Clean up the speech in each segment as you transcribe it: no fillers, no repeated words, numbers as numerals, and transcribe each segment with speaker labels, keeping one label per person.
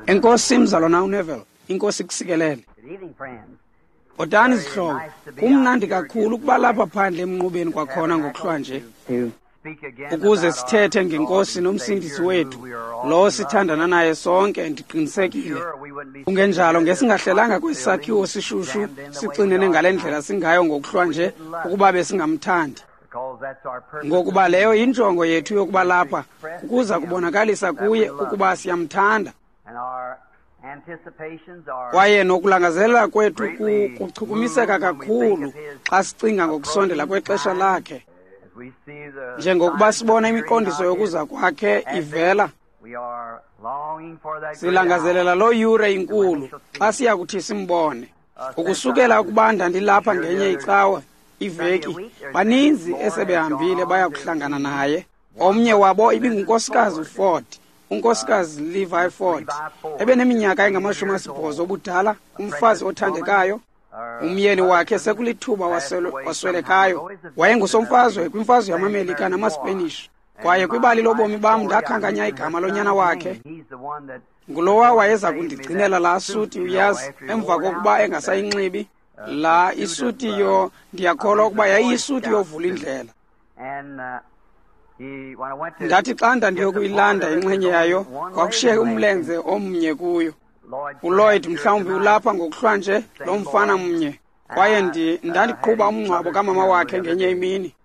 Speaker 1: Enkosi mzalwana uNeville, inkosi kusikelele. Bhotani zihlobo, kumnandi kakhulu ukuba lapha phandle emnqubeni kwakhona ngokuhlwa nje, ukuze sithethe ngenkosi nomsindisi wethu, lo sithandana naye sonke, ndiqinisekile. Kungenjalo ngesingahlelanga kwesi sakhiwo sishushu sixinene ngale ndlela singayo ngokuhlwa nje ukuba besingamthandi. Ngokuba leyo yinjongo yethu yokuba lapha, ukuza kubonakalisa kuye ukuba siyamthanda. Kwaye nokulangazelela kwethu kuchukumiseka kakhulu xa sicinga ngokusondela kwexesha lakhe. Njengokuba sibona imiqondiso yokuza kwakhe ivela, silangazelela loo yure inkulu xa siya kuthi simbone. Ukusukela ukuba ndandilapha ngenye icawa iveki, baninzi esebehambile baya kuhlangana naye. Omnye wabo ibingunkosikazi uFord, unkosikazi Levi Ford, ebeneminyaka engama-80 obudala, umfazi othandekayo. Umyeni wakhe sekulithuba waswelekayo. Wayengusomfazwe kwimfazwe yamaMelika namaSpanish. Kwaye kwibali lobomi bam ndakhankanya igama lonyana wakhe. Ngulowa wayeza kundigcinela laa suti, uyazi, emva kokuba engasayinxibi. La isuti yo, ndiyakholwa ukuba yayiyisuti yovula indlela. Ndathi xa ndandiyokuyilanda inxenye yayo, kwakushiyeke umlenze omnye kuyo. uLloyd mhlawumbi ulapha ngokuhlwa nje, lo mfana mnye. Kwaye ndandiqhuba umngcwabo kamama wakhe ngenye imini.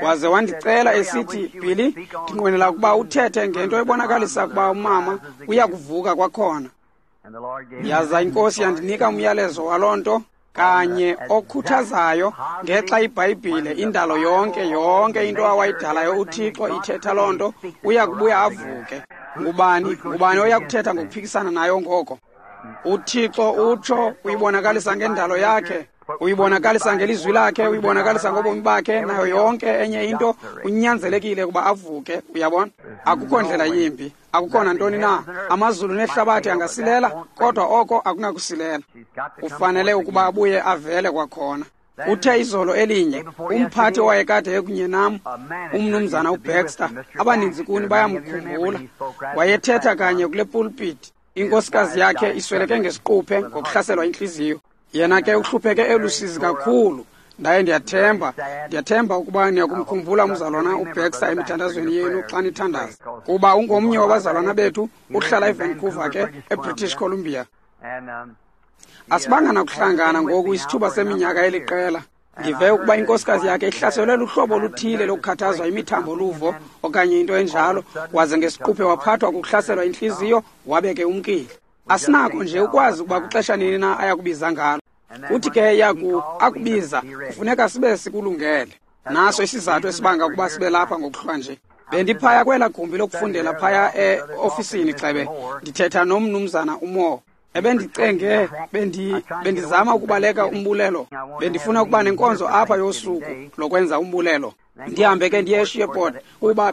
Speaker 1: Waze wandicela esithi, Billy, ndinqwenela ukuba uthethe ngento ebonakalisa ukuba umama uyakuvuka kwakhona. Yaza inkosi yandinika umyalezo waloo nto kanye okhuthazayo ngexa iBhayibhile, indalo yonke, yonke into awayidalayo uThixo ithetha loo nto, uya kubuya avuke. Ngubani oya kuthetha ngokuphikisana nayo ngoko? uThixo utsho uyibonakalisa ngendalo yakhe, uyibonakalisa ngelizwi lakhe, uyibonakalisa ngobomi bakhe, nayo yonke enye into unyanzelekile ukuba avuke. Uyabona? Akukho ndlela yimbi, akukho nantoni na. Amazulu nehlabathi angasilela, kodwa oko akunakusilela. Ufanele ukuba abuye avele kwakhona. Uthe izolo elinye, umphathi owayekade ekunye nam, umnumzana uBaxter, abaninzi kuni bayamkhumbula, wayethetha kanye kule pulpit. Inkosikazi yakhe isweleke ngesiquphe ngokuhlaselwa intliziyo. Yena ke uhlupheke elusizi kakhulu. Ndaye ndiyathemba ukuba niyakumkhumbula umzalwana uBaxter emithandazweni yenu xa nithandaza, kuba ungomnye wabazalwana bethu, uhlala eVancouver ke, eBritish Columbia. Asibanga nakuhlangana ngoku isithuba seminyaka eliqela. Ndive ukuba inkosikazi yakhe ihlaselwe luhlobo oluthile lokukhathazwa imithambo luvo okanye into enjalo, waze ngesiquphe waphathwa kukuhlaselwa intliziyo, wabe ke umkile. Asinako nje ukwazi ukuba kuxesha nini na ayakubiza ngalo. Uthi ke yaku akubiza, kufuneka sibe sikulungele. Naso isizathu esibanga ukuba sibe lapha ngokuhlwa nje. Bendiphaya kwela gumbi lokufundela phaya eofisini gxebe, ndithetha nomnumzana uMoore. Ebendicenge, bendizama ukubaleka umbulelo. Bendifuna ukuba nenkonzo apha yosuku lokwenza umbulelo. Ndihambe ke ndiye eSheport kuba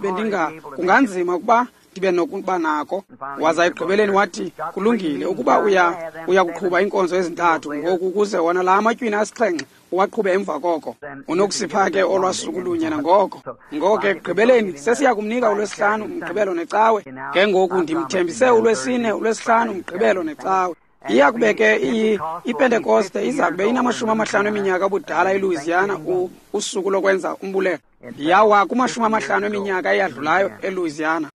Speaker 1: kunganzima ukuba ndibe nokuba nako. Waza ekugqibeleni wathi, kulungile ukuba uya kuqhuba iinkonzo ezintathu ngoku ukuze wona la matywina 7 uwaqhube emva koko. Unokusipha ke olwasuku lunye nangoko. Ngoko ke ekugqibeleni sesiya kumnika uLwesihlanu, uMgqibelo neCawe. Ke ngoku ndimthembise uLwesine, uLwesihlanu, uMgqibelo neCawe. Iya kube ke iPentekoste iza kube ina-50 eminyaka obudala eLouisiana, usuku lokwenza umbulelo. Yawa kuma-50 eminyaka eyadlulayo eLouisiana.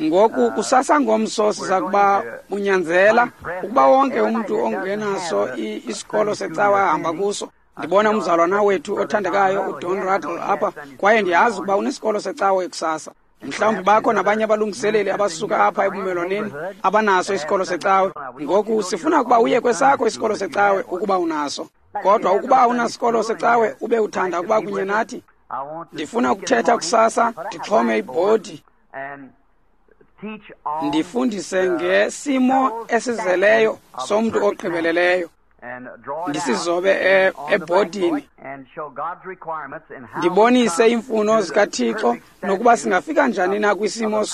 Speaker 1: Ngoku kusasa ngomso siza kuba bunyanzela ukuba wonke umntu ongenaso isikolo secawa ahamba kuso. Ndibona umzalwana wethu othandekayo uDon Ruddle apha, kwaye ndiyazi ukuba unesikolo secawa ekusasa. Mhlawumbi bakho nabanye abalungiseleli abasuka apha ebumelwaneni abanaso isikolo secawe. Ngoku sifuna ukuba uye kwesakho isikolo secawe ukuba unaso. Kodwa ukuba awunasikolo secawe ube uthanda ukuba kunye nathi, ndifuna ukuthetha kusasa, ndixhome ibhodi, ndifundise ngesimo esizeleyo somntu ogqibeleleyo, ndisizobe ebhodini, ndibonise iimfuno zikaThixo nokuba singafika njani na kwisimo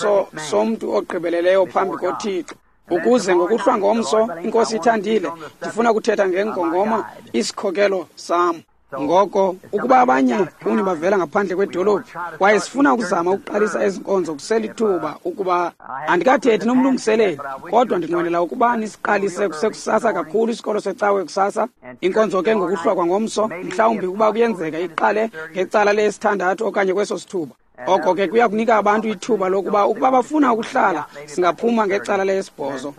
Speaker 1: somntu ogqibeleleyo phambi koThixo. Ukuze ngokuhlwa ngomso, inkosi ithandile, ndifuna ukuthetha ngengongoma isikhokelo sam. Ngoko ukuba abanye kuni bavela ngaphandle kwedolophu, kwaye sifuna ukuzama ukuqalisa ezi nkonzo kuselithuba, ukuba andikathethi nomlungiseleli, kodwa ndinqwenela ukuba nisiqalise kusekusasa kakhulu isikolo secawe kusasa, inkonzo ke ngokuhlwa kwangomso, mhlawumbi ukuba kuyenzeka iqale ngecala lesithandathu okanye kweso sithuba. Oko ke kuya kunika abantu ithuba lokuba ukuba bafuna ukuhlala, singaphuma ngecala lesibhozo.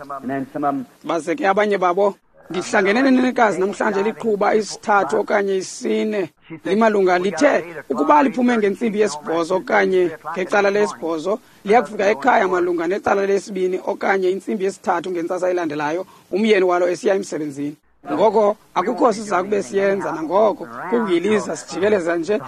Speaker 1: Baze ke abanye babo, ndihlangene nenenekazi namhlanje liqhuba isithathu okanye isine limalunga, lithe ukuba liphume ngentsimbi yesibhozo okanye ngecala lesibhozo, liyakufika ekhaya malunga necala lesibini okanye intsimbi yesithathu ngentsasa elandelayo, umyeni walo esiya emsebenzini. Ngoko akukho siza kube siyenza nangoko kukuyiliza sijikeleza nje.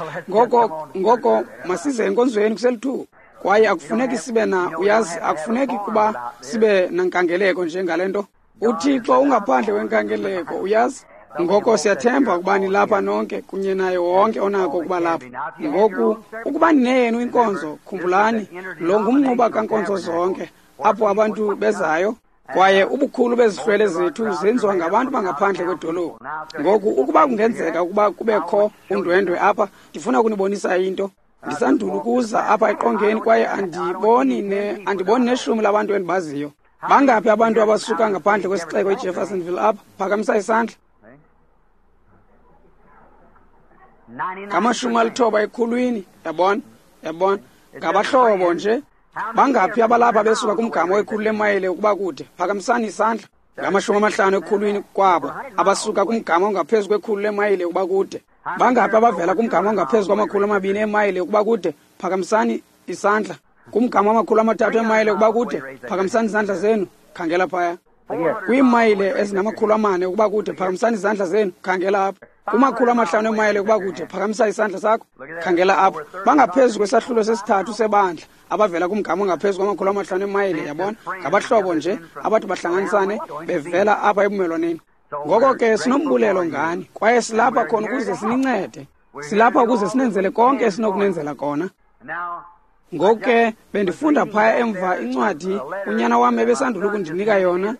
Speaker 1: Ngoko masize enkonzweni kuselithuba. Kwaye akufuneki sibe na, uyazi, akufuneki kuba sibe nankangeleko nje ngale nto. UThixo ungaphandle wenkangeleko, uyazi. Ngoko siyathemba ukuba nilapha nonke kunye naye wonke onako ukuba lapha. Ngoku ukuba nineyenu inkonzo, khumbulani, lo ngumnquba kankonzo zonke, apho abantu bezayo. Kwaye ubukhulu bezihlwele zethu zenziwa ngabantu bangaphandle kwedolophu. Ngoku ukuba kungenzeka ukuba kubekho undwendwe apha, ndifuna ukunibonisa into. Ndisandula ukuza apha eqongeni kwaye andiboni neshumi labantu endibaziyo. Bangaphi abantu abasuka ngaphandle kwesixeko iJeffersonville apha? Phakamisa isandla. 99 ekhulwini, yabona, yabona. Ngabahlobo nje. Bangaphi abalapha besuka kumgama wekhulu lemayile ukuba kude? Phakamisani isandla. 50 ekhulwini kwabo abasuka kumgama ongaphezu kwekhulu lemayile ukuba kude. Bangaphi abavela kumgama ongaphezu kwama-200 emayile ukuba kude? Phakamisani isandla. Kumgama wama-300 emayile ukuba kude, phakamisani izandla zenu. Khangela phaya. Kwiimayile ezingama-400 ukuba kude, phakamisani izandla zenu. Khangela apha. Kuma-500 emayile ukuba kude, phakamisa isandla sakho. Khangela apha. Bangaphezu kwesahlulo sesithathu sebandla abavela kumgama ongaphezu kwama-500 emayile, yabona. Ngabahlobo nje abathi bahlanganisane bevela apha ebumelwaneni. Ngoko ke sinombulelo ngani, kwaye silapha khona ukuze sinincede. Silapha ukuze sinenzele konke esinokunenzela kona. Ngoku ke bendifunda phaya emva incwadi unyana wam ebesandula ukundinika yona.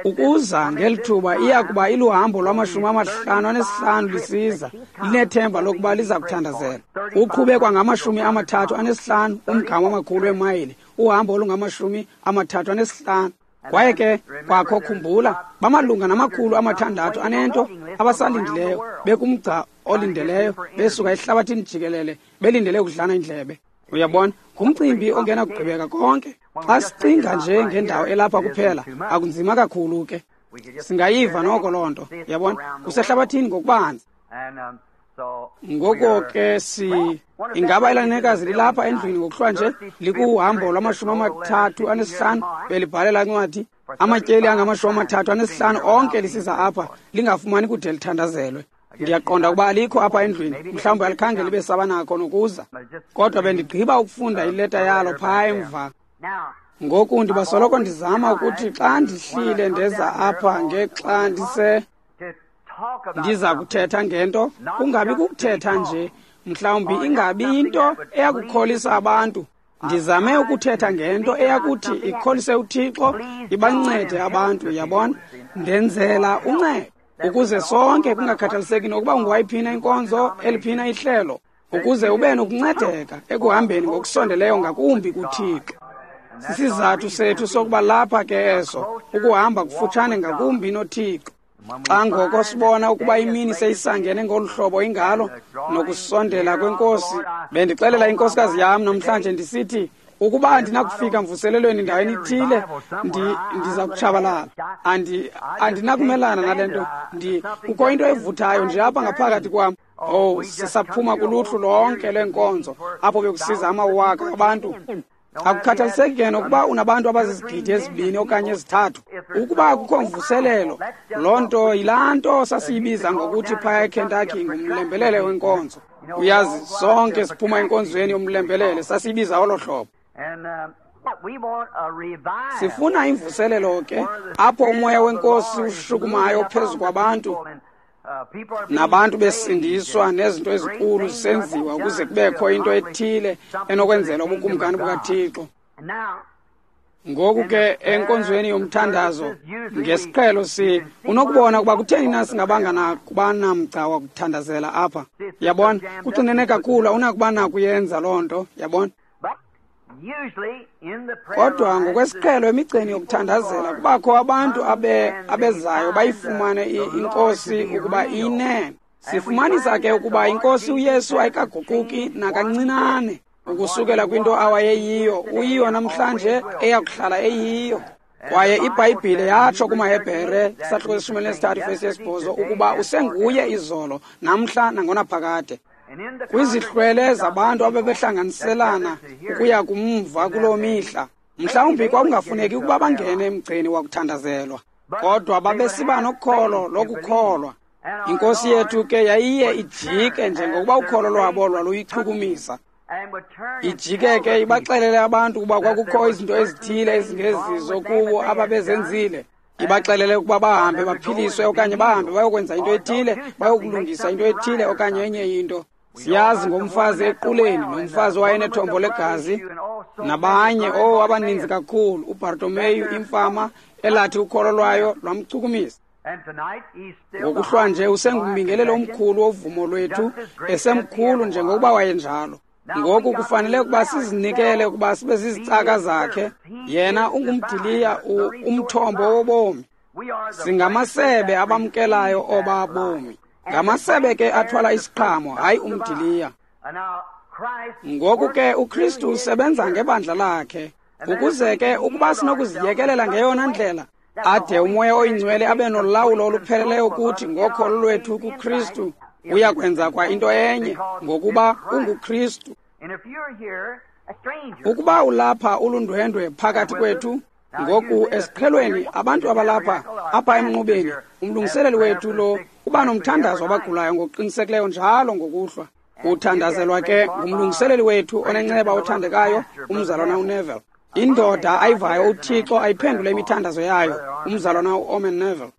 Speaker 1: Ukuza ngeli thuba iya kuba iluhambo lwama-55 lisiza, linethemba lokuba liza kuthandazela. Uqhube kwangama-35 umgama wamakhulu emayile, uhambo olungama-35. Kwaye ke kwakho khumbula, bamalunga nama-600 anento abasalindileyo, bekumgca olindeleyo, besuka ehlabathini jikelele, belindele ukudlana indlebe. Uyabona, ngumcimbi ongena kugqibeka konke. Xa sicinga nje ngendawo elapha kuphela, akunzima kakhulu ke. Singayiva noko loo nto, uyabona, kusehlabathini ngokubanzi. Ngoko ke ingaba elanekazi lilapha endlwini ngokuhlwa nje, likuhambo lwama-35, belibhalela incwadi, amatyeli angama-35 onke lisiza apha, lingafumani kude lithandazelwe. Ndiyaqonda ukuba alikho apha endlwini, mhlawumbi alikhange libe sabanakho nokuza. Kodwa bendigqiba ukufunda ileta yalo phaa emva. Ngoku ndibasoloko ndizama ukuthi xa ndihlile ndeza apha ngexa ndiza kuthetha ngento, kungabi kukuthetha nje, mhlawumbi ingabi into eyakukholisa abantu. Ndizame ukuthetha ngento eyakuthi ikholise uThixo, ibancede abantu, yabona. Ndenzela uncedo ukuze sonke, kungakhathaliseki nokuba ungowayiphina inkonzo, eliphina ihlelo, ukuze ube nokuncedeka ekuhambeni ngokusondeleyo ngakumbi kuThixo. Sisizathu sethu sokuba lapha ke eso, ukuhamba kufutshane ngakumbi noThixo. Xa ngoko sibona ukuba imini seyisangene ngolu hlobo ingalo nokusondela kwenkosi, bendixelela inkosikazi yam namhlanje ndisithi, ukuba andinakufika mvuselelweni ndaweni ithile, ndiza kutshabalala. Andinakumelana nale nto. Kukho into evuthayo nje apha ngaphakathi kwam. Oh, sisaphuma kuluhlu lonke leenkonzo apho bekusiza amawaka abantu. Akukhathaliseki ke nokuba unabantu abazizigidi 2 okanye 3. Ukuba akukho mvuselelo, loo nto yilaa nto sasiyibiza ngokuthi phaya eKentucky ngumlembelele wenkonzo. Uyazi, sonke siphuma enkonzweni yomlembelele, sasiyibiza olo hlobo. Sifuna imvuselelo ke, apho umoya wenkosi ushukumayo phezu kwabantu, nabantu besindiswa nezinto ezinkulu zisenziwa ukuze kubekho into ethile enokwenzela ubukumkani bukaThixo. Ngoku ke enkonzweni yomthandazo ngesiqhelo si unokubona ukuba kutheni na singabanga nakuba namgca wakuthandazela apha. Yabona, kuxinene kakhulu, awunakuba nakuyenza loo nto, yabona. Kodwa ngokwesiqhelo emigceni yokuthandazela kubakho abantu abezayo bayifumane inkosi ukuba iyinene. Sifumanisa ke ukuba inkosi uYesu ayikaguquki nakancinane ukusukela kwinto awayeyiyo, uyiyo namhlanje eyakuhlala eyiyo. Kwaye iBhayibhile yatsho kumaHebhere isahluko 13 vesi 8 ukuba usenguye izolo, namhla nangonaphakade. Kwizihlwele zabantu abebehlanganiselana ukuya kumva kuloo mihla, mhlawumbi kwakungafuneki ukuba bangene emgceni wakuthandazelwa, kodwa babesiba nokholo lokukholwa. Inkosi yethu ke yayiye ijike njengokuba ukholo lwabo lwaluyichukumisa. Ijike ke ibaxelele abantu ukuba kwakukho izinto ezithile ezingezizo kubo ababezenzile. Ibaxelele ukuba bahambe baphiliswe okanye bahambe bayokwenza into ethile, bayokulungisa into ethile okanye enye into. Siyazi ngomfazi equleni, nomfazi owayenethombo legazi, nabanye abaninzi kakhulu, uBartomeyu imfama elathi ukholo lwayo lwamchukumisa. Ngokuhlwa nje usengumbingelelo omkhulu wovumo lwethu, esemkhulu njengokuba wayenjalo. Ngoku kufanele ukuba sizinikele ukuba sibe zizicaka zakhe. Yena ungumdiliya, umthombo wobomi. Singamasebe abamkelayo oba bomi. Ngamasebe ke athwala isiqhamo, hayi umdiliya. Ngoku ke uKristu usebenza ngebandla lakhe, ukuze ke ukuba sinokuziyekelela ngeyona ndlela, ade uMoya oyiNgcwele abe nolawulo olupheleleyo kuthi ngokholo lwethu kuKristu. Uyakwenza kwa into enye ngokuba unguKristu. Ukuba ulapha ulundwendwe phakathi kwethu, ngoku esiqhelweni abantu abalapha apha emnqubeni, umlungiseleli wethu lo uba nomthandazo wabagulayo ngokuqinisekileyo njalo ngokuhlwa. Uthandazelwa ke ngumlungiseleli wethu onenceba othandekayo, umzalwana uNeville. Indoda ayivayo uThixo ayiphendule imithandazo yayo, umzalwana uOmen Neville,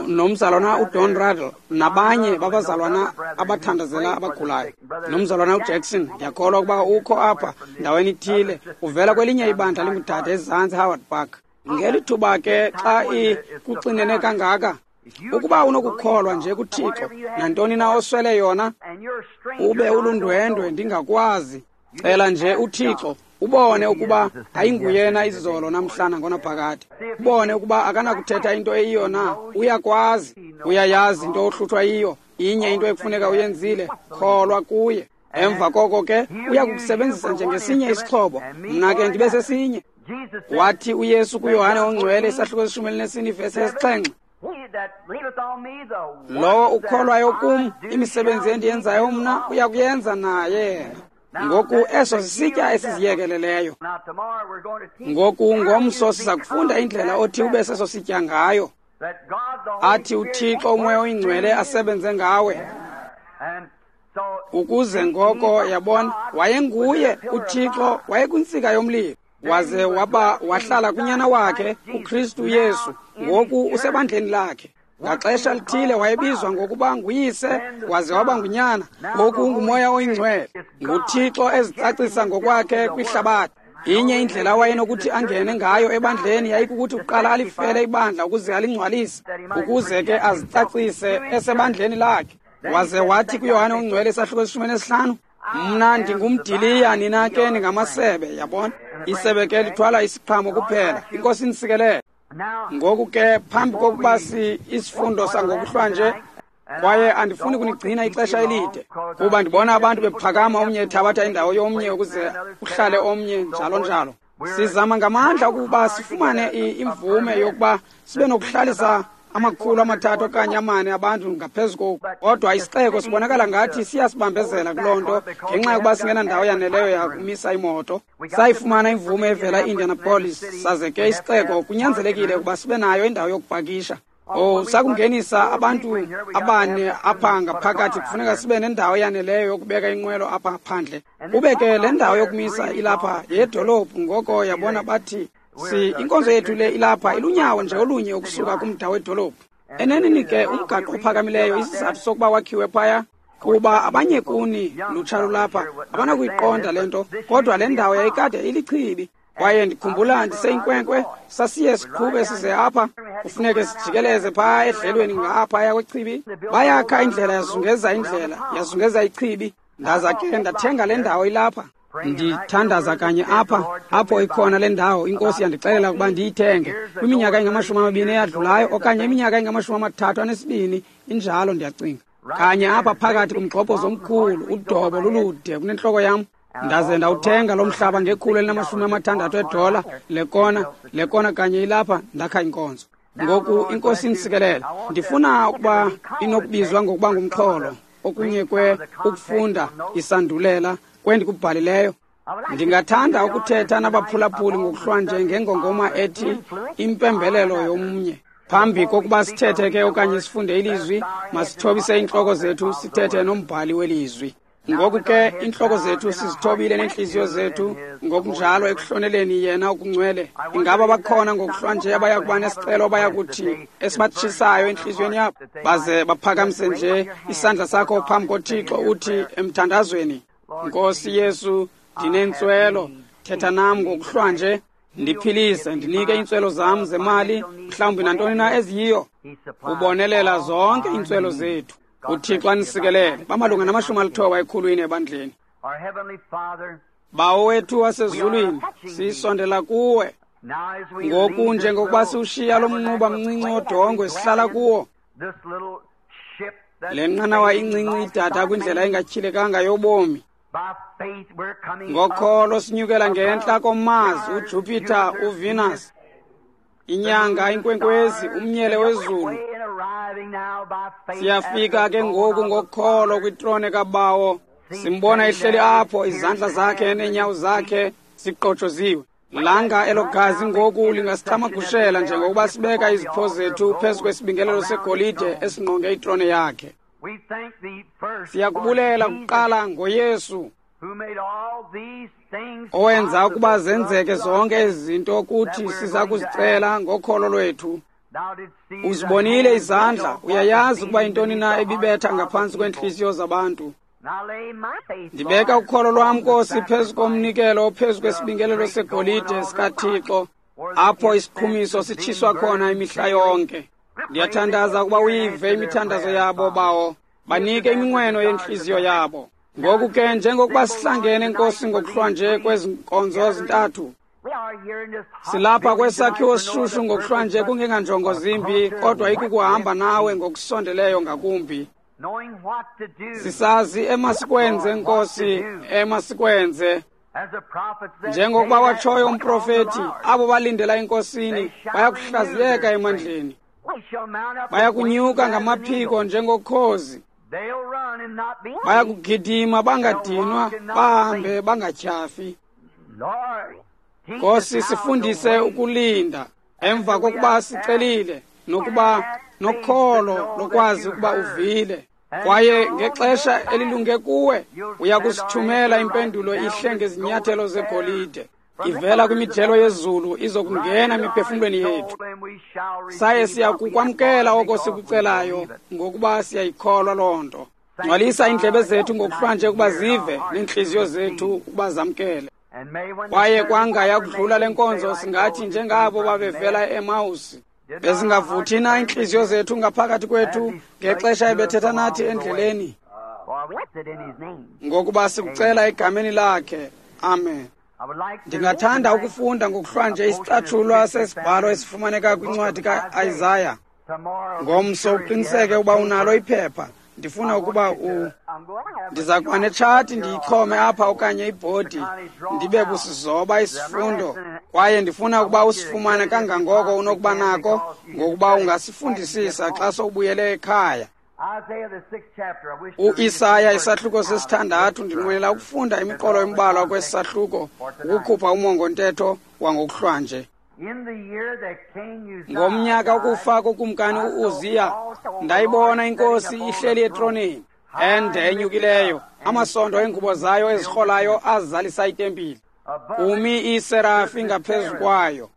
Speaker 1: nomzalwana uDon Ruddle, nabanye babazalwana abathandazela abagulayo, nomzalwana uJackson. Ndiyakholwa ukuba ukho apha ndaweni ithile, uvela kwelinye ibandla lingudade ezantsi Howard Park. Ngeli thuba ke xa kuxinene kangaka, ukuba unokukholwa nje kuThixo, nantoni na oswele yona, ube ulundwendwe ndingakwazi, cela nje uThixo ubone ukuba ayinguyena izolo namhla nangonaphakade. Ubone ukuba akanakuthetha into eyiyo na, uyakwazi, uyayazi into ohluthwa yiyo, inye into ekufuneka uyenzile, kholwa kuye. Emva koko ke uyakukusebenzisa njengesinye isixhobo, mna ke ndibe sesinye. Wathi uYesu kuYohane oNgcwele isahluko 14 vesi 7, lowo ukholwayo kum, imisebenzi endiyenzayo mna uyakuyenza naye. Ngoku eso sisitya esiziyekeleleyo. Ngoku ngomso siza kufunda indlela othi ube seso sitya ngayo, athi uThixo uMoya oyiNgcwele asebenze ngawe, ukuze ngoko yabona wayenguye uThixo, wayekwintsika yomlilo, waze wahlala kunyana wakhe uKristu Yesu. Ngoku usebandleni lakhe. Ngaxesha lithile wayebizwa ngokuba nguyise, waze waba ngunyana. Ngoku unguMoya oyiNgcwele, nguThixo ezicacisa ngokwakhe kwihlabathi. Inye indlela awayenokuthi angene ngayo ebandleni yayikukuthi kuqala alifele ibandla ukuze alingcwalise, ukuze ke azicacise esebandleni lakhe. Waze wathi kuYohane oNgcwele isahluko 15, mna ndingumdiliya, nina ke ningamasebe. Yabona, isebe ke lithwala isiqhamo kuphela. Inkosi inisikelele. Ngoku ke phambi kokuba isifundo sangokuhlwa nje, kwaye andifuni kunigcina ixesha elide, kuba ndibona abantu bephakama, omnye ethabatha indawo yomnye ukuze uhlale omnye, njalo njalo. Sizama ngamandla ukuba sifumane imvume yokuba sibe nokuhlalisa 300 okanye 4 abantu ngaphezu koku, kodwa isixeko sibonakala ngathi siyasibambezela kuloo nto ngenxa yokuba singenandawo yaneleyo yakumisa imoto. Sayifumana imvume evela e-Indianapolis, saze ke isixeko kunyanzelekile ukuba sibe nayo indawo yokupakisha. Sakungenisa abantu abane apha ngaphakathi, kufuneka sibe nendawo yaneleyo yokubeka inqwelo apha phandle. Kube ke le ndawo yokumisa ilapha yedolophu. Ngoko yabona bathi inkonzo yethu le ilapha ilunyawo nje olunye ukusuka kumda wedolophu. Eneneni ke umgaqo ophakamileyo, isizathu sokuba wakhiwe phaya, kuba abanye kuni lutsha lulapha abanakuyiqonda le nto, kodwa le ndawo yayikade ilichibi. Kwaye ndikhumbula ndiseyinkwenkwe, sasiye siqhube size apha, kufuneke sijikeleze phaa edlelweni ngaphaya kwechibi. Bayakha indlela yazungeza indlela, yazungeza ichibi. Ndaza ke ndathenga le ndawo ilapha. Ndithandaza kanye apha, apho ikhona le ndawo. INkosi yandixelela ukuba ndiyithenge kwiminyaka engama-20 eyadlulayo, okanye iminyaka engama-32, injalo ndiyacinga. Kanye apha phakathi kumgxobhozo omkhulu, udobo lulude kunentloko yam. Ndaze ndawuthenga lo mhlaba nge$160, le kona kanye ilapha, ndakha inkonzo. Ngoku iNkosi inisikelele. Ndifuna ukuba inokubizwa ngokuba ngumxholo, okunye kwe ukufunda isandulela kwendikubhalileyo. Ndingathanda ukuthetha nabaphulaphuli ngokuhlwanje ngengongoma ethi impembelelo yomnye. Phambi kokuba sithethe ke okanye sifunde ilizwi, masithobise iintloko zethu sithethe nombhali welizwi. Ngoku ke iintloko zethu sizithobile neentliziyo zethu ngokunjalo ekuhloneleni yena okungcwele. Ingaba bakhona ngokuhlwanje abayakuba nesicelo abayakuthi esibatshisayo entliziyweni yabo, baze baphakamise nje isandla sakho phambi koThixo uthi emthandazweni, Nkosi Yesu, ndinentswelo, thetha nam ngokuhlwanje, ndiphilise, ndinike iintswelo zam zemali, mhlawumbi nantoni na eziyiyo. Ubonelela zonke iintswelo zethu. UThixo anisikelele. Bamalunga nama-90 ekhulwini ebandleni. Bawo wethu wasezulwini, sisondela kuwe ngoku njengokuba siwushiya lo mnquba mncinci wodongwe sihlala kuwo. Le nqanawa incinci idada kwindlela engatyhilekanga yobomi. Ngokholo sinyukela ngentla koMars, uJupiter, uVenus, inyanga, inkwenkwezi, umnyele wezulu. Siyafika ke ngoku ngokholo kwitrone kaBawo. Simbona ehleli apho, izandla zakhe neenyawo zakhe ziqotshoziwe. Langa elo gazi ngoku lingasithamagushela njengokuba sibeka izipho zethu phezu kwesibingelelo segolide esingqonge itrone yakhe. Siyakubulela kuqala ngoYesu, owenza ukuba zenzeke zonke ezi zinto kuthi siza kuzicela ngokholo lwethu. Uzibonile izandla, uyayazi ukuba intoni na ebibetha ngaphantsi kweentliziyo zabantu. Ndibeka ukholo lwam, Nkosi, phezu komnikelo phezu kwesibingelelo segolide sikaThixo, apho isiqhumiso sitshiswa khona imihla yonke. Ndiyathandaza ukuba uyive imithandazo yabo, Bawo. Banike iminqweno yentliziyo yabo. Ngoku ke njengokuba sihlangene, Nkosi, ngokuhlwanje kwezi nkonzo zintathu, silapha kwesakhiwo sishushu ngokuhlwanje kungenganjongo zimbi, kodwa ikukuhamba nawe ngokusondeleyo ngakumbi. Sisazi emasikwenze, Nkosi, emasikwenze. Njengokuba watshoyo umprofeti, abo balindela eNkosini bayakuhlaziyeka emandleni, bayakunyuka ngamaphiko njengokhozi, bayakugidima bangadinwa, bahambe bangatyhafi. Nkosi, sifundise ukulinda emva kokuba sicelile, nokuba nokholo lokwazi ukuba uvile. Kwaye ngexesha elilunge kuwe uyakusithumela impendulo ihle ngezinyathelo zegolide, ivela kwimijelo yezulu izokungena emiphefumlweni yethu. Saye siyakukwamkela oko sikucelayo, ngokuba siyayikholwa loo nto. Ngcwalisa iindlebe zethu ngokuhlwanje ukuba zive, neentliziyo zethu ukuba zamkele. Kwaye kwanga yakudlula le nkonzo singathi njengabo babevela eMawusi, bezingavuthi na iintliziyo zethu ngaphakathi kwethu ngexesha ebethetha nathi endleleni, ngokuba sikucela egameni lakhe. Amen. Ndingathanda ukufunda ngokuhlwanje isicatshulwa sesibhalo esifumaneka kwincwadi ka-Isaya. Ngomso uqiniseke ukuba unalo iphepha. Ndifuna ukuba ndiza kuba netshati ndiyixhome apha okanye ibhodi, ndibe kusizoba isifundo, kwaye ndifuna ukuba usifumane kangangoko unokuba nako, ngokuba ungasifundisisa xa sowubuyele ekhaya. UIsaya isahluko 6, ndinqwenela ukufunda imiqolo embalwa kwesi sahluko ukukhupha umongo-ntetho wangokuhlwanje. Ngomnyaka wokufa kokumkani u-Uziya, ndayibona iNkosi ihleli etroneni ende enyukileyo, amasondo engubo zayo ezirholayo azalisa itempile. Kumi iiserafi ngaphezu kwayo,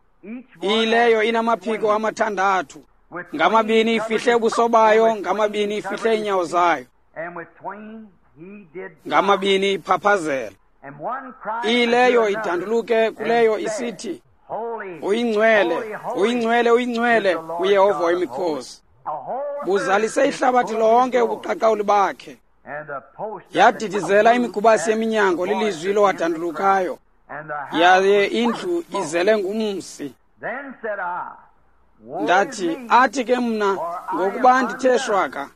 Speaker 1: ileyo inamaphiko 6, ngamabini ifihle ubuso bayo, ngamabini ifihle iinyawo zayo, ngamabini iphaphazela. Ileyo idanduluke kuleyo isithi, uyingcwele, uyingcwele, uyingcwele uYehova wemikhosi. Buzalise ihlabathi lonke ubuqaqawuli bakhe. Yadidizela imigubasi yeminyango lilizwi lowadandulukayo, yaye indlu izele ngumsi. Ndathi, athi ke mna, ngokuba ndithe shwaka,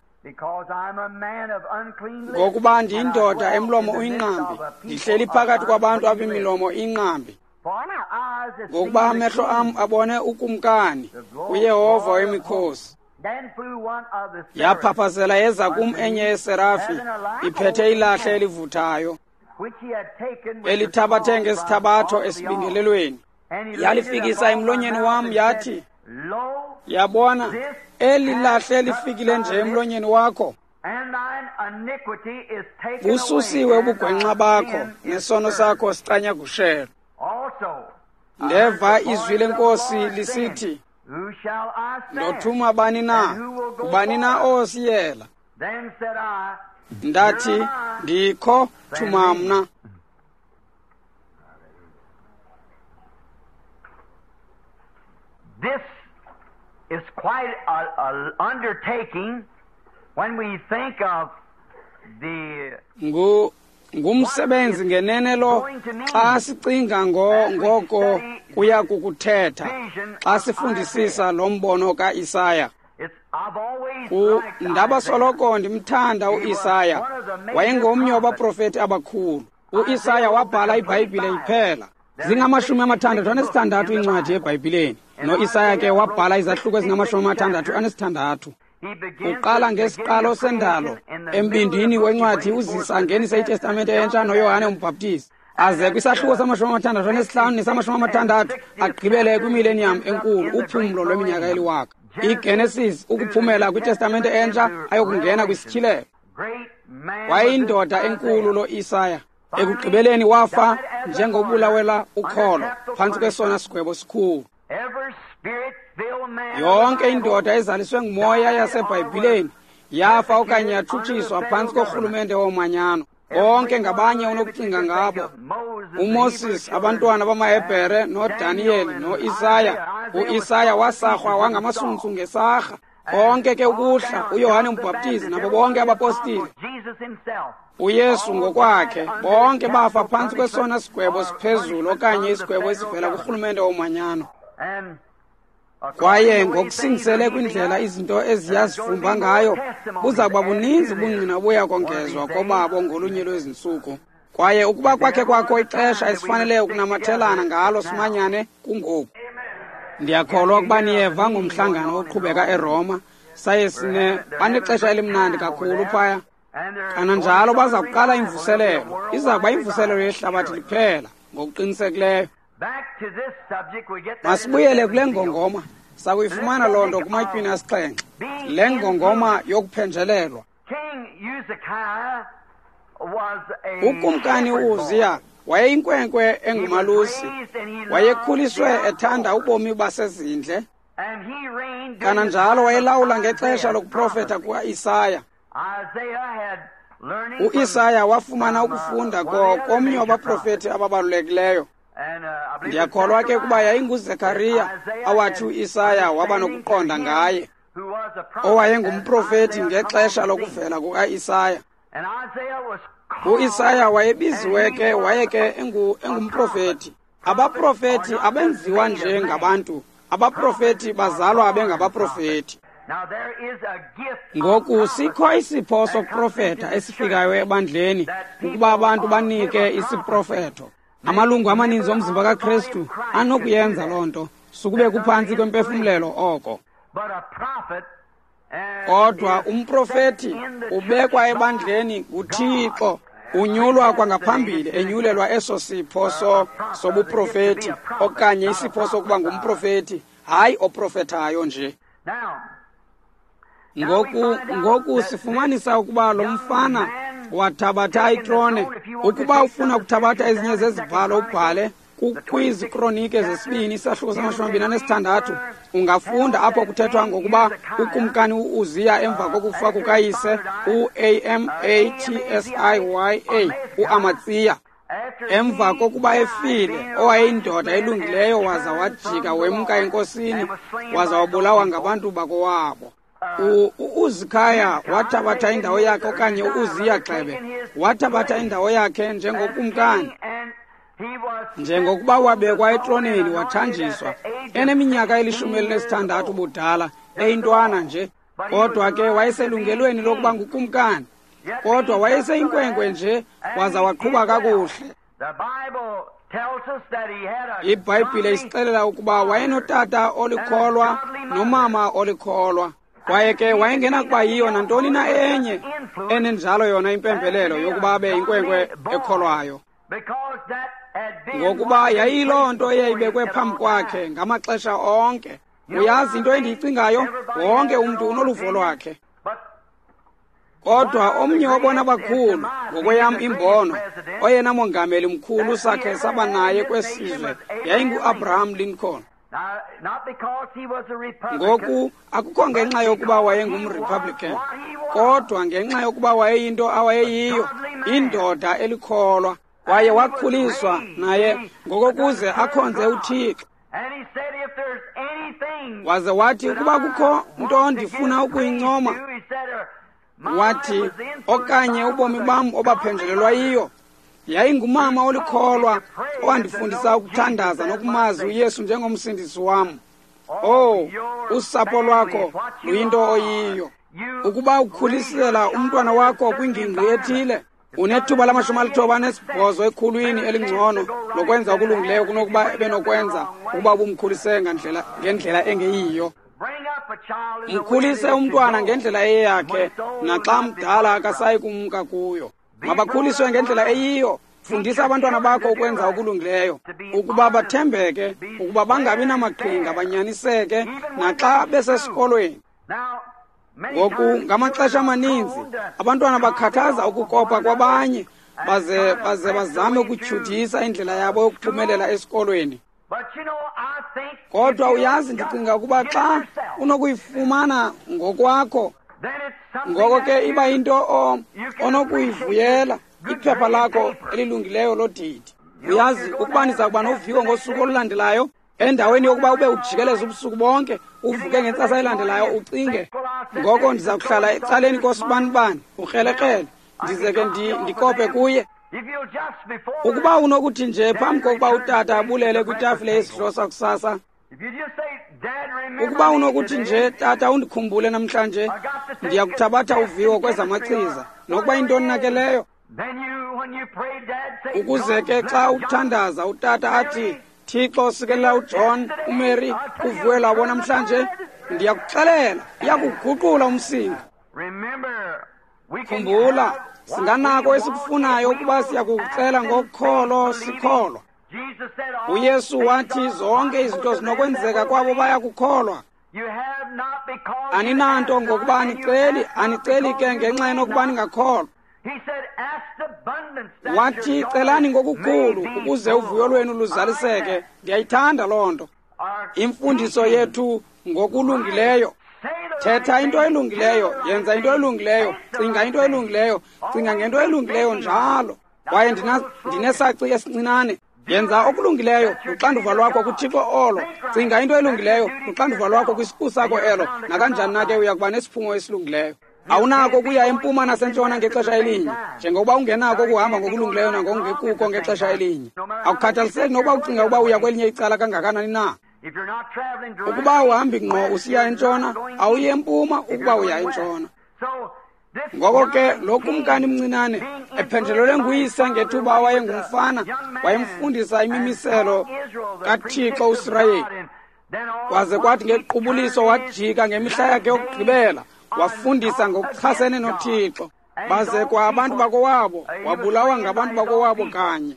Speaker 1: ngokuba ndiyindoda emlomo uyinqambi, ndihleli phakathi kwabantu abemilomo inqambi. Ngokuba amehlo am abone ukumkani, uYehova wemikhosi. Yaphaphazela yeza kum enye yeserafi, iphethe ilahle elivuthayo, elithabathe ngesithabatho esibingelelweni. Yalifikisa emlonyeni wam, yathi, yabona, eli lahle lifikile nje emlonyeni wakho. Bususiwe ubugwenxa bakho, nesono sakho sicanyagushelwe. Ndeva izwi lenkosi lisithi, ndothuma bani na? Ngubani na osiyela? Ndathi, ndikho, thuma mna.
Speaker 2: This is quite an undertaking when we think of the
Speaker 1: Ngumsebenzi ngenene lo xa sicinga ngoko kuya kukuthetha xa sifundisisa lo mbono kaIsaya. Ndabasoloko ndimthanda uIsaya, wayengomnye wabaprofeti abakhulu. UIsaya wabhala iBhayibhile iphela. Zingama-66 iincwadi eBhayibhileni. NoIsaya ke wabhala izahluko ezingama-66. Uqala ngesiqalo sendalo embindini wencwadi uzisa angenise iTestamente entsha noYohane uMbhaptizi, aze kwisahluko sama-65 nesama-60 agqibele kwimileniyam enkulu, uphumlo lweminyaka eliwaka. IGenesis ukuphumela kwiTestamente entsha ayokungena kwisityhilelo. Wayeyindoda enkulu lo Isaya. Ekugqibeleni wafa njengobulawela ukholo phantsi kwesona sigwebo sikhulu. Yonke indoda ezaliswe ngumoya yaseBhayibhileni yafa okanye yatshutshiswa phantsi korhulumente womanyano. Bonke ngabanye unokucinga ngabo, uMoses, abantwana bamaHebhere, noDaniyeli, noIsaya. UIsaya wasarhwa wangamasuntsu ngesarha. Konke ke ukuhla, uYohane uMbhaptizi nabo bonke abapostile, uYesu ngokwakhe, bonke bafa phantsi kwesona sigwebo siphezulu okanye isigwebo esivela kurhulumente womanyano. Kwaye ngokusingisele kwindlela izinto eziyazifumba ngayo, buza kuba buninzi ubungqina obuya kongezwa kobabo ngolunye lwezintsuku. Kwaye ukuba kwakhe kwakho ixesha esifanele ukunamathelana ngalo simanyane, kungoku. Ndiyakholwa ukuba niyeva ngomhlangano oqhubeka eRoma. Saye banexesha elimnandi kakhulu phaya. Kananjalo baza kuqala imvuselelo. Iza kuba imvuselelo yehlabathi liphela ngokuqinisekileyo. Masibuyele kule ngongoma. Sakuyifumana loo nto kuMatywini 7. Le ngongoma yokuphenjelelwa. Ukumkani uUziya wayeyinkwenkwe engumalusi. Wayekhuliswe ethanda ubomi basezindle. Kananjalo wayelawula ngexesha lokuprofeta kukaIsaya. UIsaya wafumana ukufunda komnye wabaprofeti ababalulekileyo. Ndiyakholwa ke ukuba yayinguZekariya awathi uIsaya waba nokuqonda ngaye, owayengumprofeti ngexesha lokuvela kukaIsaya. UIsaya wayebiziwe ke, waye ke engumprofeti. Abaprofeti abenziwa nje ngabantu, abaprofeti bazalwa bengabaprofeti. Ngoku sikho isipho sokuprofeta esifikayo ebandleni ukuba abantu banike isiprofeto. Amalungu amaninzi omzimba kaKristu anokuyenza loo nto, sukube kuphantsi kwempefumlelo oko. Kodwa umprofeti ubekwa ebandleni nguThixo, unyulwa kwangaphambili, enyulelwa eso sipho sobuprofeti okanye isipho sokuba ngumprofeti, hayi oprofethayo nje. Ngoku sifumanisa ukuba lo mfana wathabatha itrone. Ukuba ufuna ukuthabatha ezinye zezibhalo ubhale kwiziKronike zesibini isahluko sama-26, ungafunda apho kuthethwa ngokuba ukumkani uUziya emva kokufa kukayise uAmatsiya uAmatsiya. Emva kokuba efile, owayeyindoda elungileyo waza wajika wemka enkosini, waza wabulawa ngabantu bakowabo. U-Uzikhaya wathabatha indawo yakhe, okanye u-Uziya gxebe wathabatha indawo yakhe njengokumkani. Njengokuba wabekwa etroneni wathanjiswa, eneminyaka eli-16 ubudala, eyintwana nje, kodwa ke wayeselungelweni lokuba ngukumkani. Kodwa wayeseyinkwenkwe nje, waza waqhuba kakuhle. IBhayibhile isixelela ukuba wayenotata olikholwa nomama olikholwa. Kwaye ke wayengenakuba yiyo nantoni na enye enenjalo yona impembelelo yokuba abe yinkwenkwe ekholwayo, ngokuba yayiyiloo nto eyayibekwe phambi kwakhe ngamaxesha onke. Uyazi into endiyicingayo? Wonke umntu unoluvo lwakhe. Kodwa omnye wabona bakhulu, ngokweyam imbono, oyena mongameli mkhulu sakhe saba naye kwesizwe yayingu-Abraham Lincoln. Ngoku akukho ngenxa yokuba wayengumRepublican, kodwa ngenxa yokuba wayeyinto awayeyiyo, indoda elikholwa. Kwaye wakhuliswa naye ngokokuze akhonze uThixo. Waze wathi, ukuba kukho nto ndifuna ukuyincoma, wathi, okanye ubomi bam obaphenjelelwa yiyo, yayingumama olikholwa owandifundisa ukuthandaza nokumazi uYesu njengomsindisi wam. Oh, usapho lwakho luyinto oyiyo. Ukuba ukhulisela umntwana wakho kwingingqi ethile, unethuba lama-98 ekhulwini elingcono lokwenza okulungileyo kunokuba ebenokwenza ukuba ubumkhulise ngendlela engeyiyo. Mkhulise umntwana ngendlela eyeyakhe, naxa mdala akasayi kumka kuyo. Mabakhuliswe ngendlela eyiyo. Fundisa abantwana bakho ukwenza okulungileyo, ukuba bathembeke, ukuba bangabi namaqhinga, banyaniseke naxa besesikolweni. Ngoku ngamaxesha amaninzi abantwana bakhathaza ukukopa kwabanye, baze bazame ukutyhudisa indlela yabo yokuphumelela esikolweni. Kodwa uyazi, ndicinga ukuba xa unokuyifumana ngokwakho, ngoko ke iba yinto onokuyivuyela, iphepha lakho elilungileyo lodidi. Uyazi, ukuba niza kuba noviwo ngosuku olulandelayo, endaweni yokuba ube ujikeleza ubusuku bonke, uvuke ngentsasa elandelayo ucinge, ngoko ndiza kuhlala ecaleni kosibanibani, ukrelekrele, ndize ke ndikope kuye. Ukuba unokuthi nje phambi kokuba utata abulele kwitafile yesidlo sakusasa, ukuba unokuthi nje, tata, undikhumbule namhlanje, ndiyakuthabatha uviwo kwezamachiza, nokuba intoni nakeleyo. Ukuze ke xa uthandaza utata athi, Thixo sikelela uJohn, uMary, uvuyo lwabo namhlanje, ndiyakuxelela, iyakuguqula umsinga. Khumbula, singanako esikufunayo ukuba siyakukucela ngokholo sikholwa. uYesu wathi zonke izinto zinokwenzeka kwabo bayakukholwa. Aninanto ngokuba aniceli, aniceli ke ngenxa yenokuba ningakholwa. Wathi celani ngokukhulu ukuze uvuyo lwenu luzaliseke. Ndiyayithanda loo nto. Imfundiso yethu ngokulungileyo. Thetha into elungileyo, yenza into elungileyo, cinga into elungileyo, cinga ngento elungileyo njalo. Kwaye ndinesaci esincinane. Yenza okulungileyo, luxanduva lwakho kuThixo olo. Cinga into elungileyo, luxanduva lwakho kwisiqu sakho elo. Nakanjani na ke uya kuba nesiphumo esilungileyo. Awunako ukuya empuma nasentshona ngexesha elinye, njengokuba ungenako ukuhamba ngokulungileyo nangokungekuko ngexesha elinye. Akukhathaliseki nokuba ucinga ukuba uya kwelinye icala kangakanani na. Ukuba uhambi ngqo usiya entshona, awuyi empuma ukuba uya entshona. Ngoko ke lo kumkani mncinane, ephenjelelwe nguyise ngethuba awayengumfana, wayemfundisa imimiselo kaThixo uSirayeli. Kwaze kwathi ngequbuliso wajika ngemihla yakhe yokugqibela, wafundisa ngokuchasene noThixo. Baze kwa abantu bakowabo, wabulawa ngabantu bakowabo kanye.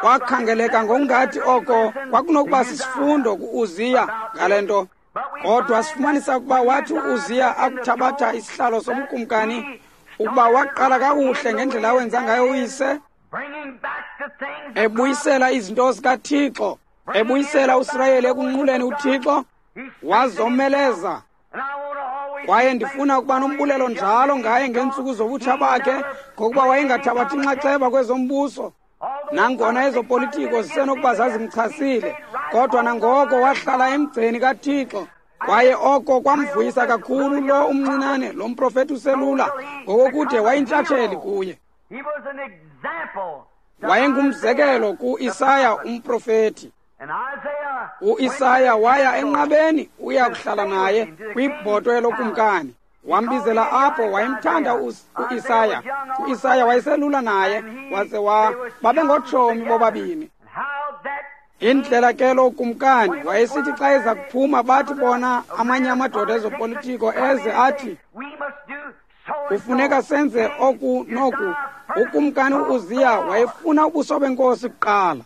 Speaker 1: Kwakhangeleka ngokungathi oko kwakunokuba sisifundo ku-Uziya ngale nto. Kodwa sifumanisa ukuba wathi u-Uziya akuthabatha isihlalo sobukumkani, ukuba waqala kakuhle ngendlela awenza ngayo uyise, ebuyisela izinto zikaThixo, ebuyisela uSirayeli ekunquleni uThixo, wazomeleza. Kwaye ndifuna ukuba nombulelo njalo ngaye ngeentsuku zobutsha bakhe, ngokuba wayengathabathi inxaxheba kwezombuso. Nangona ezopolitiko zisenokuba zazimchasile, kodwa nangoko wahlala emgceni kaThixo. Kwaye oko kwamvuyisa kakhulu lo umncinane, lo mprofeti uselula, ngokokude wayintshatsheli kuye. Wayengumzekelo ku-Isaya umprofeti. U-Isaya waya enqabeni uya kuhlala naye kwibhotwe lokumkani. Wambizela apho, wayemthanda u-Isaya. U-Isaya wayeselula naye, waze babengotshomi bobabini. Indlela ke lo kumkani wayesithi xa eza kuphuma bathi bona amanye amadoda ezopolitiko eze athi kufuneka senze oku noku. Ukumkani u-Uziya wayefuna ubuso benkosi kuqala.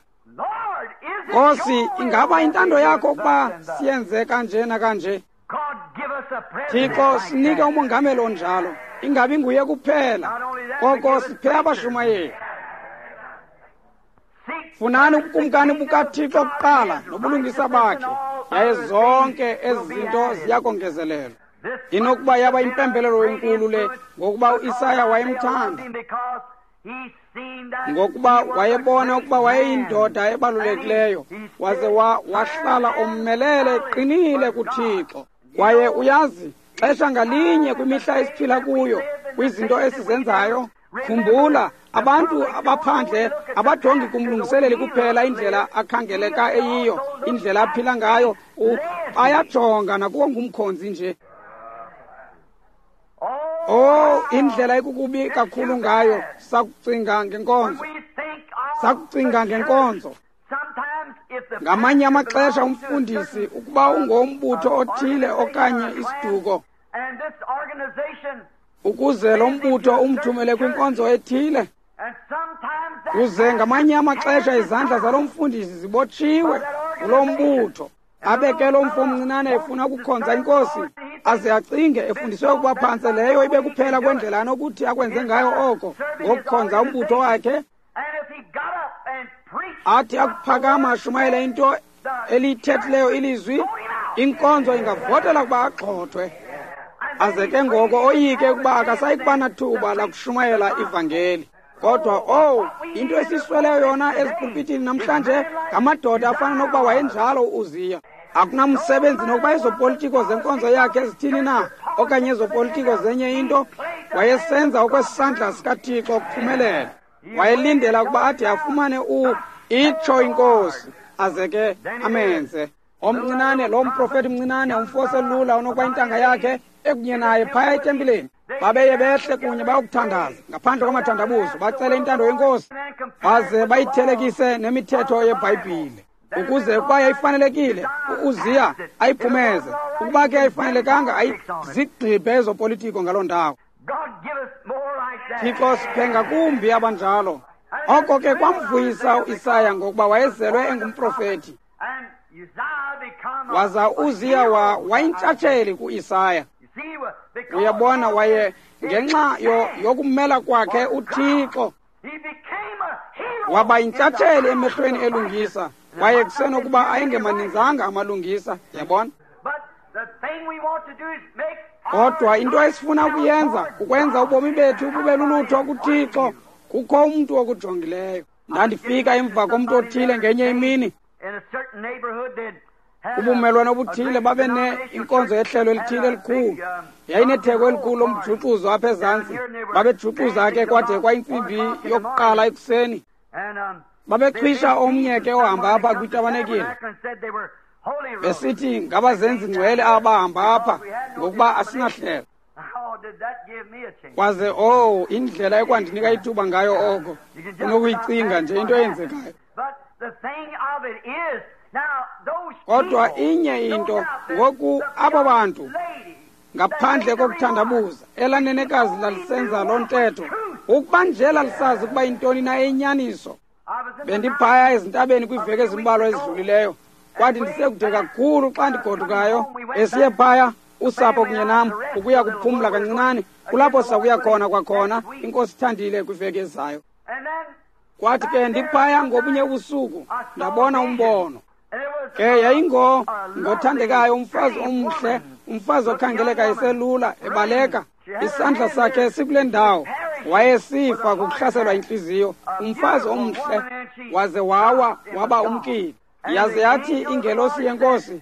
Speaker 1: Nkosi, ingaba intando yakho ukuba siyenze kanje nakanje? Thixo, sinike umongameli onjalo, ingabi nguye kuphela, koko siphe abashumayeli. Funani ubukumkani bukaThixo kuqala nobulungisa bakhe, yaye zonke ezi zinto ziyakongezelelwa. Inokuba yaba impembelelo enkulu le, ngokuba uIsaya wayemthanda, ngokuba wayebona ukuba wayeyindoda ebalulekileyo, waze wahlala ommelele eqinile kuThixo. Kwaye uyazi, xesha ngalinye kwimihla esiphila kuyo, kwizinto esizenzayo, khumbula, abantu abaphandle abajongi kumlungiseleli kuphela indlela akhangeleka eyiyo, indlela aphila ngayo, bayajonga nakuwo ngumkhonzi nje. Oh, indlela ekukubi kakhulu ngayo sakucinga ngenkonzo. Sakucinga ngenkonzo. Ngamanye amaxesha umfundisi ukuba ungombutho othile okanye isiduko, ukuze lo mbutho umthumele kwinkonzo ethile, kuze ngamanye amaxesha izandla zalo mfundisi zibotshiwe ngulo mbutho. Abe ke lo mfo omncinane efuna ukukhonza inkosi, aze acinge efundiswe ukuba phantse leyo ibe kuphela kwendlela anokuthi akwenze ngayo oko, ngokukhonza umbutho wakhe. Athi akuphakama ashumayele into eliyithethileyo ilizwi, inkonzo ingavotela ukuba agxothwe. Aze ke ngoko oyike ukuba akasayi kuba nathuba lakushumayela ivangeli. Kodwa oh, into esisweleyo yona ezipulpitini namhlanje ngamadoda afana nokuba wayenjalo u-Uziya. Akunamsebenzi nokuba ezopolitiko zenkonzo yakhe ezithini na, okanye ezopolitiko zenye into, wayesenza okwesandla sikaThixo ukuphumelela. Wayelindela ukuba ade afumane itsho inkosi, aze ke amenze. Omncinane, lo mprofeti mncinane, umfo oselula onokuba intanga yakhe ekunye naye phaya etempileni. Babeye behle kunye bayokuthandaza ngaphandle kwamathandabuzo, bacele intando yenkosi, baze bayithelekise nemithetho yeBhayibhile, ukuze ukuba yayifanelekile u-Uziya ayiphumeze, ukuba ke ayifanelekanga ayizigxibhe ezopolitiko ngaloo ndawo. Thixo, siphe ngakumbi abanjalo. Oko ke kwamvuyisa uIsaya, ngokuba wayezelwe engumprofeti. Waza uZiya wayintshatsheli kuIsaya. Uyabona, waye ngenxa yokumela kwakhe uThixo waba yintshatsheli emehlweni elungisa. Kwaye kusenokuba ayengemaninzanga amalungisa, yabona. Kodwa into esifuna ukuyenza kukwenza ubomi bethu bube lulutho kuThixo. Kukho umntu okujongileyo. Ndandifika emva komntu othile ngenye imini, ubumelwane obuthile babe inkonzo yehlelo elithile elikhulu. Yayinetheko elikhulu lomjuxuzo apha ezantsi. Babejuxuza ke kwade kwayintsimbi yokuqala ekuseni. Babexhwisha omnye ke ohamba apha kwitabanekile, besithi ngabazenzi ngcwele abahamba apha, ngokuba asinahlelo. Kwaze oh, indlela ekwandinika ithuba ngayo oko, unokuyicinga nje into eyenzekayo. Kodwa inye into, ngoku abo bantu ngaphandle kokuthandabuza, elanenekazi lalisenza loo ntetho, ukuba nje lalisazi ukuba intoni na eyinyaniso. Bendiphaya ezintabeni kwiiveki ezimbalwa ezidlulileyo, kwathi ndisekude kakhulu xa ndigodukayo, esiye phaya usapho kunye nam ukuya kuphumla kancinane, kulapho sakuya khona kwakhona, inkosi ithandile, kwiveki ezayo. Kwathi ke ndiphaya ngobunye ubusuku, ndabona umbono. Ke yayingothandekayo umfazi omhle, umfazi okhangeleka eselula, ebaleka, isandla sakhe sikule ndawo. Wayesifa kukuhlaselwa intliziyo, umfazi omhle. Waze wawa waba umkile. Yaze yathi ingelosi yenkosi,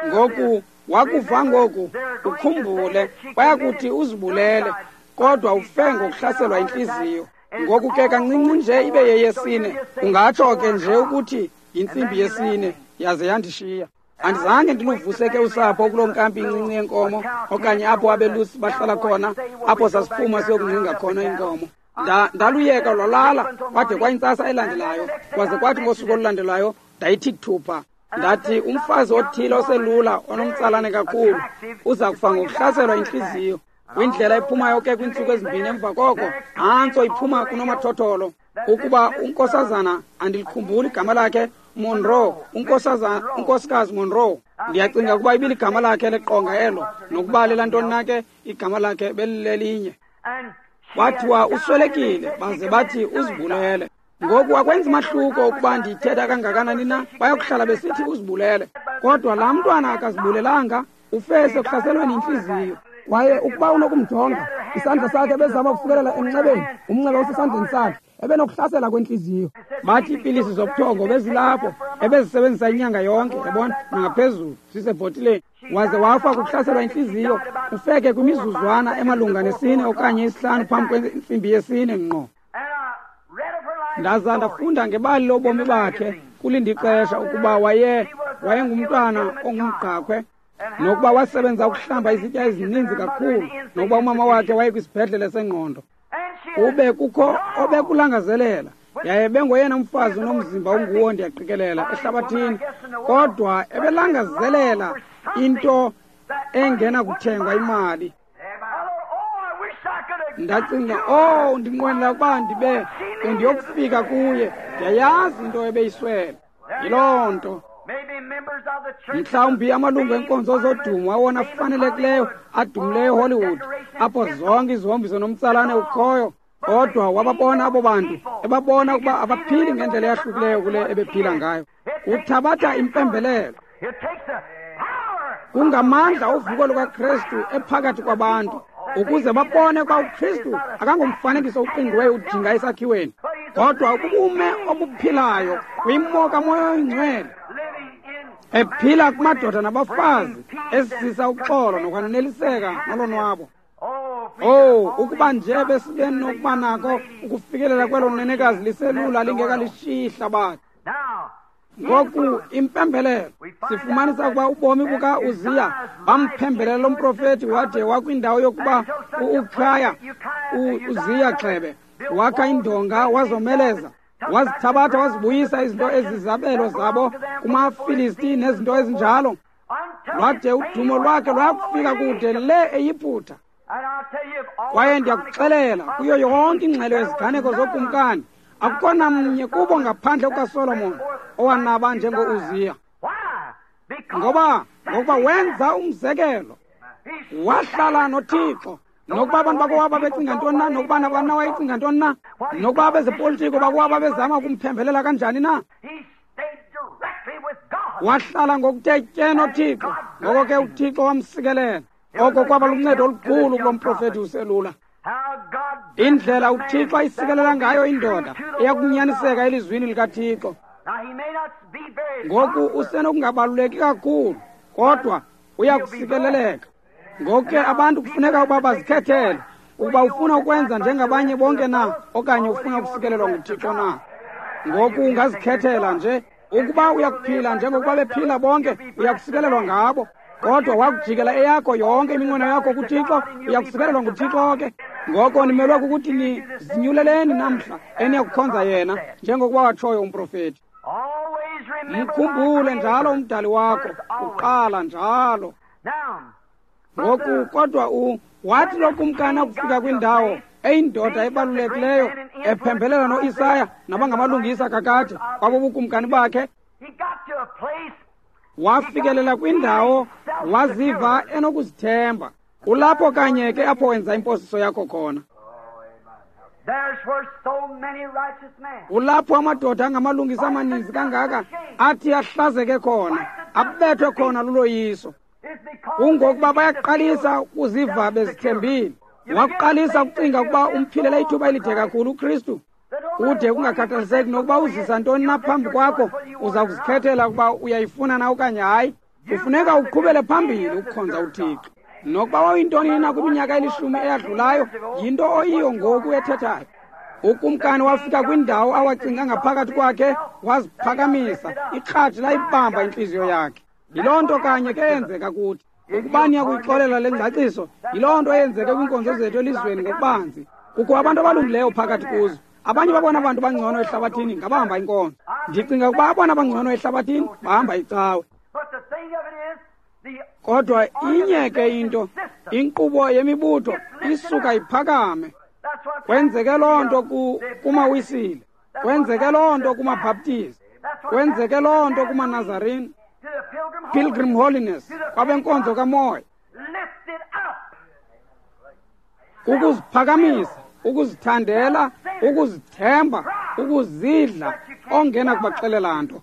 Speaker 1: ngoku wakuva ngoku ukhumbule, bayakuthi uzibulele, kodwa ufe ngokuhlaselwa intliziyo. Ngoku ke kancinci nje ibe yeyesine, ungatsho ke nje ukuthi yintsimbi yesine, yaze yandishiya. Andizange ndiluvuse ke usapho kuloo nkampi incinci yenkomo, okanye apho abelusi bahlala khona, apho sasiphuma siyokungcinga khona iinkomo. Ndaluyeka lwalala kwade kwayintsasa elandelayo, kwaze kwathi ngosuku olulandelayo ndayithi thupha. Ndathi umfazi othile oselula onomtsalane kakhulu uza kufa ngokuhlaselwa intliziyo. Kwindlela ephumayo ke kwiintsuku ezimbini emva koko, nantso iphuma kunomathotholo ukuba unkosazana, andilikhumbuli igama lakhe, Monroe, unkosikazi Monroe. Ndiyacinga ukuba ibiligama lakhe leqonga elo, nokuba lelantoni na ke igama lakhe belilelinye. Kwathiwa uswelekile, baze bathi uzibulele. Ngoku akwenzi mahluko ukuba ndiyithetha kangakanani na, bayokuhlala besithi uzibulele. Kodwa laa mntwana akazibulelanga, ufe sekuhlaselweni yintliziyo. Kwaye ukuba unokumjonga, isandla sakhe bezama ukufikelela emnxebeni, umnxeba usesandleni sakhe, ebenokuhlasela kwentliziyo. Bathi iipilisi zobuthongo bezilapho, ebezisebenzisa inyanga yonke, yabona, nangaphezulu, zisebhotileni. Waze wafa kukuhlaselwa intliziyo, ufeke kwimizuzwana emalunga nesine okanye isihlanu phambi kwentsimbi yesine ngqo. Ndaza ndafunda ngebali lobomi bakhe kulindixesha ukuba wayengumntwana ongumgqakhwe, nokuba wasebenza ukuhlamba izitya ezininzi kakhulu, nokuba umama wakhe wayekwisibhedlele sengqondo. Ube kukho obekulangazelela, yaye bengoyena mfazi unomzimba unguwo ndiyaqikelela ehlabathini, kodwa ebelangazelela into engenakuthengwa imali. Ndacinga, oh, ndinqwenela ukuba ndibe bendiyokufika kuye, ndiyayazi into ebeyiswele. Yiloo nto. Mhlawumbi amalungu enkonzo zodumo awona afanelekileyo adumileyo eHollywood, apho zonke izihombiso nomtsalane ukhoyo, kodwa wababona abo bantu, ebabona ukuba abaphili ngendlela eyahlukileyo kule ebephila ngayo. Uthabatha impembelelo. Kungamandla ovuko lukaKristu ephakathi kwabantu, ukuze babone ukuba uKristu akangomfanekiso uqingqiweyo udinga esakhiweni, kodwa ubume obuphilayo kwimo kaMoya oyiNgcwele, ephila kumadoda nabafazi, esizisa uxolo nokwaneliseka nolonwabo. Oh, ukuba nje besibe nokuba nako ukufikelela kwelo nenekazi liselula lingekalishiyi ihlabathi. Ngoku impembelelo, sifumanisa ukuba ubomi buka-Uziya bamphembelela lo mprofethi wade wakwindawo yokuba u-Ukhaya, uZiya gxebe, wakha indonga wazomeleza, wazithabatha wazibuyisa izinto ezizabelo zabo kumaFilisti nezinto ezinjalo. Lwade udumo lwakhe lwakufika kude le eYiputa. Kwaye ndiyakuxelela, kuyo yonke ingxelo yeziganeko zokumkani, akukho namnye kubo ngaphandle kukaSolomon owanaba njengo-Uziya. Ngoba ngokuba wenza umzekelo, wahlala noThixo. Nokuba abantu bakowabo babecinga ntoni na, nokuba nabani na wayecinga ntoni na, nokuba abezepolitiko bakowabo babezama ukumphembelela kanjani na, wahlala ngokuthe tye noThixo. Ngoko ke uThixo wamsikelela. Oko kwaba luncedo olukhulu kulo mprofethi uselula. Indlela uThixo ayisikelela ngayo indoda eyakunyaniseka elizwini likaThixo. Ngoku usenokungabaluleki kakhulu, kodwa uyakusikeleleka. Ngoku ke abantu kufuneka ukuba bazikhethele ukuba ufuna ukwenza njengabanye bonke na, okanye ufuna ukusikelelwa nguThixo na. Ngoku ungazikhethela nje. Ukuba uyakuphila njengokuba bephila bonke, uyakusikelelwa ngabo. Kodwa wakujikela eyakho yonke iminqweno yakho kuThixo, uyakusikelelwa nguThixo ke. Ngoko nimelwe kukuthi nizinyuleleni namhla eniyakukhonza yena, njengokuba watshoyo umprofethi. Mkhumbule njalo umdali wakho, uqala njalo. Ngoku kodwa wathi lo kumkani akufika kwindawo eyindoda ebalulekileyo ephembelela noIsaya nabangamalungisa kakade kwabo bukumkani bakhe, wafikelela kwindawo waziva enokuzithemba. Kulapho kanye ke apho wenza imposiso yakho khona. Kulapho amadoda angamalungisa amaninzi kangaka athi ahlazeke khona, abethwe khona luloyiso. Kungokuba bayaqalisa ukuziva bezithembile. Waqalisa ukucinga ukuba umphilela ithuba elide kakhulu uKristu. Kude kungakhathaliseki nokuba uzisa ntoni na phambi kwakho, uza kuzikhethela ukuba uyayifuna na okanye hayi. Kufuneka uqhubele phambili ukukhonza uThixo. Nokuba wawuyintoni na kwiminyaka elishumi eyadlulayo, yinto oyiyo ngoku ethethayo. Ukumkani wafika kwindawo awacinga ngaphakathi kwakhe, waziphakamisa, ikratshi layibamba intliziyo yakhe. Yiloo nto kanye ke eyenzeka kuthi. Ukuba niyakuyixolela le ngcaciso, yiloo nto eyenzeke kwiinkonzo zethu elizweni ngokubanzi. Kukho abantu abalungileyo phakathi kuzo. Abanye babona abantu bangcono ehlabathini ngabahamba inkonzo. Ndicinga ukuba abona bangcono ehlabathini bahamba icawe. Kodwa inye ke into, inkqubo yemibutho isuka iphakame. Kwenzeke loo nto kumaWisile, kwenzeke loo nto kumaBhaptizi, kwenzeke loo nto kumaNazarene, Pilgrim Holiness, kwabenkonzo kamoya. Ukuziphakamisa, ukuzithandela, ukuzithemba, ukuzidla, ongena kubaxelela nto.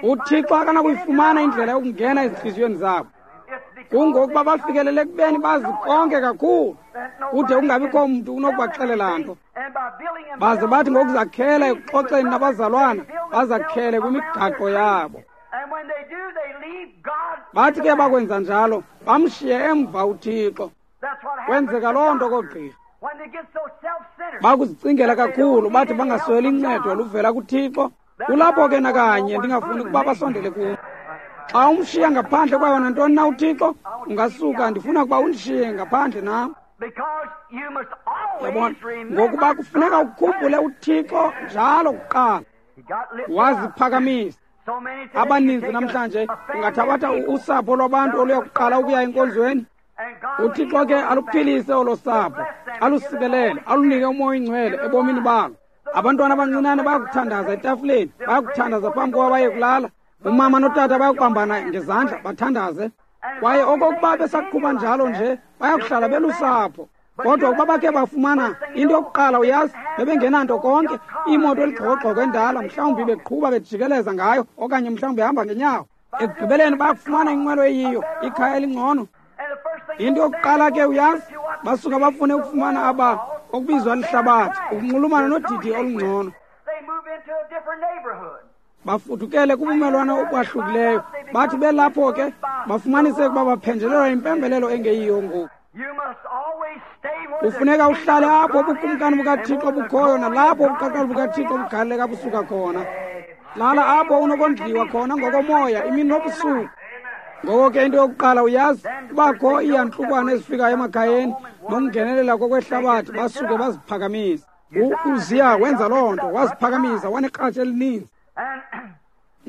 Speaker 1: UThixo akanakuyifumana indlela yokungena ezintliziyweni zabo. Kungokuba bafikelele ekubeni bazi konke kakhulu, kude kungabikho mntu unokubaxelela nto. Baze bathi ngokuzakhela ekuxoxeni nabazalwana, bazakhele kwimigaqo yabo. Bathi ke bakwenza njalo, bamshiye emva uThixo. Kwenzeka loo nto koogqirha. Bakuzicingela kakhulu, bathi bangasweli incedo oluvela kuThixo. Kulapho ke nakanye ndingafuni ukuba basondele kum. Xa umshiya ngaphandle kwayo nantoni na uThixo, ungasuka ndifuna ukuba undishiye ngaphandle nam. Yabona, ngokuba kufuneka ukhumbule uThixo njalo kuqala. Waziphakamisa. Abaninzi namhlanje ungathabatha usapho lwabantu oluya kuqala ukuya enkonzweni. UThixo ke aluphilise olo sapho, alusikelele, alunike uMoya oyiNgcwele ebomini balo. Abantwana abancinane bayakuthandaza etafileni, bayakuthandaza phambi kokuba baye kulala. Umama notata bayakubambana ngezandla bathandaze. Kwaye okokuba besaqhuba njalo nje, bayakuhlala belusapho. Kodwa ukuba bakhe bafumana into yokuqala, uyazi, bebengenanto konke, imoto eligxokogxoko endala, mhlawumbi beqhuba bejikeleza ngayo, okanye mhlawumbi behamba ngenyawo. Ekugqibeleni bayakufumana inqwelo eyiyo, ikhaya elingcono. Into yokuqala ke uyazi, basuka bafune ukufumana aba okubizwa lihlabathi, ukunxulumana nodidi olungcono. Bafudukele kubumelwane okwahlukileyo. Bathi belapho ke bafumanise ukuba baphenjelelwa impembelelo engeyiyo ngoku. Kufuneka uhlale apho ubukumkani bukaThixo bukhoyo, nalapho ubuqaqawuli bukaThixo bugaleleka busuka khona. Lala apho unokondliwa khona ngokomoya imini nobusuku. Ngoko ke into yokuqala uyazi, kubakho iiyantlukwano ezifikayo emakhayeni nokungenelela kokwehlabathi, basuke baziphakamise. U-Uziya wenza loo nto, waziphakamisa, wanekratshi elininzi.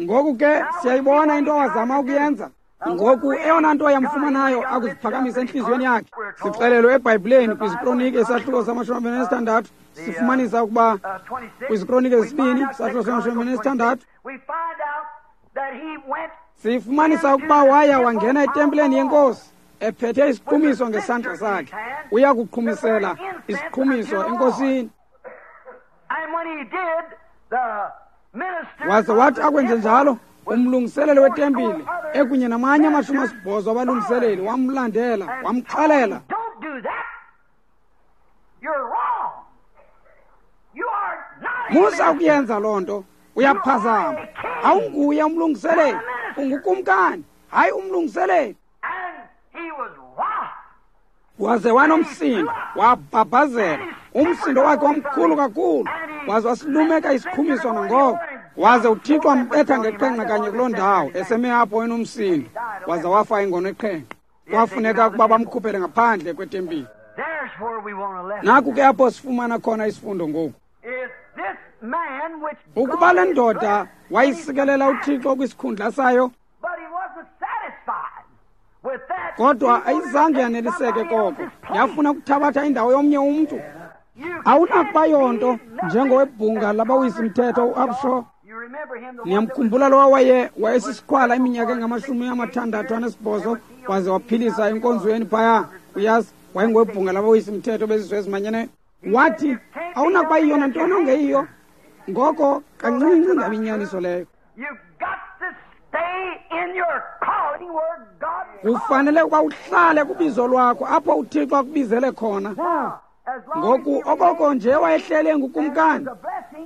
Speaker 1: Ngoku ke siyayibona into awazama ukuyenza. Ngoku eyona nto yamfumanayo akuziphakamisa entliziyweni yakhe. Sixelelwe eBhayibhileni kwiziKronike isahluko sama-26, sifumanisa ukuba kwiziKronike zesibini isahluko sama-26, sifumanisa ukuba waya wangena etempileni yenkosi ephethe isiqhumiso ngesandla sakhe, uya kuqhumisela isiqhumiso enkosini. Waze wathi akwenze njalo, umlungiseleli wetempile ekunye namanye 80 abalungiseleli wamlandela, wamxelela, musa ukuyenza loo nto, uyaphazama. Awunguye umlungiseleli, ungukumkani, hayi umlungiseleli. Waze wanomsindo, wabhabhazela. Umsindo wakhe wamkhulu kakhulu, waze wasilumeka isiqhumiso nangoko. Waze uThixo wambetha ngeqhenqa kanye kuloo ndawo, eseme apho enomsindo, waze wafa ingono eqhenqa. Kwafuneka ukuba bamkhuphele ngaphandle kwetempile. Naku ke apho sifumana khona isifundo ngoku. Ukuba le ndoda wayisikelela uThixo kwisikhundla sayo, kodwa ayizange yaneliseke koko, yafuna ukuthabatha indawo yomnye umntu. Awunakuba yonto njengowebhunga labawisimthetho uAbshaw. Niyamkhumbula lowa wayesisikhwala iminyaka engama-68 waze waphilisa enkonzweni phaya. Uyazi, wayengowebhunga labawisimthetho bezizwe ezimanyeneyo. Wathi awunakuba yiyo nantoni ongeyiyo. Ngoko kancinci ngabinyaniso leyo. Kufanele ukuba uhlale kubizo lwakho apho uThixo akubizele khona. Ngoku okoko nje wayehlele ngukumkani,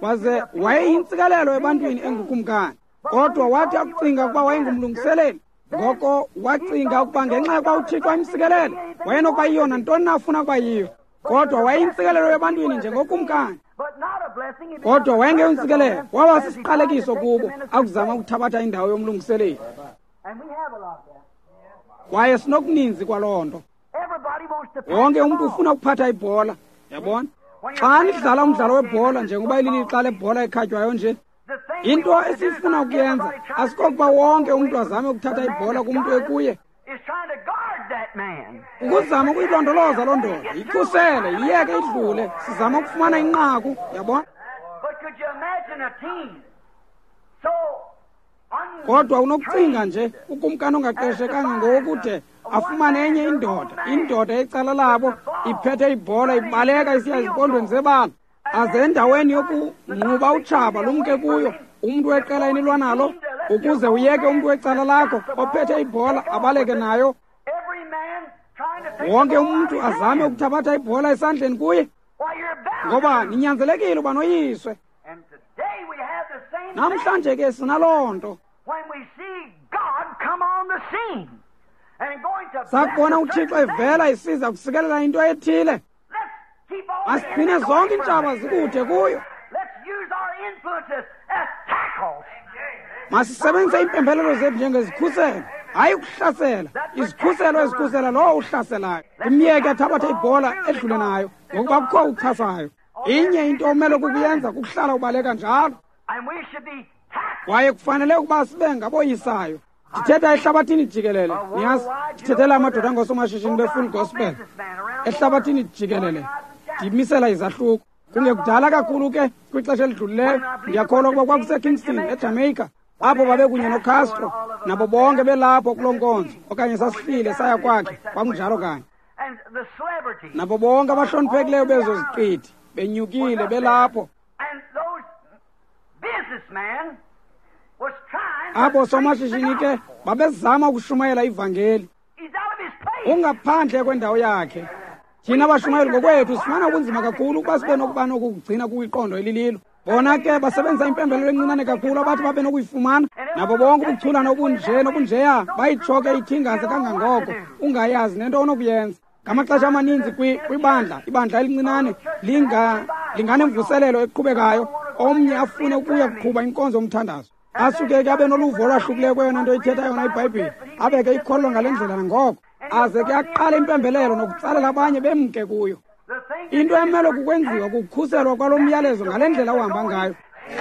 Speaker 1: Waze wayeyintsikelelo ebantwini engukumkani. Kodwa wathi akucinga ukuba wayengumlungiseleli, ngoko wacinga ukuba ngenxa yokuba uThixo emsikelele, wayenokuba yiyo nantoni na afuna ukuba yiyo. Kodwa wayeyintsikelelo ebantwini njengokumkani. Kodwa wayengeyontsikelelo, waba sisiqalekiso kubo akuzama ukuthabatha indawo yomlungiseleli. Kwaye sinokuninzi kwaloo nto. Wonke umntu ufuna ukuphatha ibhola, yabona? Xa nidlala umdlalo webhola, njengoba ililixa lebhola ekhatywayo nje, into esifuna ukuyenza asikokuba wonke umntu azame ukuthatha ibhola kumntu ekuye. Ukuzama ukuyilondoloza loo ndoda, yikhusele, yiyeke idlule, sizama ukufumana inqaku, yabona? Kodwa unokucinga nje ukumkani ongaqeshekanga ngokude afumane enye indoda, indoda ecala labo iphethe ibhola ibaleka isiya ezimpondweni zebala, aze endaweni yokungquba utshaba lumke kuyo umntu weqela enilwa nalo, ukuze uyeke umntu wecala lakho ophethe ibhola abaleke nayo. Wonke umntu azame ukuthabatha ibhola esandleni kuye, ngoba ninyanzelekile uba noyiswe. Namhlanje ke sinaloo nto. Sakubona uThixo evela isiza kusikelela into ethile, masigcine zonke iintshaba zikude kuyo. Masisebenzise iimpembelelo zethu njengezikhuselo, hayi ukuhlasela. Izikhuselo ezikhusela lowo uhlaselayo. Imyeke athabathe ibhola edlule nayo, ngokuba kukho uchasayo. Inye into omele kukuyenza kukuhlala ubaleka njalo. Kwaye kufanele ukuba sibe ngaboyisayo. Ndithetha ehlabathini jikelele, niyazi, ndithethela amadoda angosomashishini be-Full Gospel ehlabathini jikelele, ndimisela izahluko. Kungekudala kakhulu ke kwixesha elidlulileyo, ndiyakholwa ukuba kwakuseKingston eJamaica, apho babekunye noCastro nabo bonke belapho kuloo nkonzo, okanye sasihlile saya kwakhe, kwakunjalo kanye. Nabo bonke abahloniphekileyo bezo ziqithi benyukile belapho. Abo somashishini ke babezama ukushumayela ivangeli. Ungaphandle kwendawo yakhe. Thina bashumayeli ngokwethu sifumana ubunzima kakhulu ukuba sibe nokuba nokugcina kwiqondo elililo. Bona ke basebenzisa impembelelo encinane kakhulu abathi babe nokuyifumana. Nabo bonke ubuchulana obunje nobunjeya bayitshoke ithingaze kangangoko ungayazi nento onokuyenza. Ngamaxesha amaninzi kwibandla, ibandla elincinane linganemvuselelo eqhubekayo, omnye afune ukuya kuqhuba inkonzo yomthandazo. Asuke ke abe noluvo olwahlukileyo kweyona nto ithetha yona iBhayibhile, abeke ikholwa ngale ndlela nangoko, aze ke aqale impembelelo nokutsalela abanye bemke kuyo. Into emele kukwenziwa kukukhuselwa kwalo myalezo ngale ndlela uhamba ngayo.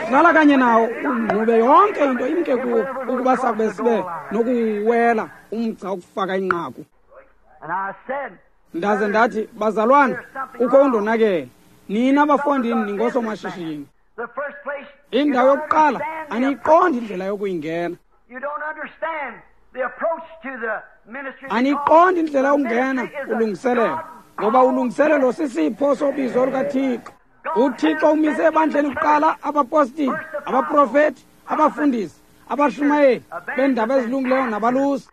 Speaker 1: Hlala kanye nawo ungqube yonke into imke kuwo, ukuba sakube sibe nokuwela umgca wokufaka inqaku. Ndaze ndathi, bazalwana, kukho undonakele. Nina bafondini ningosomashishini. Indawo yokuqala aniyiqondi indlela yokuyingena. Aniyiqondi indlela yokungena ulungiselelo, ngoba ulungiselelo sisipho sobizo lukaThixo. UThixo umise ebandleni kuqala abapostile, abaprofeti, abafundisi, abashumayeli beendaba ezilungileyo nabalusi.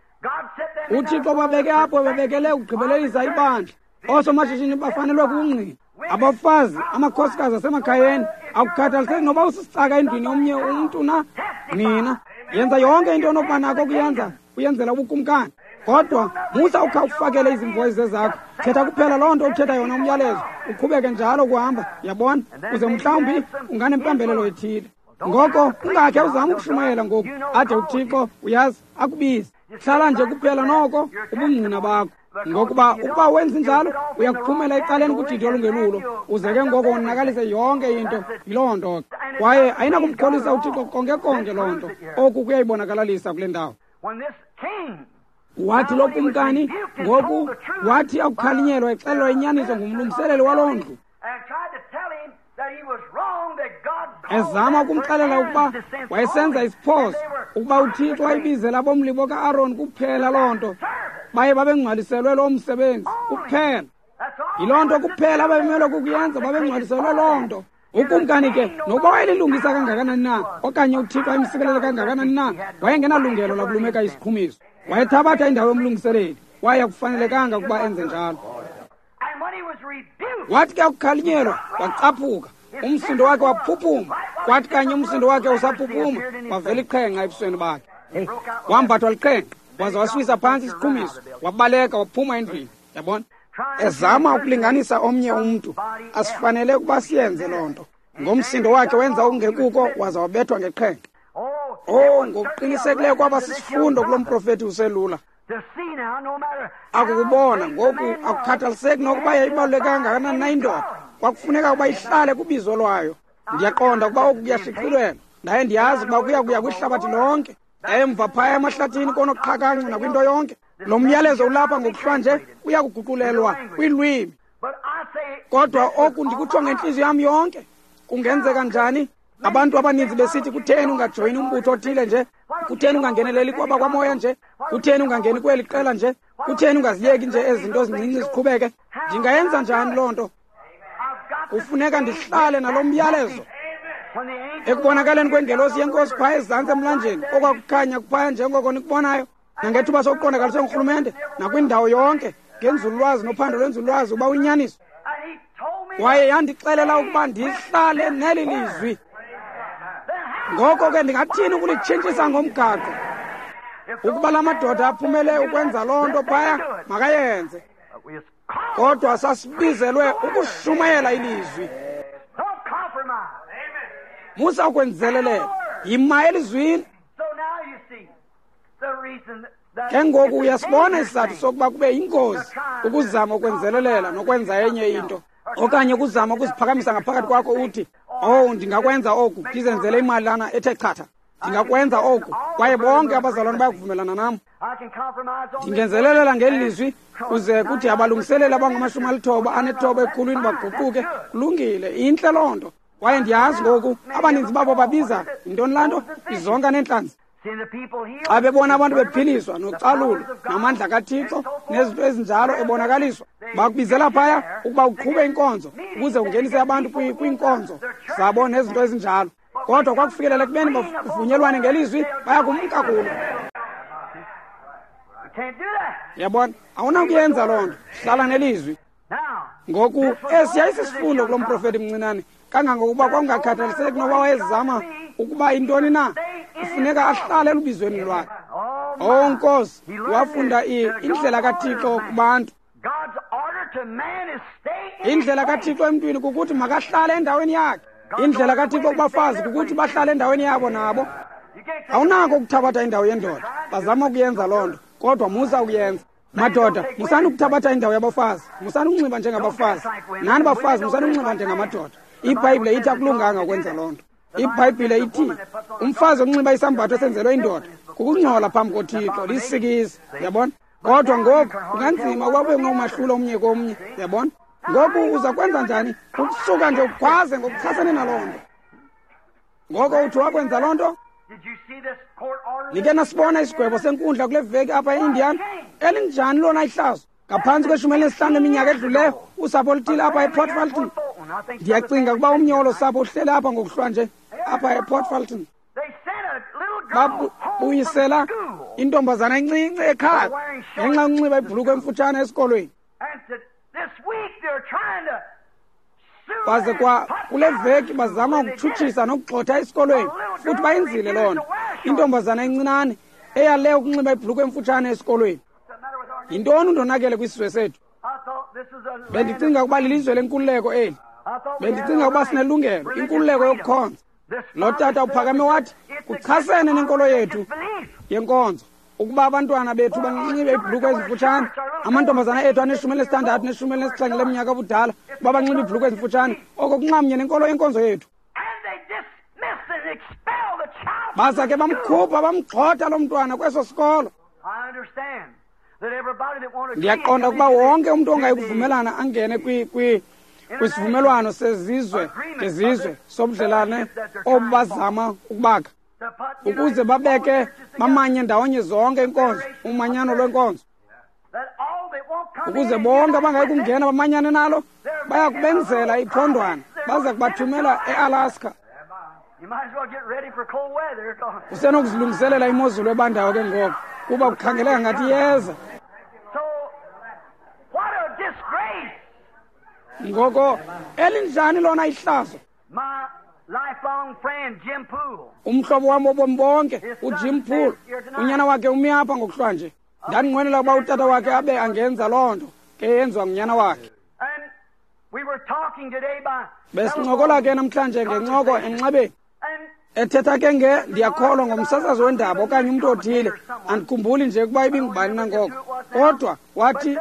Speaker 1: UThixo babeke apho bebekele ukugqibelelisa ibandla. Oosomashishini bafanelwe kungqina. Abafazi, amakhosikazi asemakhayeni, akukhathaliseki noba usisicaka endlwini yomnye umntu na, nina. Yenza yonke into onokuba nako ukuyenza, uyenzela ubukumkani. Kodwa musa ukha ufakele izimvo ezizezakho. Thetha kuphela loo nto uthetha yona umyalezo, uqhubeke njalo ukuhamba, yabona, uze mhlawumbi unganempembelelo ethile. Ngoko ungakhe uzame ukushumayela ngoku, ade uThixo uyazi akubize. Hlala nje kuphela noko ubungqina bakho. Ngokuba ukuba wenza njalo uyakuphumela ecaleni kudidi olungelulo, uze ke ngoko wonakalise yonke into. Yiloo nto ke. Kwaye ayinakumkholisa uThixo konke konke loo nto. Oku kuyayibonakalalisa kule ndawo. Wathi lo kumkani ngoku wathi akukhalinyelwa exelelwa inyaniso ngumlungiseleli waloo ndlu, ezama ukumxelela ukuba wayesenza isiphoso, ukuba uThixo wayibizela abomlibo ka-Aaron kuphela loo nto, baye babengcwaliselwe loo msebenzi kuphela. Yiloo nto kuphela ababemelwe kukuyenza, babengcwaliselwe loo nto. Ukumkani ke nokuba wayelilungisa kangakanani na, okanye uThixo ayemsikelele kangakanani na, wayengenalungelo lakulumeka isiqhumiso. Wayethabatha indawo yomlungiseleli, waye akufanelekanga ukuba enze njalo. Wathi ke akukhalinyelwa wacaphuka, Umsindo wakhe waphuphuma. Kwathi kanye umsindo wakhe usaphuphuma, wavela iqhenqa ebusweni bakhe. Wambathwa liqhenqa, waze wasiwisa phantsi isiqhumiso, wabaleka waphuma endlwini. Yabona? Ezama ukulinganisa omnye umntu. Asifanele ukuba siyenze loo nto. Ngomsindo wakhe wenza okungekuko, waze wabethwa ngeqhenqa. Oh, ngokuqinisekileyo kwaba sisifundo kulo mprofethi uselula. Akukubona ngoku, akukhathaliseki nokuba yayibaluleke kangakanani na indoda, kwakufuneka ukuba ihlale kubizo lwayo. Ndiyaqonda ukuba oku kuyashicilelwa, ndaye ndiyazi ukuba kuya kuya kwihlabathi lonke, emva phaya emahlathini konoqhakancu nakwinto yonke. Lo myalezo ulapha ngokuhlwa nje uya kuguqulelwa kwiilwimi. Kodwa oku ndikutsho ngentliziyo yam yonke. Kungenzeka njani? Abantu abaninzi besithi, kutheni ungajoyini umbutho othile nje? Kutheni ungangeneleli kwaba kwamoya nje? Kutheni ungangeni kweli qela nje? Kutheni ungaziyeki nje ezi zinto zincinci ziqhubeke? Ndingayenza njani loo nto? Kufuneka ndihlale nalo myalezo. Ekubonakaleni kwengelosi yenkosi phaya ezantsi emlanjeni, okwakukhanya kuphaya njengoko nikubonayo, nangethuba sokuqondakaliswe ngurhulumente nakwindawo yonke ngenzululwazi nophando lwenzululwazi uba uyinyaniso. Kwaye yandixelela ukuba ndihlale neli lizwi. Ngoko ke ndingathini ukulitshintshisa ngomgaqo? Ukuba la madoda aphumele ukwenza loo nto phaya, makayenze. Kodwa sasibizelwe ukushumayela ilizwi. Musa ukwenzelelela, yima elizwini. Ke ngoku uyasibona isizathu sokuba kube yingozi ukuzama ukwenzelelela nokwenza enye into, okanye ukuzama ukuziphakamisa ngaphakathi kwakho uthi, oh, ndingakwenza oku, ndizenzele imalana ethe chatha. Ndingakwenza oku, kwaye bonke abazalwane bayakuvumelana nam. Ndingenzelelela ngeli lizwi, kuze kuthi abalungiseleli abangama-98 ekhulwini baguquke. Kulungile, intle loo nto. Kwaye ndiyazi ngoku, abaninzi babo babiza yintoni laa nto? Izonka neentlanzi. Xa bebona abantu bephiliswa nocalulo namandla kaThixo nezinto ezinjalo ebonakaliswa, bakubizela phaya ukuba uqhube inkonzo ukuze ungenise abantu kwiinkonzo zabo nezinto ezinjalo. Kodwa kwakufikelela ekubeni bavunyelwane ngelizwi, bayakumka kulo. Yabona, awunakuyenza loo nto. Hlala nelizwi. Ngoku esi yayisisifundo kulo mprofethi mncinane, kangangokuba kwakungakhathaliseki noba wayezama ukuba intoni na, kufuneka ahlale elubizweni lwakhe. Oh Nkosi, wafunda indlela kaThixo kubantu. Indlela kaThixo emntwini kukuthi makahlale endaweni yakhe. Indlela kaThixo kubafazi kukuthi bahlale endaweni yabo nabo. Awunako ukuthabatha indawo yendoda. Bazama ukuyenza loo nto, kodwa musa ukuyenza. Madoda, musani ukuthabatha indawo yabafazi. Musani ukunxiba njengabafazi. Nani bafazi, musani ukunxiba njengamadoda. IBhayibhile ithi akulunganga ukwenza loo nto. IBhayibhile ithi umfazi onxiba isambatho esenzelwe indoda kukungcola phambi koThixo, lisikizi. Yabona? Kodwa ngoku kunganzima ukuba ube nomahlulo omnye komnye. Yabona? Ngoku uza kwenza njani? Ukusuka nje ukhwaze ngokuchasene naloo nto. Ngoko uthi wakwenza loo nto? Nike nasibona isigwebo senkundla kule veki apha e-Indiana? Elinjani lona ihlazo? Ngaphantsi kwe-15 leminyaka edluleyo, usapho oluthile apha ePort Fulton. Ndiyacinga ukuba omnye wolo sapho uhlele apha ngokuhlwa nje, apha ePort Fulton. Babuyisela intombazana encinci ekhaya ngenxa yokunxiba ibhulukhwe emfutshane esikolweni. Kwaze kwa kule veki bazama ukutshutshisa nokugxotha esikolweni, futhi bayenzile loo nto. Intombazana encinane eyale ukunxiba ibhulukhwe emfutshane esikolweni. Yintoni undonakele kwisizwe sethu? Bendicinga ukuba lilizwe lenkululeko eli. Bendicinga ukuba sinelungelo, inkululeko yokukhonza. Lo tata uphakame wathi kuchasene nenkolo yethu yenkonzo ukuba abantwana bethu banxibe iibhulukhwe ezimfutshane. Amantombazana ethu ane-16 ne-17 leminyaka obudala ukuba banxibe iibhulukhwe ezimfutshane, oko kunxamnye nenkolo yenkonzo yethu. Baza ke bamkhupha bamgxotha lo mntwana kweso sikolo. Ndiyaqonda ukuba wonke umntu ongayi kuvumelana angene kwisivumelwano sezizwe ngezizwe sobudlelane obazama ukubakha, ukuze babeke bamanye ndawonye zonke inkonzo, umanyano lwenkonzo, ukuze bonke abangayi kungena bamanyane nalo, baya kubenzela iphondwana, baza kubathumela eAlaska. Usenokuzilungiselela imozulu ebandayo ke ngoku, kuba kukhangeleka ngathi iyeza. Ngoko elinjani lona ihlazo? Umhlobo wam wobomi bonke, uJim Poole, unyana wakhe umi apha ngokuhlwanje. Ndandinqwenela ukuba utata wakhe abe angenza loo nto ke yenziwa ngunyana wakhe. Besincokola ke namhlanje ngencoko emnxebeni, ethetha ke nge ndiyakholwa ngomsasazi wendaba okanye umntu othile, andikhumbuli nje ukuba ibingubani nangoko. Kodwa wathi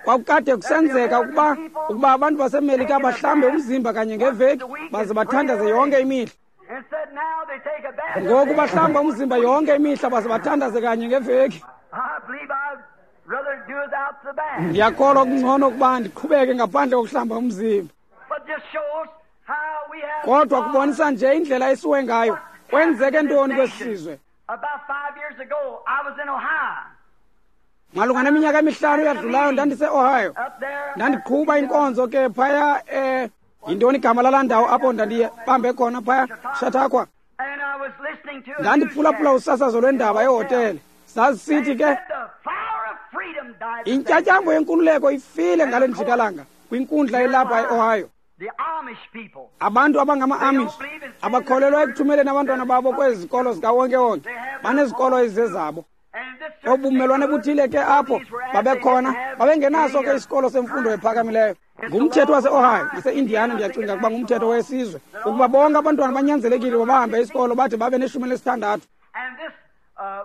Speaker 1: kwakukade kusenzeka ukuba abantu baseMelika bahlambe umzimba kanye ngeveki baze bathandaze yonke imihla. Ngoku bahlamba umzimba yonke imihla baze bathandaze kanye ngeveki. Ndiyakholwa kungcono ukuba ndiqhubeke ngaphandle kokuhlamba umzimba. Kodwa kubonisa nje indlela esiwe ngayo. Kwenzeke ntoni kwesi sizwe? Malunga neminyaka emihlanu eyadlulayo ndandise-Ohio. Ndandiqhuba inkonzo ke phaya yintoni igama lalaa ndawo apho ndandibambe khona phaya, Chautauqua. Ndandiphulaphula usasazo lwendaba ehotele. Zazisithi ke intyatyambo yenkululeko ifile ngale njikalanga kwinkundla elapha e-Ohio. Abantu abangama-Amish abakholelwa ekuthumeleni abantwana babo kwezi zikolo zikawonkewonke, banezikolo ezizezabo. Obumelwane buthile ke apho babekhona babengenaso ke isikolo semfundo ephakamileyo. Ngumthetho wase-Ohio nase-Indiana, ndiyacinga ukuba ngumthetho wesizwe, ukuba bonke abantwana banyanzelekile bahambe isikolo bade babe ne-16.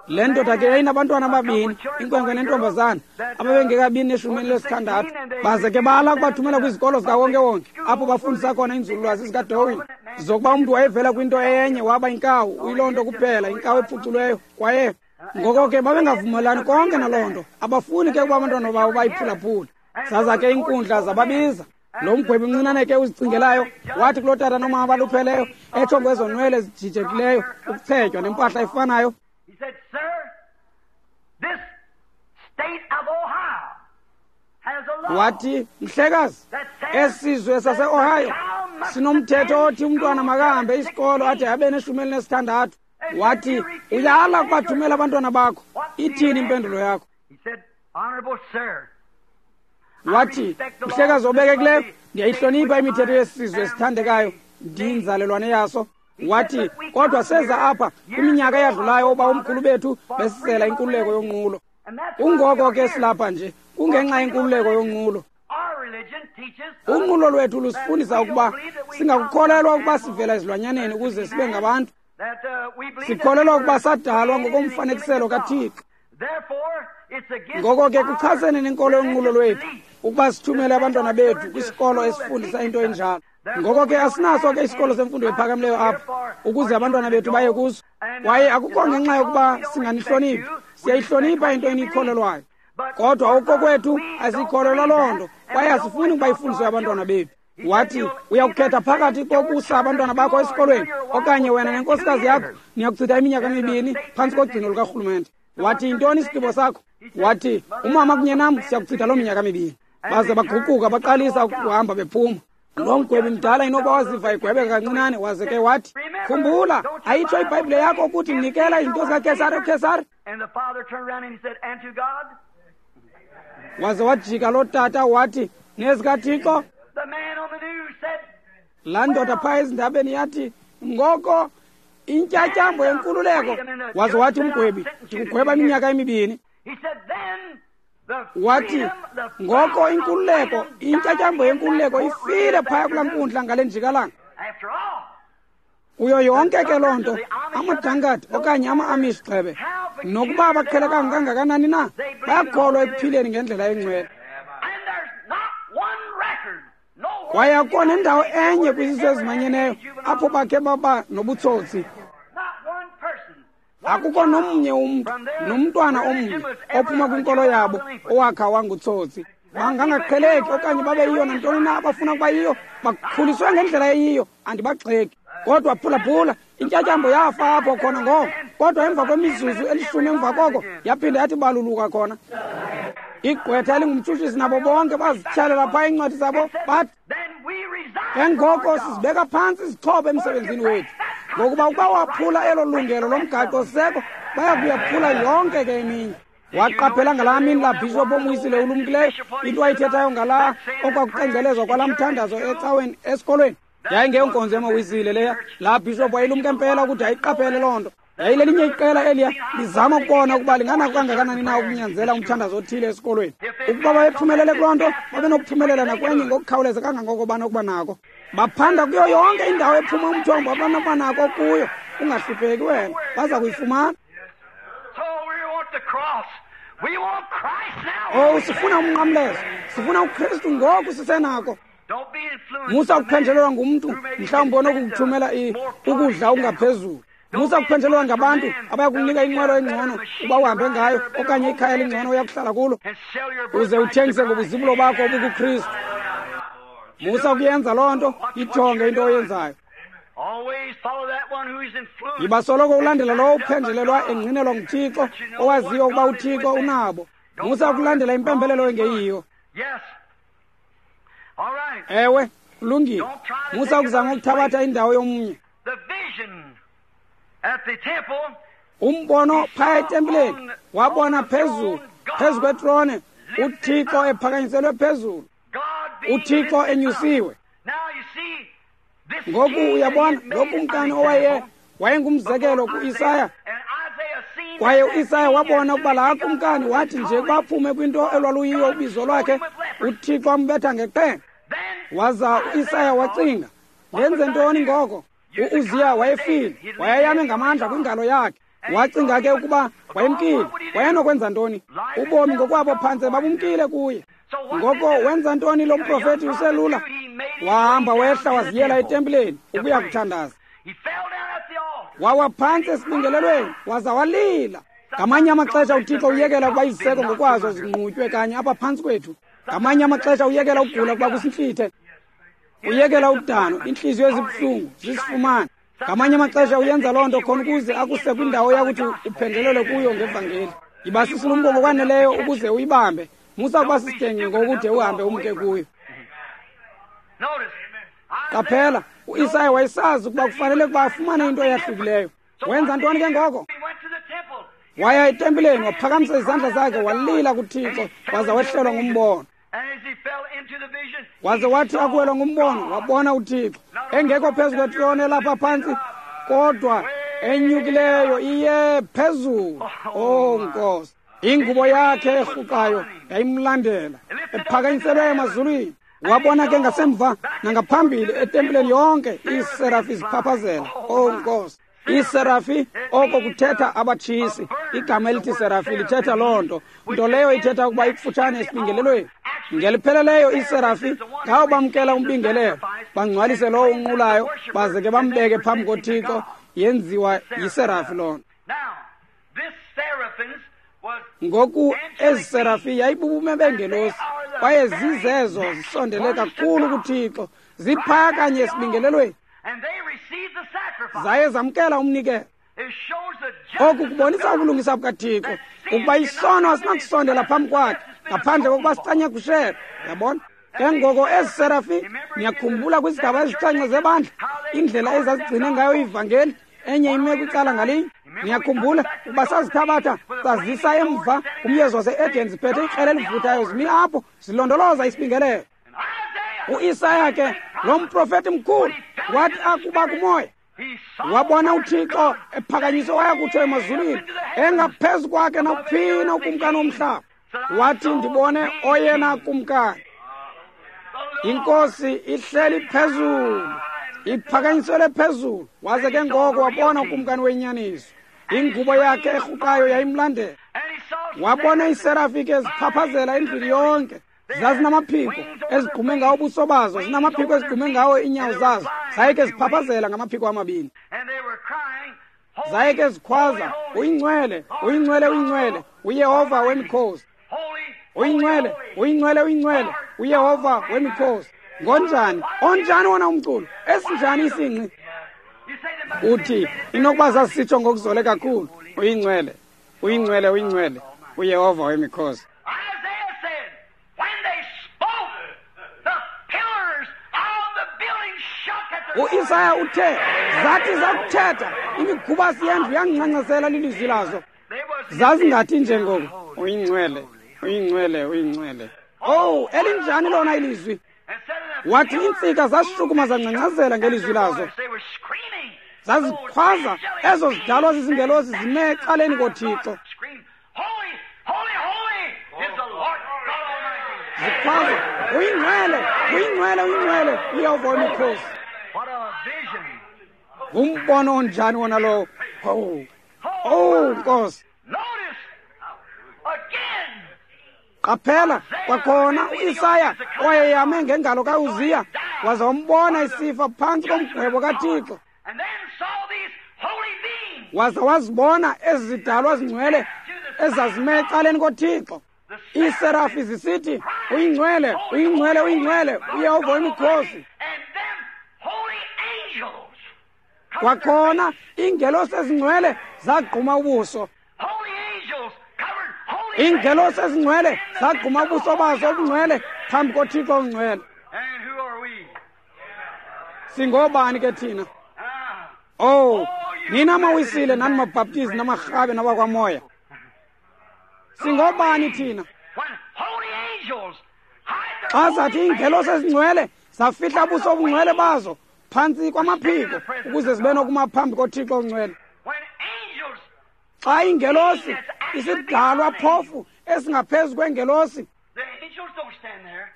Speaker 1: Le ndoda ke yayinabantwana ababini, inkwenkwe nentombazana, ababengekabi ne-16. Baze ke bala ukubathumela kwizikolo zikawonkewonke apho bafundisa khona inzululwazi zikaDarwin, zokuba umntu wayevela kwinto enye waba yinkawu, uyiloo nto kuphela, inkawu ephuculweyo. Kwaye ngoko ke babengavumelani konke naloo nto, abafuni ke ukuba abantwana babo bayiphulaphule. Zaza ke iinkundla zababiza. Lo mgwebi mncinane ke uzicingelayo wathi kuloo tata nomama balupheleyo, etsho ngezo nwele zijijekileyo, ukuchetywa nempahla efanayo.
Speaker 2: He said, "Sir, this state of Ohio has a law."
Speaker 1: Wathi, mhlekazi, esizwe sase-Ohio sinomthetho othi umntwana makahambe isikolo ade abe ne-16. Wathi, uyala ukubathumela abantwana bakho, ithini impendulo yakho?
Speaker 2: He said, "Honorable sir,"
Speaker 1: Wathi, mhlekazi obekekileyo, ndiyayihlonipha imithetho yesizwe esithandekayo, ndiyinzalelwane yaso. Wathi, kodwa seza apha kwiminyaka eyadlulayo oba omkhulu bethu besizela inkululeko yonqulo. Kungoko ke silapha nje, kungenxa yenkululeko yonqulo.
Speaker 2: Our religion teaches
Speaker 1: Unqulo lwethu lusifundisa ukuba singakukholelwa ukuba sivela ezilwanyaneni ukuze sibe ngabantu.
Speaker 2: that we believe
Speaker 1: Sikholelwa ukuba
Speaker 2: that we were
Speaker 1: sadalwa
Speaker 2: created in the
Speaker 1: ngokomfanekiselo
Speaker 2: image of God.
Speaker 1: kaThixo.
Speaker 2: Therefore, it's against
Speaker 1: Ngoko ke
Speaker 2: our
Speaker 1: kuchasene nenkolo yonqulo
Speaker 2: religious
Speaker 1: lwethu
Speaker 2: belief
Speaker 1: ukuba sithumele abantwana bethu kwisikolo esifundisa into enjalo. Ngoko ke asinaso ke isikolo semfundo ephakamileyo apha ukuze abantwana bethu baye kuso. Kwaye akukho ngenxa yokuba singanihloniphi, siyayihlonipha into eniyikholelwayo. Kodwa okokwethu asikholelwa loo nto, kwaye asifuni ukuba ifundiswe abantwana bethu. Wathi, uyakukhetha phakathi kokusa abantwana bakho esikolweni okanye wena nenkosikazi yakho niyakuchitha iminyaka emibini phantsi kogcino lukarhulumente. Wathi, yintoni isigqibo sakho? Wathi, umama kunye nam siyakuchitha loo minyaka mibini. Baze baguquka baqalisa ukuhamba bephuma. Lo mgwebi mdala inoba waziva egwebeka kancinane, waze ke wathi, khumbula, ayitsho iBhayibhile yakho ukuthi nikela izinto zikaKhesari kuKhesari?
Speaker 2: And the father turned around and he said, "And to God?"
Speaker 1: Waze wajika loo tata wathi, nezikaThixo?
Speaker 2: The man on the news said,
Speaker 1: Laa ndoda phaa ezindabeni yathi, ngoko intyatyambo yenkululeko. Waze wathi umgwebi, ndikugweba iminyaka emibini.
Speaker 2: He said, "Then the
Speaker 1: Wathi,
Speaker 2: freedom, the
Speaker 1: ngoko
Speaker 2: flower of
Speaker 1: inkululeko,
Speaker 2: freedom
Speaker 1: intyatyambo
Speaker 2: died in
Speaker 1: yenkululeko
Speaker 2: that
Speaker 1: ifile
Speaker 2: courtroom
Speaker 1: phaya kulaa
Speaker 2: that
Speaker 1: nkundla ngale njikalanga.
Speaker 2: After all,
Speaker 1: Kuyo yonke ke loo nto, amaDankard okanye ama-Amish gxebe, nokuba abaqhelekanga kangakanani na, bayakholwa ekuphileni ngendlela engcwele.
Speaker 2: and there's not one record, nowhere
Speaker 1: Kwaye akukho nendawo enye kwizizwe ezimanyeneyo apho bakhe baba nobutsotsi.
Speaker 2: not one person,
Speaker 1: Akukho nomnye umntu, nomntwana omnye ophuma kwinkolo yabo owakha wangutsotsi. Bangangaqheleki okanye babe yiyo nantoni na abafuna ukuba yiyo, bakhuliswe ngendlela eyiyo, andibagxeki. Kodwa phulaphula, intyatyambo yafa apho khona ngoko, kodwa emva kwemizuzu elishumi emva koko yaphinda yathi baluluka khona. Igqwetha elingumtshutshisi nabo bonke bazityhalela phaa iincwadi zabo bathi,
Speaker 2: then we resign
Speaker 1: ke ngoko
Speaker 2: from our job.
Speaker 1: sizibeka phantsi izixhobo emsebenzini wethu, ngokuba ukuba waphula elo lungelo lomgaqo-siseko, baya kuyaphula yonke ke eminye. Waqaphela ngalaa mini laa bhishophu omwisile ulumkileyo into ayithethayo ngalaa okwakucengcelezwa kwalaa mthandazo ecaweni esikolweni. Yayingeyonkonzo yamawisile leya. Laa bhishophu wayelumka impela ukuthi ayiqaphele loo nto. Yayilelinye iqela eliya lizama ukubona ukuba linganako kangakanani na ukunyanzela umthandazo othile esikolweni. Ukuba babephumelele kuloo nto, babenokuphumelela nakwenye ngokukhawuleza kangangoko banokuba nako. Baphanda kuyo yonke indawo ephuma umthombo abanokuba nako kuyo. Ungahlupheki wena, baza kuyifumana. Oh, sifuna umnqamlezo, sifuna uKristu ngoku sisenako. Musa ukuphenjelelwa ngumntu mhlawumbi onokukuthumela ukudla okungaphezulu. Musa ukuphenjelelwa ngabantu abayakunika inqwelo engcono uba uhambe ngayo okanye ikhaya elingcono oyakuhlala kulo, uze uthengise ngobuzibulo bakho obukuKristu. Musa ukuyenza loo nto, ijonge into oyenzayo. Yiba soloko ulandela lowo uphenjelelwa engqinelwa nguThixo, owaziyo ukuba uThixo unabo. Musa ukulandela impembelelo engeyiyo. Ewe, kulungile. Musa ukuzama ukuthabatha indawo yomnye. Umbono phaya etempileni wabona phezulu, phezu kwetrone, uThixo ephakanyiselwe phezulu, uThixo enyusiwe. Ngoku uyabona lo kumkani owaye wayengumzekelo kuIsaya, kwaye uIsaya wabona ukuba laa kumkani wathi nje baphume kwinto elwaluyiyo ubizo lwakhe, uThixo ambetha ngeqhele. Waza uIsaya wacinga, ndenze ntoni ngoko? U-Uziya wayefile, wayeyame ngamandla kwingalo yakhe. Wacinga ke ukuba wayemkile, wayenokwenza ntoni? Ubomi ngokwabo phantse babumkile kuye. Ngoko wenza ntoni lo mprofethi uselula? Wahamba wehla waziyela etempileni ukuya kuthandaza. Wawa phantsi esibingelelweni waza walila. Ngamanye amaxesha uThixo uyekela ukuba iziseko ngokwazo zinqutywe kanye apha phantsi kwethu. Ngamanye amaxesha uyekela ukugula ukuba kusintlithe. Uyekela udano, iintliziyo ezibuhlungu zisifumane. Ngamanye amaxesha uyenza loo nto khona ukuze akuse kwindawo yakuthi uphenjelelwe kuyo ngevangeli. Yiba sisilumko ngokwaneleyo ukuze uyibambe. Musa ukuba sisidenge ngokude uhambe umke kuyo. Qaphela, uIsaya wayesazi ukuba kufanele ukuba afumane into eyahlukileyo. Wenza ntoni ke ngoko? Waya etempileni, waphakamisa izandla zakhe, walila kuThixo, waza wehlelwa ngumbono. Waze wathi akuwelwa ngumbono, wabona uThixo engekho phezu kwetrone elapha phantsi, kodwa enyukileyo iye phezulu. Oh Nkosi, ingubo yakhe erhuqayo yayimlandela, ephakanyiselwe emazulwini. Wabona ke ngasemva nangaphambili etempileni yonke iiserafi ziphaphazela. Oh Nkosi, iiserafi oko kuthetha abatshisi. Igama elithi serafi lithetha loo nto, nto leyo ithetha ukuba ikufutshane esibingelelweni. Ngelipheleleyo iiserafi ngawo bamkela umbingelelo, bangcwalise lowo unqulayo, baze ke bambeke phambi koThixo. Yenziwa yiserafi loo nto. Ngoku ezi serafi yayibubume bengelosi, kwaye zizezo zisondele kakhulu kuThixo, ziphaya kanye esibingelelweni. Zaye zamkela umnikelo. Oku kubonisa ubulungisa bukaThixo, ukuba isono asinakusondela phambi kwakhe ngaphandle kokuba sicanyakushelwe. Yabona? Ke ngoko ezi serafi, niyakhumbula kwizigaba ezixhenxe zebandla indlela ezazigcine ngayo ivangeli, enye ime kwicala ngalinye. Niyakhumbula ukuba sazithabatha sazisa emva kumyezo wase-Eden, ziphethe ikrele elivuthayo, zimi apho zilondoloza isibingelelo. uIsaya ke lo mprofethi mkhulu wathi akuba kumoya, wabona uThixo ephakanyiswe waya kutsho emazulwini, engaphezu kwakhe nawuphina ukumkani womhlaba. Wathi, ndibone oyena kumkani, inkosi ihleli phezulu, iphakanyiselwe phezulu. Waze ke ngoko wabona ukumkani wenyaniso, ingubo yakhe erhuqayo yayimlandela. Wabona iiserafi ke ziphaphazela endlwini yonke, zazinamaphiko ezigqume ngawo ubuso bazo, zinamaphiko ezigqume ngawo iinyawo zazo, zaye ke ziphaphazela ngamaphiko amabini. Zaye ke zikhwaza, uyingcwele, uyingcwele, uyingcwele, uYehova wemikhosi. Uyingcwele, uyingcwele, uyingcwele, uYehova wemikhosi. Ngonjani? Onjani wona umculo? Esinjani isingqi? Uthi inokuba sasitsho ngokuzole kakhulu, uyingcwele, uyingcwele, uyingcwele, uYehova wemikhosi. uIsaya uthe, zathi zakuthetha imigubasi yendlu yangincancasela lilizwi lazo. Zazingathi nje ngoku, uyingcwele, uyingcwele, uyingcwele. Oh, elinjani lona ilizwi? Wathi iintsika zashukuma zangcangcazela ngelizwi lazo. Zazikhwaza ezo zidalwa zizingelosi zime ecaleni koThixo. Zikhwaza, uyingcwele, uyingcwele, uyingcwele, uYehova wemikhosi. Ngumbono onjani wona lowo? Oh, oh Nkosi. Qaphela kwakhona uIsaya owayeyame ngengalo kaUziya waza wambona isifa phantsi komgwebo kaThixo. Waza wazibona ezi zidalwa zingcwele ezazime ecaleni koThixo. Iiserafi zisithi, uyingcwele, uyingcwele, uyingcwele, uYehova wemikhosi. Kwakhona iingelosi ezingcwele zagquma ubuso. Iingelosi ezingcwele zagquma ubuso bazo obungcwele phambi koThixo ongcwele. Singobani ke thina? Oh, nina mawisile nani mabhaptizi namarhabe nabakwamoya. Singobani thina? Xa zathi iingelosi ezingcwele zafihla ubuso obungcwele bazo phantsi kwamaphiko ukuze zibe nokuma phambi koThixo ongcwele. Xa ingelosi isidalwa phofu esingaphezu kwengelosi,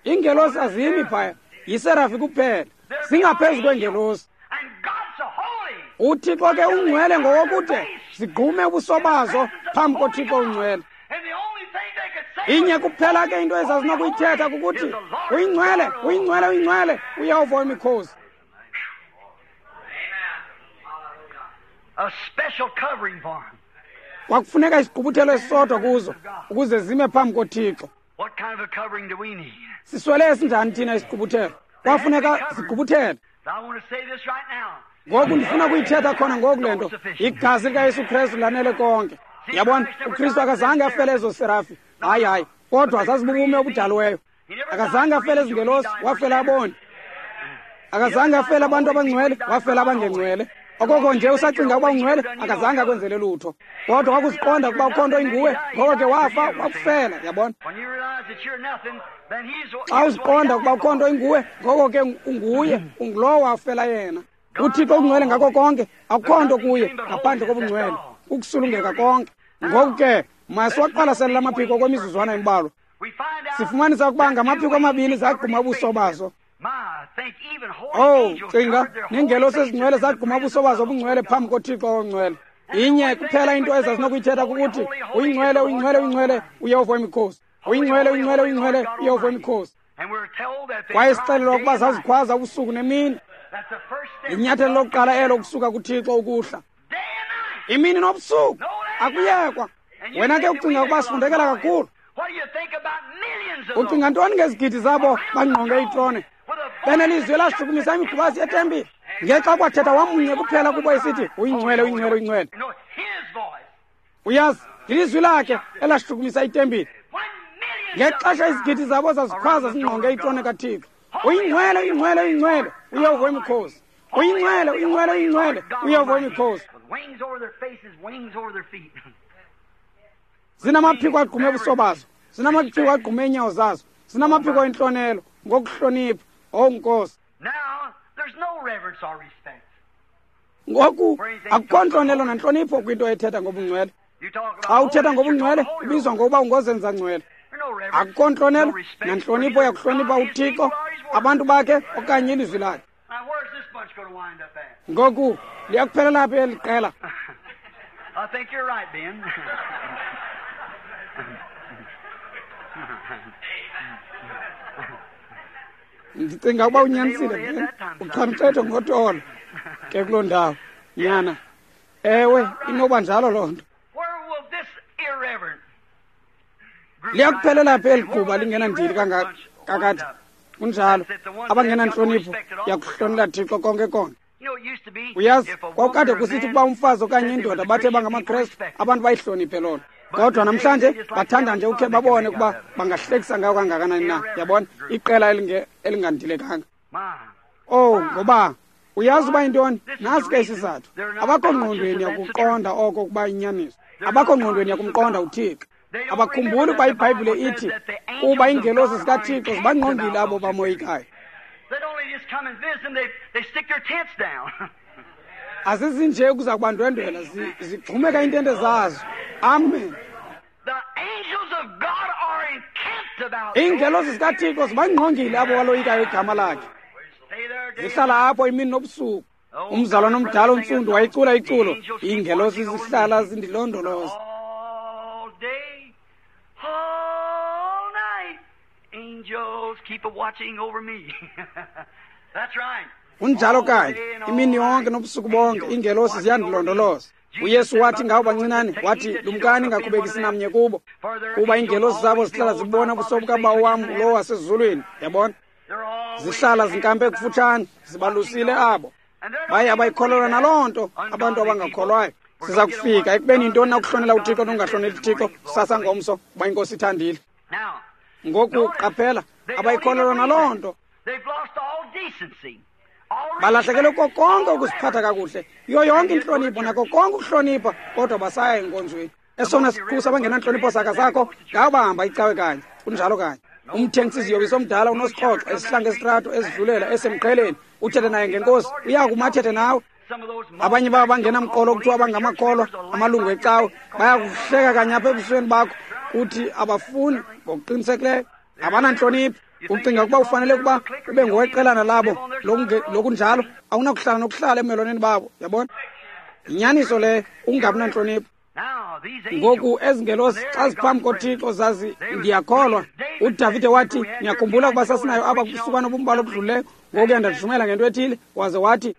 Speaker 1: ingelosi azimi phaya, yiserafi kuphela, zingaphezu kwengelosi. uThixo ke ungcwele ngokokude zigqume ubuso bazo phambi koThixo ongcwele. Inye kuphela ke into ezazinokuyithetha kukuthi uyingcwele, uyingcwele, uyingcwele, uYehova wemikhosi. Kwakufuneka isigqubuthelo esisodwa kuzo ukuze zime phambi koThixo. Siswele esinjani thina isigqubuthelo? Kwafuneka sigqubuthele. Ngoku ndifuna kuyithetha khona ngoku le nto. Igazi likaYesu Kristu lanele konke. Yabona, uKristu akazange afele ezo serafi. Hayi, hayi, kodwa zazibubume obudaliweyo. Akazange afele ezingelosi, wafela aboni. Akazange afele abantu abangcwele, wafela abangengcwele. Okoko nje usacinga ukuba ungcwele, akazange akwenzele lutho. Kodwa wakuziqonda ukuba ukho nto inguwe, ngoko ke wafa, wakufela, yabona. Xa uziqonda ukuba ukho nto inguwe, ngoko ke unguye, ungulowo wafela yena. UThixo ungcwele ngako konke, akukho nto kuye ngaphandle kobungcwele, ukusulungeka konke. Ngoku ke masiwaqwalasele la maphiko kwemizuzwana embalwa. Sifumanisa ukuba ngamaphiko amabini zagquma ubuso bazo. Oh, cinga, neengelosi ezingcwele zagquma ubuso bazo obungcwele phambi koThixo ongcwele. Inye kuphela into ezazinokuyithetha kukuthi uyingcwele, uyingcwele, uyingcwele, uYehova wemikhosi. Uyingcwele, uyingcwele, uyingcwele, uYehova wemikhosi. Kwaye sixelelwa ukuba zazikhwaza ubusuku nemini. Inyathelo lokuqala elo kusuka kuThixo ukuhla. Imini nobusuku akuyekwa. Wena ke ucinga ukuba sifundekela kakhulu. Ucinga ntoni ngezigidi zabo bangqonge itrone? Benelizwi elashukumisa imigubasi yetempile. Ngexa kwathetha wamnye kuphela kubo esithi uyingcwele, uyingcwele, uyingcwele. Uyazi, lilizwi lakhe elashukumisa itempile. Ngexesha izigidi zabo zazikhwaza zingqonge itrone kaThixo. Uyingcwele, uyingcwele, uyingcwele, uYehova wemikhosi. Uyingcwele, uyingcwele, uyingcwele, uYehova wemikhosi. Zinamaphiko agqume ubuso bazo, zinamaphiko agqume iinyawo zazo, zinamaphiko entlonelo ngokuhlonipha. Oh Nkosi. Ngoku akukho ntlonelo nantlonipho kwinto ethetha ngobungcwele. Xa uthetha ngobungcwele ubizwa ngokuba ungozenza ngcwele. Akukho ntlonelo nantlonipho yakuhlonipha uThixo, abantu bakhe okanye ilizwi lakhe. Ngoku liyakuphelela phi eli qela? Ndicinga ukuba unyanisile, Ben. Uchamcetho ngotolo ke kuloo ndawo, nyana. Ewe, inoba njalo loo nto. Liyakuphelela phi eli gquba lingenandili kakade? Kunjalo, abangenantlonipho yakuhlonela Thixo konke konke. Uyazi, kwakukade kusithi ukuba umfazi okanye indoda bathe bangamaKrestu, abantu bayihloniphe loo nto. Kodwa namhlanje bathanda nje ukhe babone ukuba bangahlekisa ngayo kangakanani na. Yabona, iqela elingandilekanga. Oh, ngoba uyazi uba yintoni? Nasi ke isizathu. Abakho ngqondweni yakuqonda oko kuba inyaniso. Abakho ngqondweni yakumqonda uThixo. Abakhumbuli ukuba iBhayibhile ithi kuba iingelosi zikaThixo zibangqongile abo bamoyikayo. Azizinje ukuza kubandwendwela, zigxumeka iintente zazo. Amen. Iingelosi zikaThixo zibangqongile abo baloyikayo igama lakhe. Zihlala apho imini nobusuku. Umzalwana omdala ontsundu wayicula iculo, iingelosi zihlala zindilondoloza. Kunjalo kanye, imini yonke nobusuku bonke iingelosi ziyandilondoloza. uYesu wathi ngabo bancinane, wathi, lumkani ningakhubekisi namnye kubo, kuba iingelosi zabo zihlala zibona ubuso bukaBawo wam lowo wasezulwini. Yabona, zihlala zinkampe kufutshane, zibalusile abo baye abayikholelwa naloo nto abantu abangakholwayo. Siza kufika ekubeni yintoni na ukuhlonela uThixo nokungahloneli uThixo kusasa ngomso, kuba iNkosi ithandile. Ngoku qaphela, abayikholelwa naloo nto. Balahlekelwe ko konke ukuziphatha kakuhle, yiyo yonke intlonipho nako konke ukuhlonipha, kodwa basaya enkonzweni. Esona siqhusa abangenantlonipho saka sakho, ngabo bahamba icawe kanye. Kunjalo kanye. Umthengisi iziyobisi omdala unosixhoxo esihlanga esitrato ezidlulela esemqheleni, uthethe naye ngenkosi, uya kuma athethe nawe. Abanye babo bangenamqolo kuthiwa bangamakholwa, amalungu ecawe, bayakuhleka kanye apha ebusweni bakho, kuthi abafuni ngokuqinisekileyo, abanantlonipho. Ucinga ukuba ufanele ukuba ube ngoweqelana labo lokunjalo, awunakuhlala nokuhlala emelwaneni babo. Yabona, yinyaniso leyo, ukungabi nantlonipho. Ngoku ezi ngelosi xa ziphambi koThixo zazi, ndiyakholwa. uDavide wathi, niyakhumbula ukuba sasinayo apha kubusukwana obumbalwa obudlulileyo, ngoku yandashumela ngento ethile, waze wathi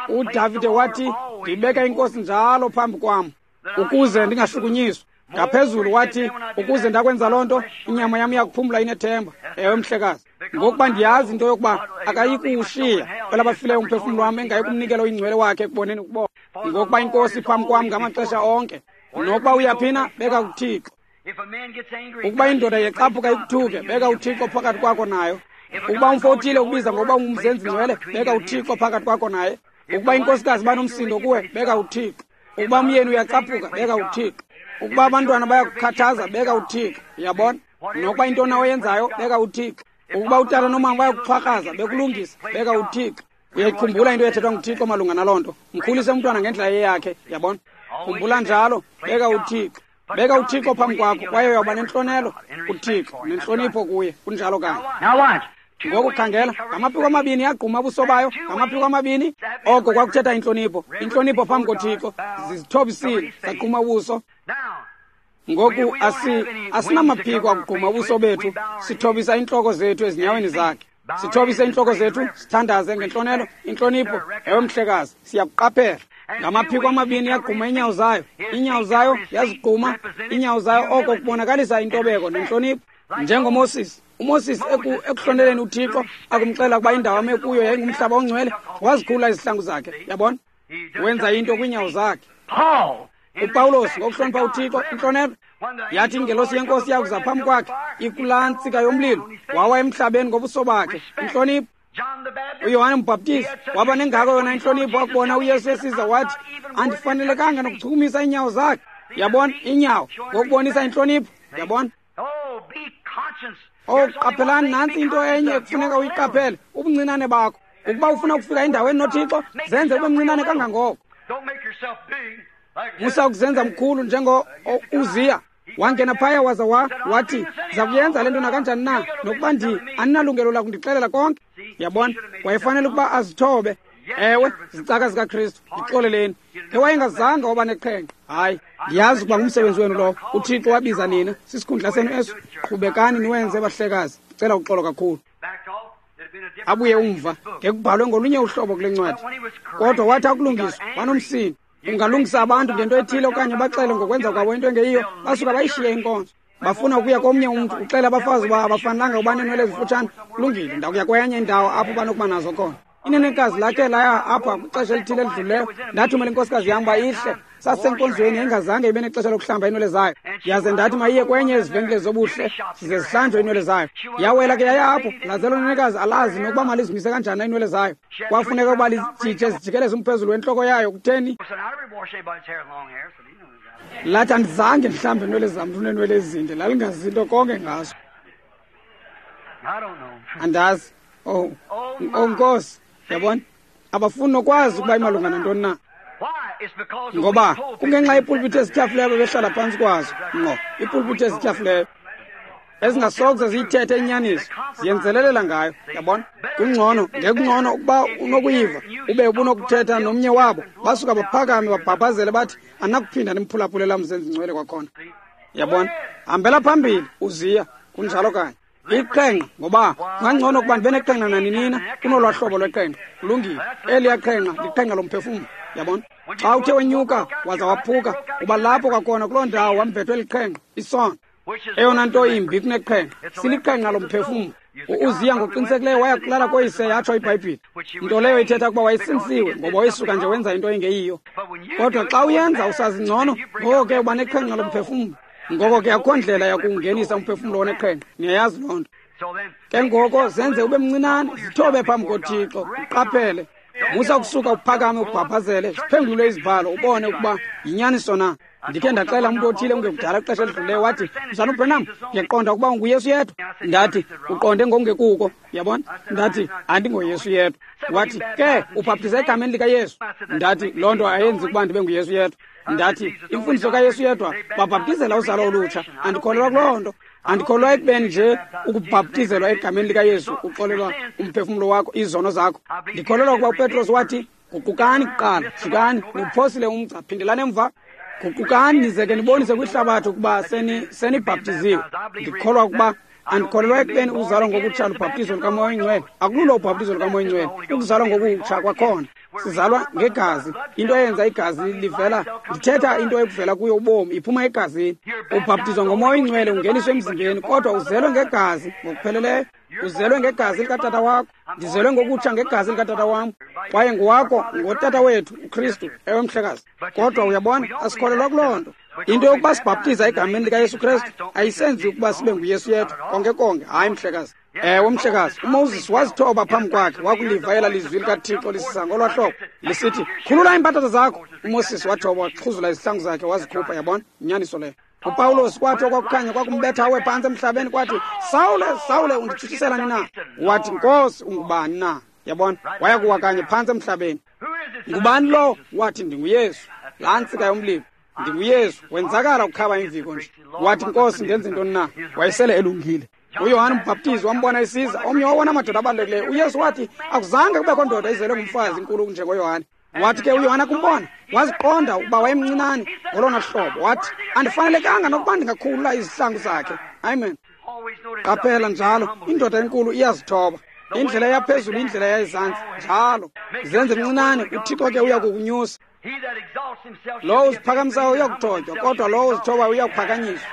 Speaker 1: uDavide wathi, ndibeka inkosi njalo phambi kwam ukuze ndingashukunyiswa. Ngaphezulu wathi, ukuze ndakwenza loo nto, inyama yam iyakuphumla inethemba. Ewe, mhlekazi, ngokuba ndiyazi into yokuba akayikuwushiya kwelabafileyo umphefumlo wam, engayi kumnikela oyingcwele wakhe ekuboneni ukubona. Ngokuba inkosi phambi kwam ngamaxesha onke, nokuba uyaphina, beka kuThixo. Ukuba indoda yexaphuka ikuthuke, beka uThixo phakathi kwakho nayo. Ukuba umfo othile ukubiza ngokuba ungumzenzi ngcwele, beka uThixo phakathi kwakho naye. Ukuba inkosikazi banomsindo kuwe, beka uThixo. Ukuba umyeni uyacaphuka, beka uThixo. Ukuba abantwana bayakukhathaza, beka uThixo. Uyabona? Nokuba intoni oyenzayo, beka uThixo. Ukuba utata nomama bayakuxhwakraza, bekulungisa, beka uThixo. Uyayikhumbula into ethethwa nguThixo malunga naloo nto. Mkhulise umntwana ngendlela eyakhe, yabona? Khumbula njalo, beka uThixo. Beka uThixo phambi kwakho, kwaye uyawuba nentlonelo kuThixo nentlonipho kuye. Kunjalo kanye. Ngoku khangela, ngamaphiko amabini yagquma ubuso bayo, ngamaphiko amabini. Oko kwakuthetha intlonipho, intlonipho phambi koThixo. Zizithobisile, zagquma ubuso. Ngoku asinamaphiko akugquma ubuso bethu, sithobisa iintloko zethu ezinyaweni zakhe. Sithobise iintloko zethu, sithandaze ngentlonelo, intlonipho. Ewe, mhlekazi, siyakuqaphela. Ngamaphiko amabini yagquma iinyawo zayo, iinyawo zayo yazigquma iinyawo zayo, oko kubonakalisa intobeko nentlonipho. NjengoMoses, uMoses ekuhloneleni uThixo, akumxelela ukuba indawo ame kuyo yayingumhlaba ongcwele, wazikhulula izihlangu zakhe. Yabona, wenza into kwiinyawo zakhe. uPawulos ngokuhlonipha uThixo, intlonelo, yathi ingelosi yenkosi yakuza phambi kwakhe ikulaa ntsika yomlilo, wawa emhlabeni ngobuso bakhe. Intlonipho. uYohane uMbhaptizi waba nengako yona intlonipho, wakubona uYesu esiza wathi, andifanelekanga nokuchukumisa iinyawo zakhe. Yabona, iinyawo, ngokubonisa intlonipho. Yabona. Oh, qaphelani, nantsi into enye ekufuneka uyiqaphele, ubuncinane bakho. Ukuba ufuna ukufika endaweni noThixo, zenze ube mncinane kangangoko. Musa ukuzenza mkhulu njengo Uziya. Wangena phaya waza wathi, ndiza kuyenza le nto nakanjani na, nokuba andinalungelo lakundixelela konke. Yabona, wayefanele ukuba azithobe. Ewe, zicaka zikaKristu, ndixoleleni. Ke wayengazange waba neqhenqe. Hayi, ndiyazi ukuba ngumsebenzi wenu lowo. uThixo wabiza nina, sisikhundla senu eso. Qhubekani niwenze, bahlekazi. Ndicela uxolo kakhulu. Abuye umva, ngekubhalwe ngolunye uhlobo kule ncwadi. Kodwa wathi akulungiswa, wanomsindo. Ungalungisa abantu ngento ethile okanye baxele ngokwenza kwabo into engeyiyo, basuka bayishiye inkonzo. Bafuna ukuya komnye umntu, uxela abafazi uba abafanelanga uba neenwele ezifutshane. Kulungile, ndakuya kwenye indawo apho banokuba nazo khona. Inenekazi lakhe laya apha kwixesha elithile elidlulileyo, ndathumela inkosikazi yam uba ihle. Sasisenkonzweni, yayingazange ibe nexesha lokuhlamba iinwele zayo. Yaze ndathi mayiye kwenye ezivenkile zobuhle, size zihlanjwe iinwele zayo. Yawela ke yaya apho, laze lo nenekazi alazi nokuba malizimise kanjani iinwele zayo. Kwafuneka ukuba lijije zijikeleze umphezulu wentloko yayo. Kutheni? Lathi andizange ndihlambe iinwele zam, ndineenwele ezinde. Lalingazi into konke ngazo. Andazi. Oh, Nkosi, yabona, abafuni nokwazi ukuba imalunga nantoni na. Ngoba kungenxa yeepulpiti ezityhafileyo ababehlala phantsi kwazo, ngqo, iipulpiti ezityhafileyo ezingasokuze ziyithethe inyaniso, ziyenzelelela ngayo, yabona. Kungcono, ngekungcono ukuba unokuyiva, ube ubunokuthetha nomnye wabo, basuka baphakame babhabhazele bathi, anakuphinda nimphulaphule laa mzenzi ngcwele kwakhona. Yabona, hambela phambili uziya, kunjalo kanye. Iqhenqa, ngoba kungangcono ukuba ndibe neqhenqa naninina kunolwaa hlobo lweqhenqa. Kulungile, eliya qhenqa liqhenqa lomphefumlo, yabona. Xa uthe wenyuka waza waphuka, uba lapho kwakhona kuloo ndawo wambethwe liqhenqa, isono. Eyona nto imbi kuneqhenqa, siliqhenqa lomphefumlo. U-Uziya ngokuqinisekileyo waya kulala koyise, yatsho iBhayibhile. Nto leyo ithetha ukuba wayesinsiwe, ngoba wayesuka nje wenza into engeyiyo. Kodwa xa uyenza usazi ngcono, ngoko ke uba neqhenqa lomphefumlo. Ngoko ke akukho ndlela yakungenisa umphefumlo oneqhenqa, niyayazi loo nto. Ke ngoko zenze ube mncinane, zithobe phambi koThixo, uqaphele. Musa ukusuka uphakame ubhabhazele, ziphengulule izibhalo ubone ukuba yinyaniso na. Ndikhe ndaxela umntu othile ungekudala ixesha elidlulileyo, wathi, Mzalwana uBranham, ndiyaqonda ukuba unguYesu yedwa. Ndathi, uqonde ngokungekuko, yabona. Ndathi, andingoYesu yedwa. Wathi, ke ubhaptiza egameni likaYesu. Ndathi, loo nto ayenzi ukuba ndibe nguYesu yedwa. Ndathi, imfundiso kaYesu yedwa babhaptizela uzalo olutsha. Andikholelwa kuloo nto. Andikholelwa ekubeni nje ukubhaptizelwa egameni likaYesu uxolelwa umphefumlo wakho, izono zakho. Ndikholelwa ukuba uPetros wathi, guqukani kuqala, jikani, niwuphosile umgca, phindelani emva. Guqukani nize ke nibonise kwihlabathi ukuba senibhaptiziwe. Ndikholwa ukuba andikholelwa ekubeni ukuzalwa ngokutsha lubhaptizo lukaMoya oyiNgcwele. Akululo ubhaptizo lukaMoya oyiNgcwele, ukuzalwa ngokutsha kwakhona. Sizalwa ngegazi, into eyenza igazi livela, ndithetha into ekuvela kuyo ubomi, iphuma egazini. Ubhaptizwa ngoMoya oyiNgcwele ungeniswe emzimbeni, kodwa uzelwe ngegazi ngokupheleleyo. Uzelwe ngegazi likatata wakho. Ndizelwe ngokutsha ngegazi likatata wam, kwaye nguwakho ngotata wethu uKristu, ewe mhlekazi. Kodwa uyabona, asikholelwa kuloo nto. Into yokuba sibhaptiza egameni likaYesu Kristu ayisenzi ukuba sibe nguYesu yedwa konke konke. Hayi mhlekazi. Ewe mhlekazi, uMoses wazithoba phambi kwakhe, wakuliva ela lizwi likaThixo lisisa ngolwaa hlobo lisithi, khulula iimpathatha zakho. uMoses wathoba, waxhuzula izihlangu zakhe wazikhupha, yabona, inyaniso leyo. uPawulos kwathi okwakukhanya kwakumbetha awe phantsi emhlabeni, kwathi, Sawule, Sawule, unditshutshiselani na? Wathi, Nkosi, ungubani na? Yabona, waya kuwa kanye phantsi emhlabeni. Ngubani lo? Wathi, ndinguYesu. Laa ntsika yomlilo, ndinguYesu. Wenzakala ukukhaba imviko nje. Wathi, Nkosi, ndenze ntoni na? Wayesele elungile. uYohane uMbhaptizi wambona esiza, omnye wawona madoda abalulekileyo. uYesu wathi, akuzange kubekho ndoda izelwe ngumfazi inkulu njengoYohane. Wathi ke uYohane akumbona, waziqonda ukuba wayemncinane ngolona hlobo. Wathi, andifanelekanga nokuba ndingakhulula izihlangu zakhe. Amen. Qaphela njalo, indoda enkulu iyazithoba. Indlela yaphezulu, indlela yayizantsi, njalo. Zenze mncinane, uThixo ke uya kukunyusa. Lowo uziphakamisayo uyakuthotywa, kodwa lowo uzithobayo uyakuphakanyiswa.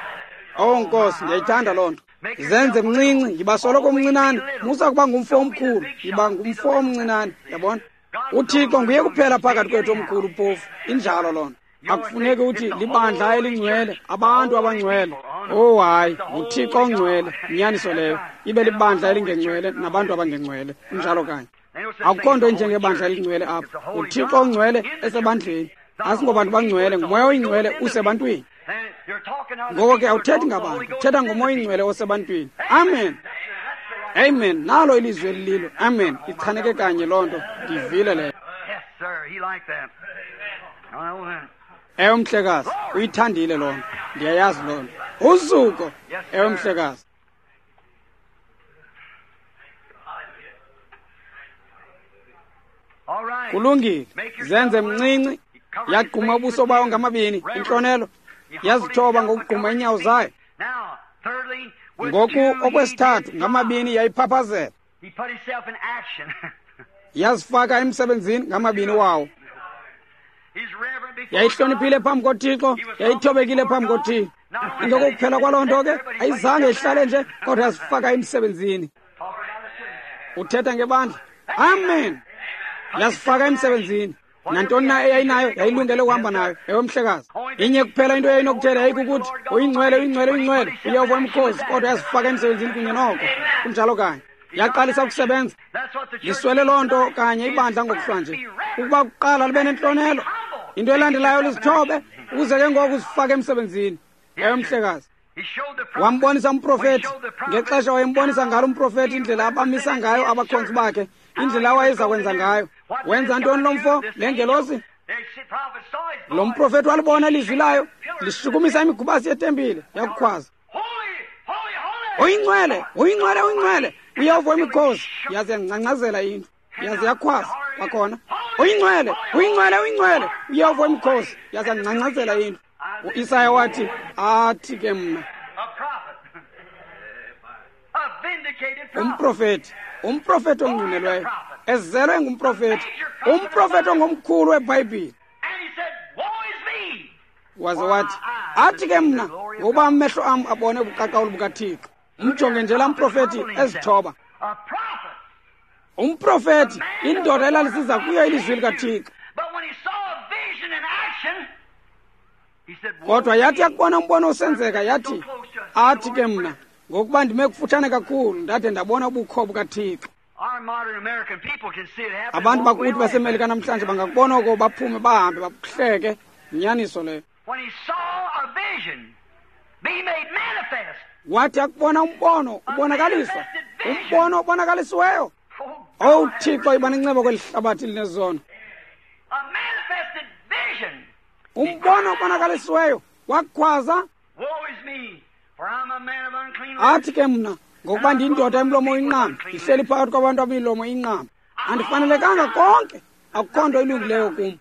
Speaker 1: Oh Nkosi, ndiyayithanda loo nto. Zenze mncinci, yiba soloko mncinane. Musa kuba ngumfo omkhulu, yiba ngumfo omncinane, yabona. uThixo nguye kuphela phakathi kwethu omkhulu phofu. Injalo loo nto. Akufuneki uthi libandla elingcwele, abantu abangcwele. Oh hayi, nguThixo ongcwele, inyaniso leyo. Ibe libandla elingengcwele nabantu abangengcwele. Injalo kanye. Akukho nto injengebandla elingcwele apha. UThixo ongcwele esebandleni. Asingobantu bangcwele, nguMoya oyingcwele usebantwini. Ngoko ke awuthethi ngabantu, uthetha ngoMoya oyingcwele osebantwini. Amen. Amen. Nalo ilizwi elililo. Amen. Ichaneke kanye loo nto. Ndiyivile leyo. Ewe mhlekazi, uyithandile loo nto. Ndiyayazi loo nto. Uzuko. Ewe mhlekazi. Kulungile. Zenze mncinci. Yagquma ubuso bayo ngamabini, intlonelo. Yazithoba ngokugquma iinyawo zayo. Ngoku okwesithathu ngamabini yayiphaphazela. Yazifaka emsebenzini ngamabini wawo. Yayihloniphile phambi koThixo, yayithobekile phambi koThixo. Ingokuphela kwaloo nto ke ayizange ihlale nje, kodwa yazifaka emsebenzini. Uthetha ngebandla. Amen. Yazifaka emsebenzini. Nantoni na eyayinayo yayilungele ukuhamba nayo. Ewe mhlekazi. Inye kuphela into eyayinokuthela yayikukuthi uyingcwele, uyingcwele, uyingcwele, uYehova wemikhosi, kodwa yazifaka emsebenzini kunye noko. Kunjalo kanye. Yaqalisa ukusebenza. Liswele loo nto kanye ibandla ngokuhlwa nje, ukuba kuqala libe nentlonelo, into elandelayo lizithobe, ukuze ke ngoku uzifake emsebenzini. Ewe mhlekazi. Wambonisa umprofeti ngexesha wayembonisa ngalo umprofeti indlela abamisa ngayo abakhonzi bakhe, indlela awayeza kwenza ngayo. Wenza ntoni lo mfo, le ngelosi? Lo mprofeti walibona ilizwi layo lishukumisa imigubasi yetempile, yakukhwaza, "Uyingcwele, uyingcwele, uyingcwele, uYehova wemikhosi." Yaze yangcangcazela indlu, yaze yakhwaza kwakhona, "Uyingcwele, uyingcwele, uyingcwele, uYehova wemikhosi." Yaze yangcangcazela indlu. UIsaya wathi, "Athi ke mna." Umprofeti, umprofeti ongqinelweyo, ezelwe ngumprofeti, umprofeti ongomkhulu weBhayibhile. Waze wathi, "Athi ke mna, ngokuba amehlo am abone ubuqaqawuli bukaThixo." Mjonge nje laa mprofeti ezithoba. Umprofeti, indoda elalisiza kuyo ilizwi likaThixo. Kodwa yathi yakubona umbono usenzeka, yathi, "Athi ke mna, ngokuba ndime kufutshane kakhulu, ndade ndabona ubukho bukaThixo." Abantu bakuthi baseMelika namhlanje bangakubona oko, baphume bahambe bakuhleke. Inyaniso leyo. Wathi akubona umbono ubonakaliswa, umbono obonakalisiweyo. Owu Thixo, iba nenceba kweli hlabathi linezono. Umbono obonakalisiweyo, wakhwaza, "Athi ke mna, ngokuba ndiyindoda emlomo inqama, ndihleli phakathi kwabantu abamilomo inqama. Andifanelekanga konke, akukho nto ilungileyo kum."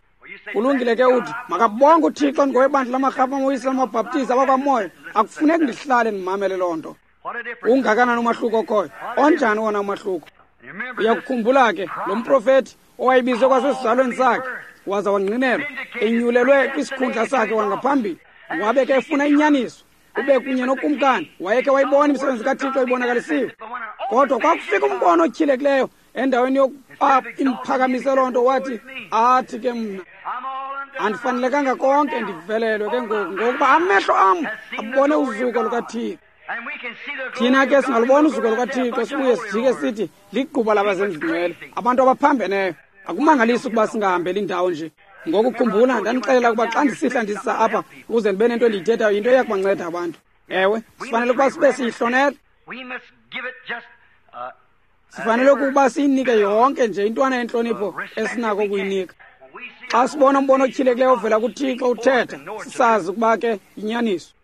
Speaker 1: Kulungile ke uthi, "Makabonge uThixo ndingowebandla lamarhafu amaWisile amaBhaptizi abakwaMoya. Akufuneki ndihlale ndimamele loo nto." Ungakanani umahluko okhoyo? Onjani wona umahluko? Uyakukhumbula ke lo mprofeti owayebizwe kwasesizalweni sakhe, waza wangqinelwa, enyulelwe kwisikhundla sakhe kwangaphambili, wabe ke efuna inyaniso, ube kunye nokumkani, wayekhe wayibona imisebenzi kaThixo ibonakalisiwe. Kodwa kwakufika umbono otyhilekileyo endaweni yokuba imphakamise loo nto, wathi, "Athi ke mna, andifanelekanga konke, ndivelelwe ke ngoku, ngokuba amehlo am abone uzuko lukaThixo." Thina ke singalubona uzuko lukaThixo sibuye sijike sithi ligquba labazenzingcwele, abantu abaphambeneyo. Akumangalisi ukuba singahambeli indawo nje. Ngokukhumbula, ndandixelela ukuba xa ndisihla ndisisa apha ukuze ndibe nento endiyithethayo, yinto eya kubanceda abantu. Ewe, sifanele ukuba sibe siyihlonela. Sifanele ukuba siyinike yonke nje intwana yentlonipho esinako ukuyinika. Xa sibona umbono otyhilekileyo ovela kuThixo uthetha, sisazi ukuba ke yinyaniso.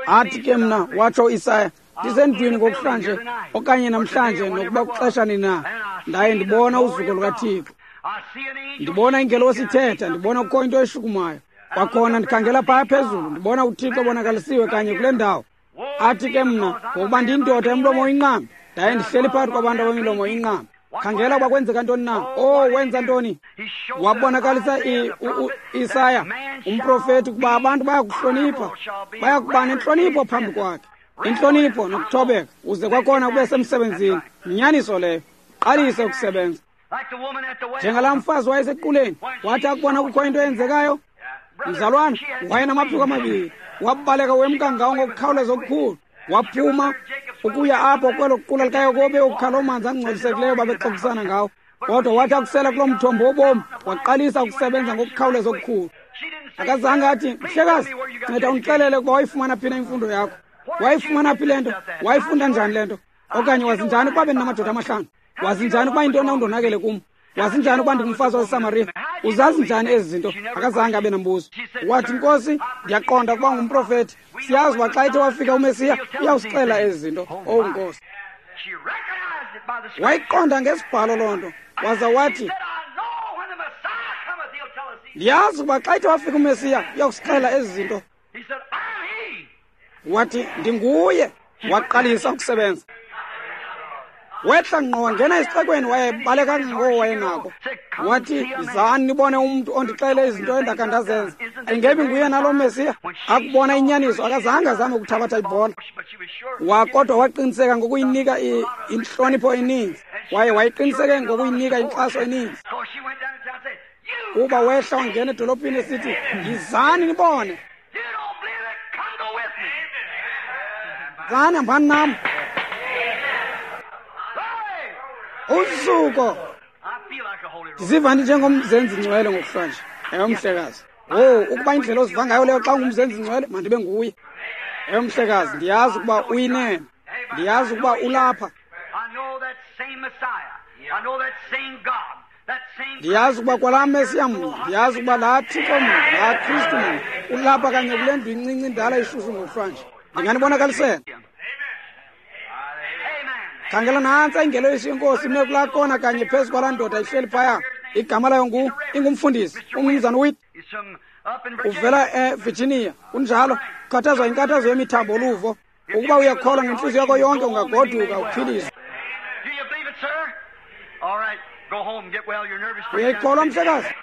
Speaker 1: "Athi ke mna," watsho uIsaya, "ndisendlwini ngokuhlanje okanye namhlanje, nokuba kuxesha nini na, ndaye ndibona uzuko lukaThixo. Ndibona ingelosi ithetha, ndibona kukho into eshukumayo. Kwakhona ndikhangela phaya phezulu, ndibona uThixo obonakalisiwe kanye kule ndawo. Athi ke mna, ngokuba ndiyindoda emlomo inqambi, ndaye ndihleli phakathi kwabantu abamilomo inqambi." Khangela uba kwenzeka ntoni na. Oh, wenza ntoni? Wabonakalisa uIsaya umprofeti ukuba abantu bayakuhlonipha, bayakuba nentlonipho phambi kwakhe. Intlonipho nokuthobeka, uze kwakhona ube semsebenzini. Yinyaniso leyo. Qalise ukusebenza. Njengalaa mfazi wayesequleni, wathi akubona kukho into eyenzekayo, mzalwana, wayenamaphiko amabini, wabaleka wemka ngawo ngokukhawuleza okukhulu. Waphuma ukuya apho kwelo qula likaYakobe ukukha loo manzi angcolisekileyo babexoxisana ngawo. Kodwa wathi akusela kuloo mthombo wobomi, waqalisa ukusebenza ngokukhawuleza okukhulu. Akazange athi, "Mhlekazi, nceda undixelele ukuba wayifumana phi na imfundo yakho. Wayifumana phi le nto? Wayifunda njani le nto? Okanye wazi njani ukuba bendinamadoda amahlanu? Wazi njani ukuba yintoni undonakele kum? Wazi njani ukuba ndingumfazi waseSamariya? Uzazi njani ezi zinto?" Akazange abe nambuzo. Wathi, "Nkosi, ndiyaqonda ukuba ngumprofeti. Siyazi uba xa ethe wafika uMesiya, uyawusixela ezi zinto." Owu Nkosi. Wayiqonda ngesibhalo loo nto. Waza wathi, "Ndiyazi ukuba xa ethe wafika uMesiya, uyawusixela ezi zinto." Wathi, "Ndinguye." Waqalisa ukusebenza. Wehla ngqo wangena esixekweni, wayebaleka ngoko wayenako. Wathi, "Yizani nibone umntu ondixele izinto endakha ndazenza. Ayingebi nguye nalo Mesiya?" Akubona inyaniso, akazange azame ukuthabatha ibhola. Kodwa waqiniseka ngokuyinika intlonipho eninzi. Waye wayeqiniseke ngokuyinika inkxaso eninzi. Kuba wehla wangena edolophini esithi, "Yizani nibone. Zani hambani nam." Uzuko. Ndiziva ndinjengomzenzi ngcwele ngokuhlwanje. Ewe, mhlekazi. Oh, ukuba indlela oziva ngayo leyo xa ungumzenzi ngcwele, mandibe nguye. Ewe mhlekazi, ndiyazi ukuba uyinene, ndiyazi ukuba ulapha. Ndiyazi ukuba kwalaa Mesiya mnye, ndiyazi ukuba laa Thixo mnye, laa Kristu mnye ulapha kanye kule ndlu incinci indala ishushu ngokuhlwanje. Ndinganibonakalisela. Khangela nantsi ingelosi yenkosi ime kulaa kona kanye phezu kwalaa ndoda ihleli phaya. Igama layo ingumfundisi, umnumzana Witt. Uvela eVirginia, kunjalo. Ukhathazwa yinkathazo yemithambo luvo. Ukuba uyakholwa ngentliziyo yakho yonke ungagoduka uphiliswe. Uyayikholwa mhlekazi?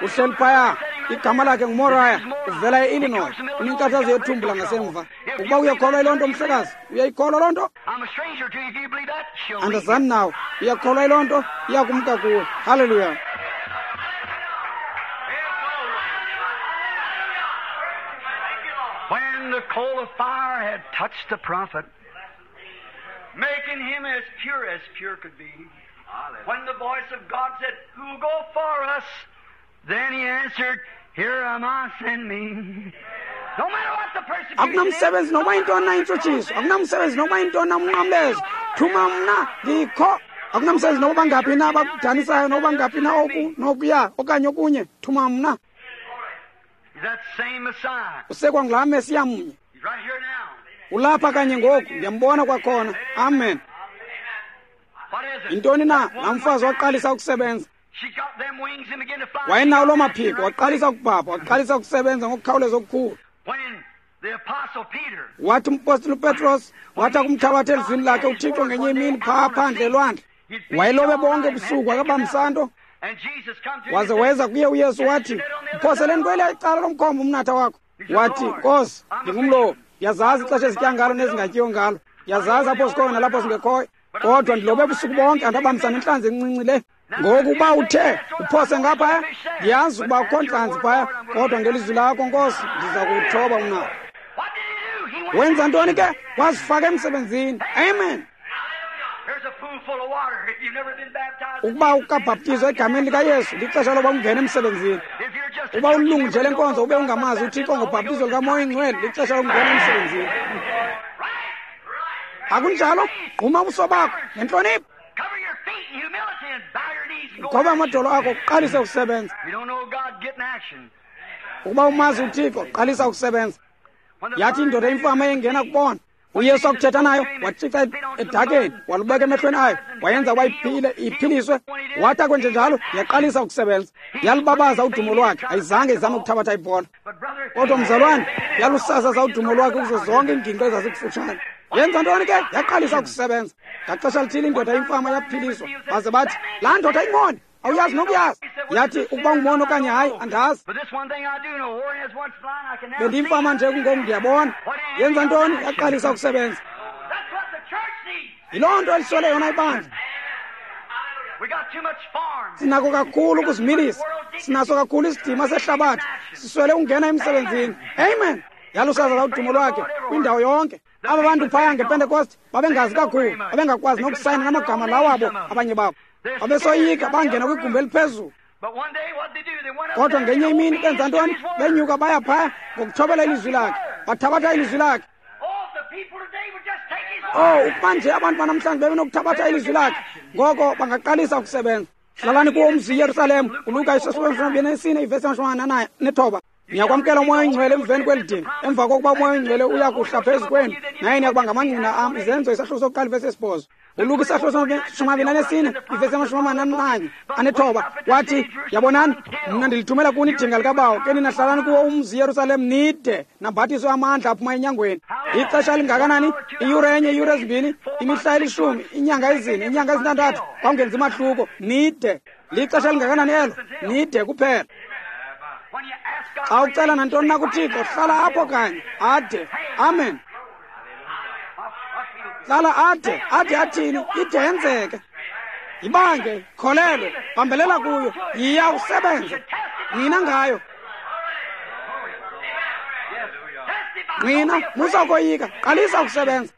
Speaker 1: Uhleli phaya, igama lakhe nguMoriah, uvela e-Illinois, unenkathazo yethumbu langasemva. Ukuba uyakholwa yiloo nto mhlekazi, uyayikholwa loo nto? Andazani nawe, uyakholwa yiloo nto, iyakumka kuwe. Haleluya.
Speaker 2: When the coal of fire had touched the prophet, making him as pure as pure could be, when the voice of God said, "Who'll go for us?" Then he answered, "Here am I, send me." No matter what the persecution is,
Speaker 1: akunamsebenzi noba yintoni na intshutshiso, akunamsebenzi noba yintoni na umnqamlezo, thuma mna ndikho. Akunamsebenzi noba bangaphi na abakudanisayo, noba bangaphi na oku nokuya okanye okunye, thuma mna. Usekwa ngulaa Mesiya mnye. Ulapha kanye ngoku, ndiyambona kwakhona. Amen. Yintoni na? Laa mfazi waqalisa ukusebenza. Wayenawo loo maphiko, waqalisa ukubhabha, waqalisa ukusebenza ngokukhawuleza okukhulu. Wathi umpostile uPetros, wathi akumthabatha elizwini lakhe uThixo ngenye imini phaa phandle elwandle. Wayelobe bonke ubusuku, akabambisa nto. Waze weza kuye uYesu wathi, "Mphoseleni kweliya icala lomkhombe umnatha wakho." Wathi, "Nkosi, ndingumlobi, ndiyazazi ixesha ezitya ngalo nezingatyiyo ngalo, ndiyazazi apho zikhoyo nalapho zingekhoyo, kodwa ndilobe ubusuku bonke andabambisa nentlanzi encinci le. Ngoku uba uthe uphose ngaphaya, ndiyazi ukuba akukho ntlanzi phaya, kodwa ngelizwi lakho Nkosi ndiza kuwuthoba umnatha." Wenza ntoni ke? Wazifaka emsebenzini. Amen. Ukuba ukabhaptizwa egameni likaYesu, lixesha loba ungene emsebenzini. Uba ulilungu nje lenkonzo ube ungamazi uThixo ngobhaptizo likaMoya Oyingcwele, lixesha lokungena emsebenzini. Akunjalo? Gquma ubuso bakho ngentlonipho, goba amadolo akho, uqalise ukusebenza. Ukuba umazi uThixo, qalisa ukusebenza. Yathi indoda imfama eyengena kubona uYesu akuthetha nayo, watshixa edakeni, walubeka emehlweni ayo, wayenza ukuba iphile, iphiliswe. Wathi akwenje njalo, yaqalisa ukusebenza. Yalubabaza udumo lwakhe, ayizange izame ukuthabatha ibhola. Kodwa mzalwane, yalusasaza udumo lwakhe kuzo zonke iingingqi ezazikufutshane. Yenza ntoni ke? Yaqalisa ukusebenza. Ngaxesha lithile indoda imfama yaphiliswa, baze bathi, "Laa ndoda ingumoni, awuyazi nokuyazi." Yathi, "Ukuba ungumoni okanye hayi, andazi. Bendiyimfama nje kungoku ndiyabona." Yenza ntoni? Yaqalisa ukusebenza. Yiloo nto eliswele yona ibandla. Sinako kakhulu ukuzimilisa, sinaso kakhulu isidima sehlabathi, siswele ukungena emsebenzini. Amen. Yalusasaza udumo lwakhe kwindawo yonke. Aba bantu phaya ngePentekoste babengazi kakhulu, babengakwazi nokusayina namagama lawo abo abanye babo. Babesoyika, bangena kwigumbi eliphezulu. Kodwa ngenye imini benza ntoni? Benyuka baya phaya ngokuthobela ilizwi lakhe, bathabatha ilizwi lakhe. Oh, ukuba nje abantu banamhlanje bebenokuthabatha ilizwi lakhe, ngoko bangaqalisa ukusebenza. Hlalani kuwo umzi iYerusalem. ULuka 24 ivesi 49. Niyakwamkela uMoya Oyingcwele emveni kweli dini, emva kokuba uMoya Oyingcwele uya kuhla phezu kwenu, naye niyakuba ngamangqina am. Izenzo isahluko sokuqala ivesi 8. ULuka isahluko 24 ivesi 49 wathi, "Yabonani, mna ndilithumela kuni idinga likaBawo, ke nina hlalani kuwo umzi iYerusalem nide nambathiswe amandla aphuma enyangweni." Ixesha elingakanani? Iyure enye, iyure ezimbini, imihla elishumi, iinyanga ezine, iinyanga ezintandathu, kwawungenzi mahluko. Nide. Lixesha elingakanani elo? Nide kuphela. Xa ucela nantoni na kuThixo, hlala apho kanye ade. Amen. Hlala ade, ade athini? Ide yenzeke. Yibange, kholelwe, bambelela kuyo, yiya usebenze. Nina ngayo. Nina, musa ukoyika, qalisa ukusebenza.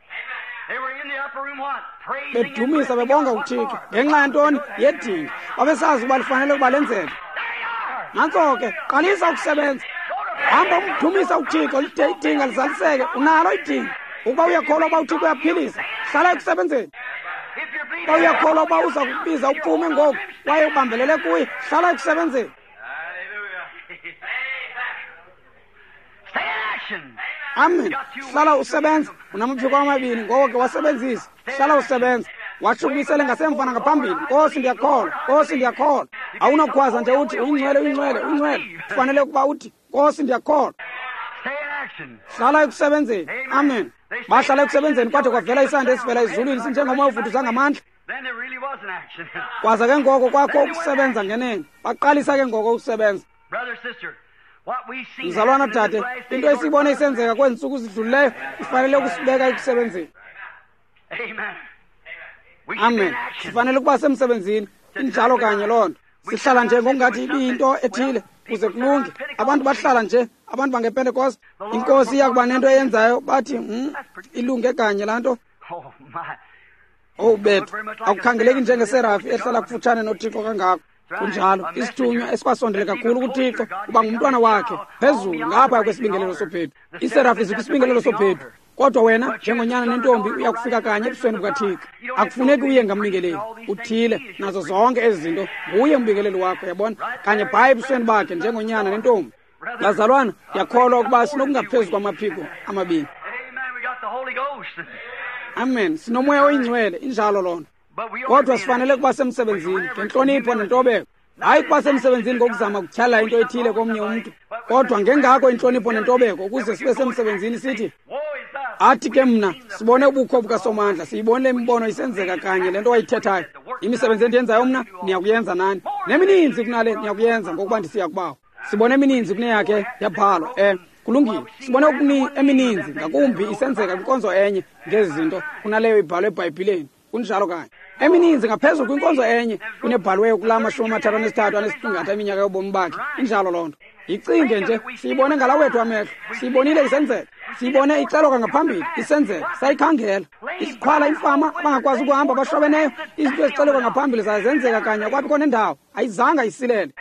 Speaker 1: Bedumisa bebonga uThixo ngenxa yantoni? Yedinga. Babesazi ukuba lifanele ukuba lenzeke. Nantso ke, qalisa ukusebenza. Hamba umdumisa uThixo, lide idinga lizaliseke. Unalo idinga. Ukuba uyakholwa uba uThixo uyaphilisa, hlala ekusebenzeni. Ukuba uyakholwa uba uza kukubiza uphume ngoku kwaye ubambelele kuye, hlala ekusebenzeni. Amen. Hlala usebenza. Unamaphiko amabini, ngoko ke wasebenzise. Hlala usebenza. Washukumisele ngasemva nangaphambili. Nkosi ndiyakholwa, Nkosi ndiyakholwa. Awunokhwaza nje uthi uyingcwele, uyingcwele, uyingcwele. Kufanele ukuba uthi Nkosi ndiyakholwa. Hlala ekusebenzeni. Amen. Bahlala ekusebenzeni kwade kwavela isandi esivela ezulwini sinjengomoya ovuthuza ngamandla. Kwaza ke ngoko kwakho ukusebenza ngenene. Baqalisa ke ngoko ukusebenza. Mzalwana dade, into esiyibone isenzeka kwezi ntsuku zidlulileyo ifanele ukusibeka ekusebenzeni. Amen. Sifanele ukuba semsebenzini. Injalo kanye loo nto. Sihlala nje ngokungathi ibiyinto ethile kuze kulunge. Abantu bahlala nje, abantu bangePentekoste, inkosi iya kuba nento eyenzayo bathi ilunge kanye laa nto. Owu bethu, akukhangeleki njengeserafi ehlala kufutshane noThixo kangako. Kunjalo, isithunywa esikwasondele kakhulu kuThixo kuba ngumntwana wakhe phezulu ngaphaya kwesibingelelo sobhedu. Iserafi zikwisibingelelo sobhedu, kodwa wena njengonyana nentombi uya kufika kanye ebusweni bukaThixo. Akufuneki uye ngambingeleli uthile nazo zonke ezi zinto, nguye umbingeleli wakho, yabona, kanye bhayi ebusweni bakhe njengonyana nentombi. Bazalwana, ndiyakholwa ukuba sinokungaphezu kwamaphiko amabini. Amen. Sinomoya oyingcwele, injalo loo nto. Kodwa sifanele kuba semsebenzini ngentlonipho nentobeko. Hayi kuba semsebenzini ngokuzama ukutyhala into ethile komnye umntu, kodwa ngengako intlonipho nentobeko ukuze sibe semsebenzini sithi athi ke mna sibone ubukho bukaSomandla, siyibonile imibono isenzeka kanye le nto wayithethayo. Imisebenzi endiyenzayo mna niyakuyenza nani, nemininzi kunale niyakuyenza ngokuba ndisiya kubawo. Sibone emininzi kuneyakhe yabhalwa. Kulungile. Sibone emininzi ngakumbi isenzeka kwinkonzo enye ngezi zinto kunaleyo ibhalwe eBhayibhileni. Kunjalo kanye. Emininzi ngaphezulu kwinkonzo enye kunebhaliweyo kulaa 33 eminyaka yobomi bakhe. Injalo loo nto. Yicinge nje, siyibone ngala wethu amehlo, siyibonile isenzeka, siyibone ixelwa ngaphambili isenzeka, sayikhangela. Isiqhwala, imfama, abangakwazi ukuhamba, abashwabeneyo, izinto ezixelwa ngaphambili zazenzeka kanye kwabikho nendawo, ayizanga isilele.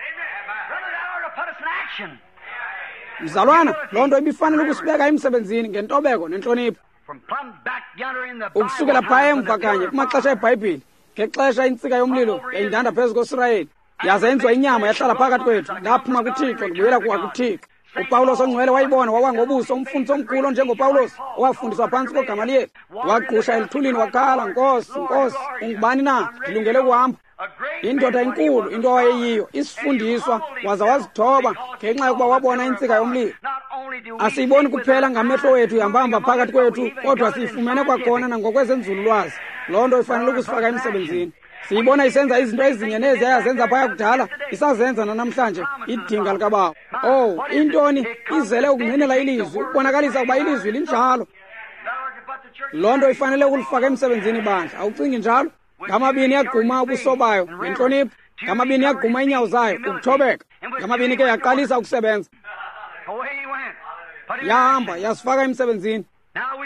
Speaker 1: Mzalwana, loo nto ibifanele ukusibeka emsebenzini ngentobeko nentlonipho. Ukusukela phaya emva kanye kumaxesha eBhayibhile, ngexesha intsika yomlilo yayindanda phezu koSirayeli, yaze yenziwa inyama yahlala phakathi kwethu. Ndaphuma kuThixo, ndibuyela kuThixo. uPawulos ongcwele wayibona, wawa ngobuso, umfundisi omkhulu onjengoPawulos owafundiswa phantsi koGamaliyeli. Wagqusha eluthulini wakhala, Nkosi, Nkosi, ungubani na? Ndilungele ukuhamba. Indoda enkulu, into awayeyiyo, isifundiswa, waza wazithoba ngenxa yokuba wabona intsika yomlilo. Asiyiboni kuphela ngamehlo wethu ihambahamba phakathi kwethu, kodwa siyifumene kwakhona nangokwezenzululwazi. Loo nto ifanele ukusifaka emsebenzini. Siyibona isenza izinto ezinye nezi yayazenza phaya kudala, isazenza nanamhlanje, idinga likaBawo. Oh, intoni izele ukungqinela ilizwi, ukubonakalisa ukuba ilizwi linjalo. Loo nto ifanele ukulifaka emsebenzini ibandla. Awucingi njalo? Ngamabini yagquma ubuso bayo ngentlonipho, ngamabini yagquma iinyawo zayo ukuthobeka, ngamabini ke yaqalisa ukusebenza. Yahamba yasifaka emsebenzini.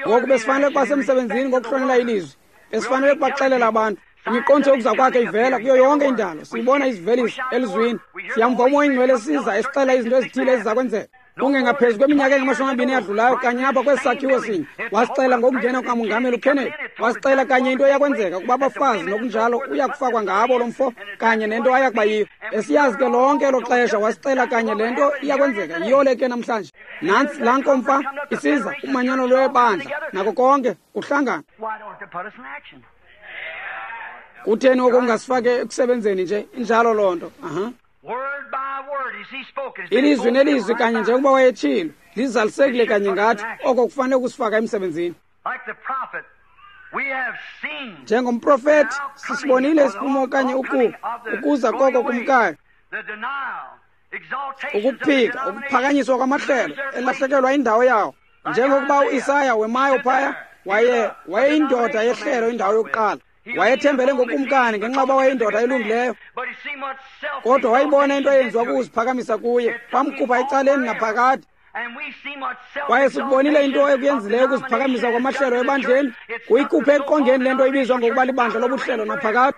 Speaker 1: Ngoku besifanele ukuba semsebenzini ngokuhlonela ilizwi, besifanele ukubaxelela abantu. Imiqondiso yokuza kwakhe ivela kuyo yonke indalo. Siyibona izivelisa elizwini. Siyamva uMoya oyiNgcwele esiza esixela izinto ezithile eziza kwenzeka. Kungengaphezu kweminyaka engama-20 eyadlulayo kanye apha kwesi sakhiwo sinye, wasixela ngokungena kukaMongameli uKennedy. Wasixela kanye into eyakwenzeka ukuba abafazi nokunjalo uya kufakwa ngabo lo mfo kanye nento ayakuba yiyo. Esiyazi ke lonke elo xesha wasixela kanye le nto iyakwenzeka. Yiyo le ke namhlanje. Nantsi laa nkomfa isiza, umanyano lwebandla nako konke kuhlangana. Kutheni oko ungasifake ekusebenzeni nje? Injalo loo nto. Aha. Ilizwi nelizwi kanye njengokuba wayetshilo lizalisekile kanye ngathi, oko kufanele ukusifaka emsebenzini. Njengomprofethi sisibonile isiphumo okanye ukuza koko kumkayo, ukuphika, ukuphakanyiswa kwamahlelo, elahlekelwa indawo yawo. Njengokuba uIsaya wemayo phaya, wayeyindoda yehlelo indawo yokuqala. Wayethembele ngokumkani ngenxa yoba wayeyindoda elungileyo, kodwa wayibona into eyenziwa kukuziphakamisa kuye, kwamkhupha ecaleni naphakade. Kwaye sikubonile into ekuyenzileyo ukuziphakamisa kwamahlelo ebandleni, kuyikhuphe eqongeni le nto ibizwa ngokuba libandla lobuhlelo naphakade.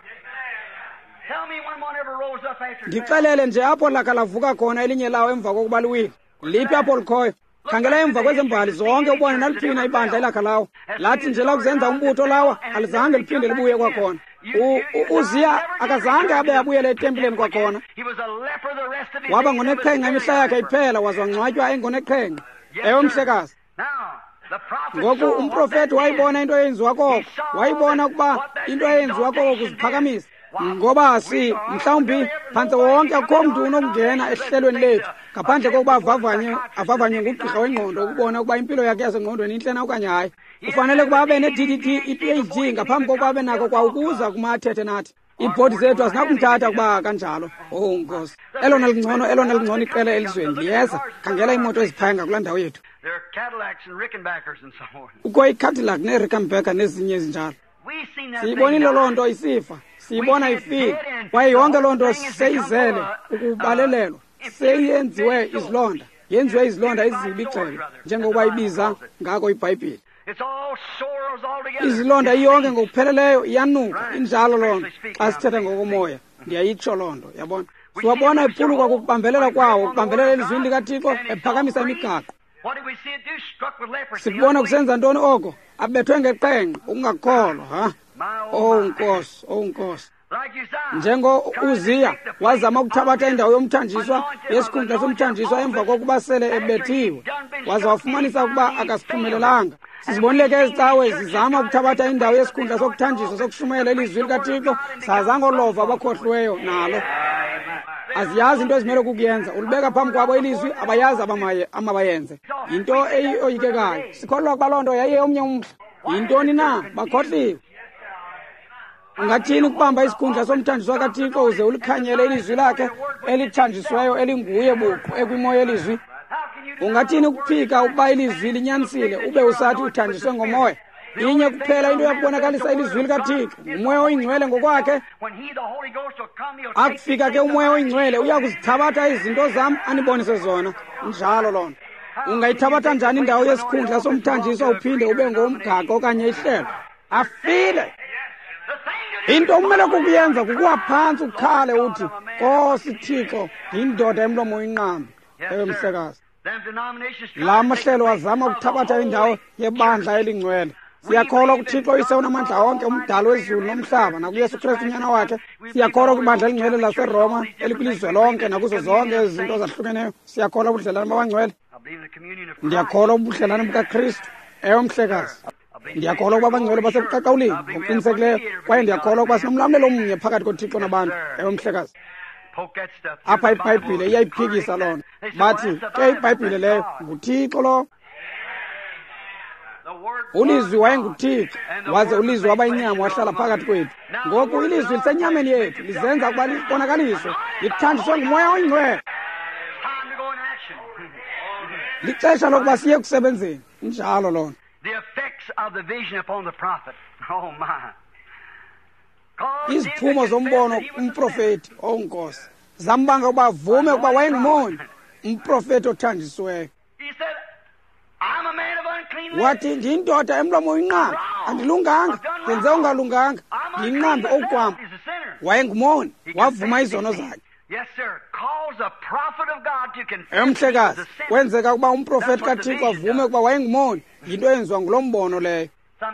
Speaker 1: Ndixelele nje apho lakha lavuka khona elinye lawo emva kokuba liwile. Liphi apho likhoyo? Khangela emva kwezembali zonke ubone naliphina ibandla elakha lawo. Lathi nje lakuzenza umbutho lawa, alizange liphinde libuye kwakhona. Uziya akazange abe abuyele etempileni kwakhona. Waba ngoneqhenqa imihla yakhe iphela, waze wangcwatywa engoneqhenqa. Ewe, mhlekazi. Ngoku umprofeti wayibona into eyenziwa koko, wayibona ukuba into eyenziwa koko kuziphakamisa. Ngoba si mhlawumbi phantse wonke akukho mntu unokungena ehlelweni lethu ngaphandle kokuba avavanywe ngugqirha wengqondo ukubona ukuba impilo yakhe yasengqondweni intle na okanye hayi. Ufanele ukuba abe ne-DDT, i-PhD ngaphambi kokuba abe nako kwa ukuza kuma athethe nathi. Iibhodi zethu azinakumthatha ukuba kanjalo. Oh Nkosi, elona lingcono iqela elizweni liyeza. Khangela iimoto eziphaya ngakulaa ndawo yethu. Kukho iCadillac neRickenbacker nezinye ezinjalo. Siyibonile loo nto isifa, siyibona ifika, kwaye yonke loo nto seyizele ukubalelelwa, seyenziwe izilonda, yenziwe izilonda ezibi ixele, njengokuba ibiza ngako iBhayibhile. Izilonda iyonke ngokupheleleyo iyanuka, injalo loo nto. Xa sithetha ngokomoya, ndiyayitsho loo nto, yabona. Siwabona ephulukwa kukubambelela kwawo, ukubambelela elizwini likaThixo, ephakamisa imigaqo. Sikubona kusenza ntoni oko? Abethwe ngeqhenqa, ukungakholwa, ha? Oh Nkosi, oh Nkosi. Njengo Uziya wazama ukuthabatha indawo yomthanjiswa, yesikhundla somthanjiswa emva kokuba sele ebethiwe, waza wafumanisa ukuba akasiphumelelanga. Sizibonile ke ezicawe zizama ukuthabatha indawo yesikhundla sokuthanjiswa sokushumayela ilizwi likaThixo, sazangolova abakhohliweyo nalo. Aziyazi into ezimele kukuyenza. Ulibeka phambi kwabo ilizwi, abayazi amabayenze. Yinto eyoyikekayo. Sikholelwa ukuba loo nto yayiye omnye umhla. Yintoni na? Bakhohliwe. Ungathini ukubamba isikhundla somthanjiswa kaThixo uze ulikhanyele ilizwi lakhe elithanjisweyo elinguye buqu ekwimo yelizwi? Ungathini ukuphika ukuba ilizwi linyanisile ube usathi uthanjiswe ngomoya? Inye kuphela into yakubonakalisa ilizwi likaThixo, nguMoya oyiNgcwele ngokwakhe. Akufika ke uMoya oyiNgcwele uya kuzithabatha izinto zam anibonise zona. Injalo loo nto. Ungayithabatha njani indawo yesikhundla somthanjiswa uphinde ube ngomgaqo okanye ihlelo? Afile. Into okumele kukuyenza kukuwa phantsi ukhale uthi, Nkosi Thixo, ndiyindoda emlomo uyinqambi. Ewe, mhlekazi. La mahlelo azama ukuthabatha indawo yebandla elingcwele. Siyakholwa kuThixo Uyise onamandla onke, umdali wezulu nomhlaba, nakuYesu Kristu unyana wakhe. Siyakholwa kwibandla elingcwele laseRoma elikwilizwe lonke nakuzo zonke ezi zinto zahlukeneyo. Siyakholwa ubudlelane babangcwele. Ndiyakholwa ubudlelane bukaKristu. Ewe, mhlekazi. Ndiyakholwa ukuba abangcwele basebuqaqawulini ngokuqinisekileyo, kwaye ndiyakholwa ukuba sinomlamlelo omnye phakathi koThixo nabantu. Ewe, mhlekazi. Apha iBhayibhile iyayiphikisa loo nto. Bathi ke iBhayibhile leyo nguThixo lo. Ulizwi wayenguThixo, waze ulizwi waba inyama wahlala phakathi kwethu. Ngoku ilizwi lisenyameni yethu, lizenza ukuba libonakaliswe, lithanjiswe nguMoya oyiNgcwele. Lixesha lokuba siye kusebenzeni. Injalo loo nto. Iziphumo zombono kumprofeti, oh Nkosi, zambanga ukuba avume ukuba wayengumoni, umprofeti othanjisiweyo. Wathi, ndiyindoda emlomo uyinqambi, andilunganga, ndenze ungalunganga, ndiyinqambi okwam. Wayengumoni, wavuma izono zakhe. Emhlekazi, kwenzeka ukuba umprofeti kaThixo avume ukuba wayengumoni, yinto eyenziwa ngulo mbono leyo.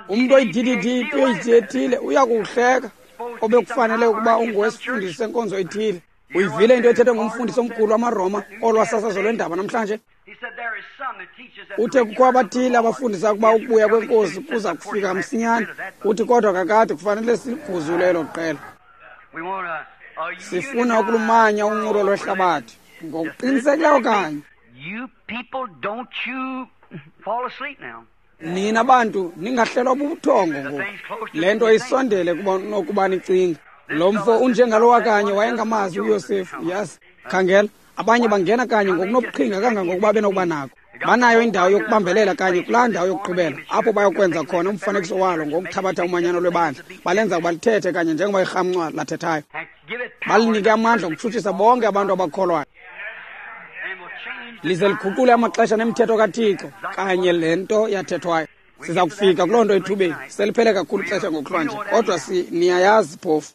Speaker 1: Umntu oyi-DDD, PhD ethile uya kuwuhleka obekufanele ukuba ungowesifundisi senkonzo ethile. Uyivile into ethethwe ngumfundisi omkhulu wamaRoma olwasasazo lwendaba namhlanje? Uthe kukho abathile abafundisa ukuba ukubuya kwenkosi kuza kufika msinyane. Uthi kodwa kakade kufanele siguzule elo qela. Sifuna ukulumanya unqulo lwehlabathi ngokuqinisekileyo kanye. Nina bantu ningahlelwa bubuthongo ngoku. Le nto isondele nokuba nicinga. Lo mfo unjengalowa kanye wayengamazi uYosefu, yazi. Khangela, abanye bangena kanye ngokunobuqhinga kangangokuba benokuba nako. Banayo indawo yokubambelela kanye kulaa ndawo yokugqibela, apho bayokwenza khona umfanekiso walo ngokuthabatha umanyano lwebandla. Balenza ukuba lithethe kanye njengoba irhamncwa lathethayo. Balinike amandla okutshutshisa bonke abantu abakholwayo. Lize liguqule amaxesha nemithetho kaThixo kanye le nto yathethwayo. Siza kufika kuloo nto ethubeni. Seliphele kakhulu ixesha ngokuhlwanje, kodwa niyayazi phofu.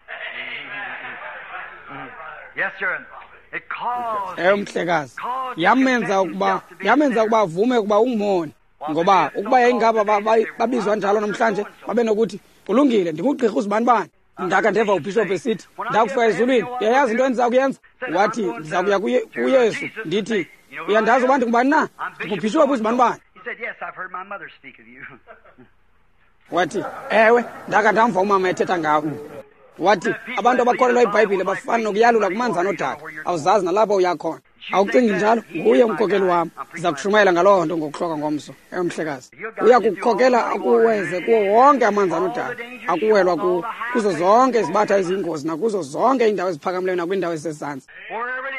Speaker 1: Ewe mhlekazi, yamenza ukuba avume ukuba ungumoni. Ngoba ukuba yayingaba babizwa njalo namhlanje, babenokuthi kulungile, ndingugqirha uzibanibani. Ndaka ndeva ubhishophu esithi ndakufika ezulwini, uyayazi into endiza kuyenza? Wathi ndiza kuya kuYesu ndithi uyandazi uba ndingubani na? Ndingubhishophu uzibanibani. Wathi ewe, ndaka ndamva umama ethetha ngawe. Wathi abantu abakholelwa iBhayibhile bafana nokuyalula kumanzi anodaka, awuzazi nalapho uyakhona. Awucingi njalo? Nguye umkhokeli wam. Ndiza kushumayela ngaloo nto ngokuhloka ngomso. Ewe mhlekazi, uya kukukhokela akuweze kuwo wonke amanzi anodaka akuwelwa kuwo, kuzo zonke izibatha eziyingozi nakuzo zonke iindawo eziphakamileyo nakwiindawo ezisezantsi.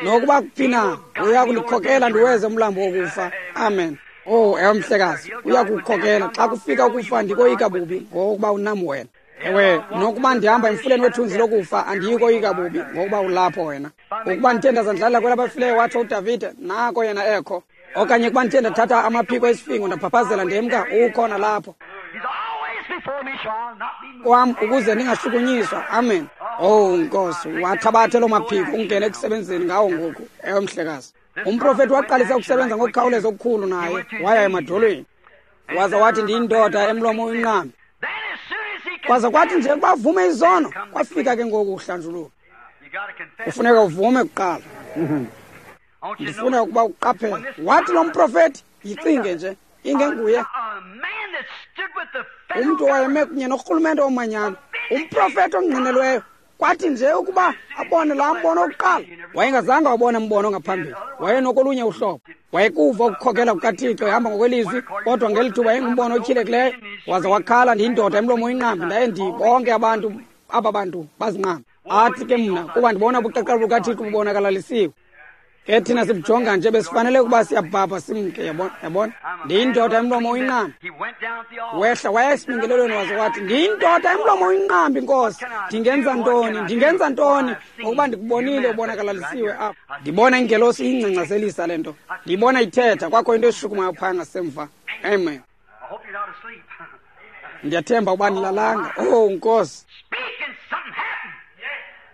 Speaker 1: Nokuba kuphi na, uya kundikhokela ndiweze umlambo wokufa. Amen. Oh, ewe mhlekazi, uya kukukhokela. Xa kufika ukufa ndikoyika bubi, ngokuba unam wena. Ewe, nokuba ndihamba emfuleni wethunzi lokufa andiyi koyika bubi, ngokuba ulapho wena. Ukuba ndithe ndazandlalela kwelabafileyo, watsho uDavide, nako yena ekho. Okanye ukuba ndithe ndathatha amaphiko esifingo ndaphaphazela ndemka, ukhona lapho kwam ukuze ndingashukunyiswa. Amen. Oh Nkosi, wathabathe loo maphiko ungene ekusebenzeni ngawo ngoku. Ewe mhlekazi, umprofethi waqalisa ukusebenza ngokukhawuleza okukhulu naye, waya emadolweni waza wathi ndiyindoda emlomo uyinqambi. Kwaza kwathi nje bavume izono, kwafika ke ngoku uhlanjululo. Kufuneka uvume kuqala. Ndifuna ukuba uqaphele. Wathi lo mprofethi, yicinge nje, ingenguye umntu owayeme kunye norhulumente omanyano, umprofethi ongqinelweyo. Kwathi nje ukuba abone laa mbono wokuqala, wayengazange wabona mbono ngaphambili, wayenokolunye uhlobo. Wayekuva ukukhokela kukaThixo ehamba ngokwelizwi, kodwa ngeli thuba yayingumbono otyhilekileyo. Waza wakhala, ndiyindoda emlomo uyinqambi, ndaye bonke abantu aba bantu bazinqambi. Athi ke mna, kuba ndibona ubuqaqawuli bukaThixo bubonakalalisiwe. Ke thina sibujonga nje, besifanele ukuba siyabhabha simke. Yabona, ndiyindoda emlomo uyinqambi. Wehla waya esibingelelweni waze wathi ndiyindoda emlomo uyinqambi, Nkosi, ndingenza ntoni? Ndingenza ntoni? Ngokuba ndikubonile ubonakalalisiwe apha. Ndibona ingelosi iyingcangcazelisa le nto, ndiyibona ithetha, kwakho into eshukumayo phaya ngasemva. Amen. Ndiyathemba ukuba ndilalanga. Oh Nkosi,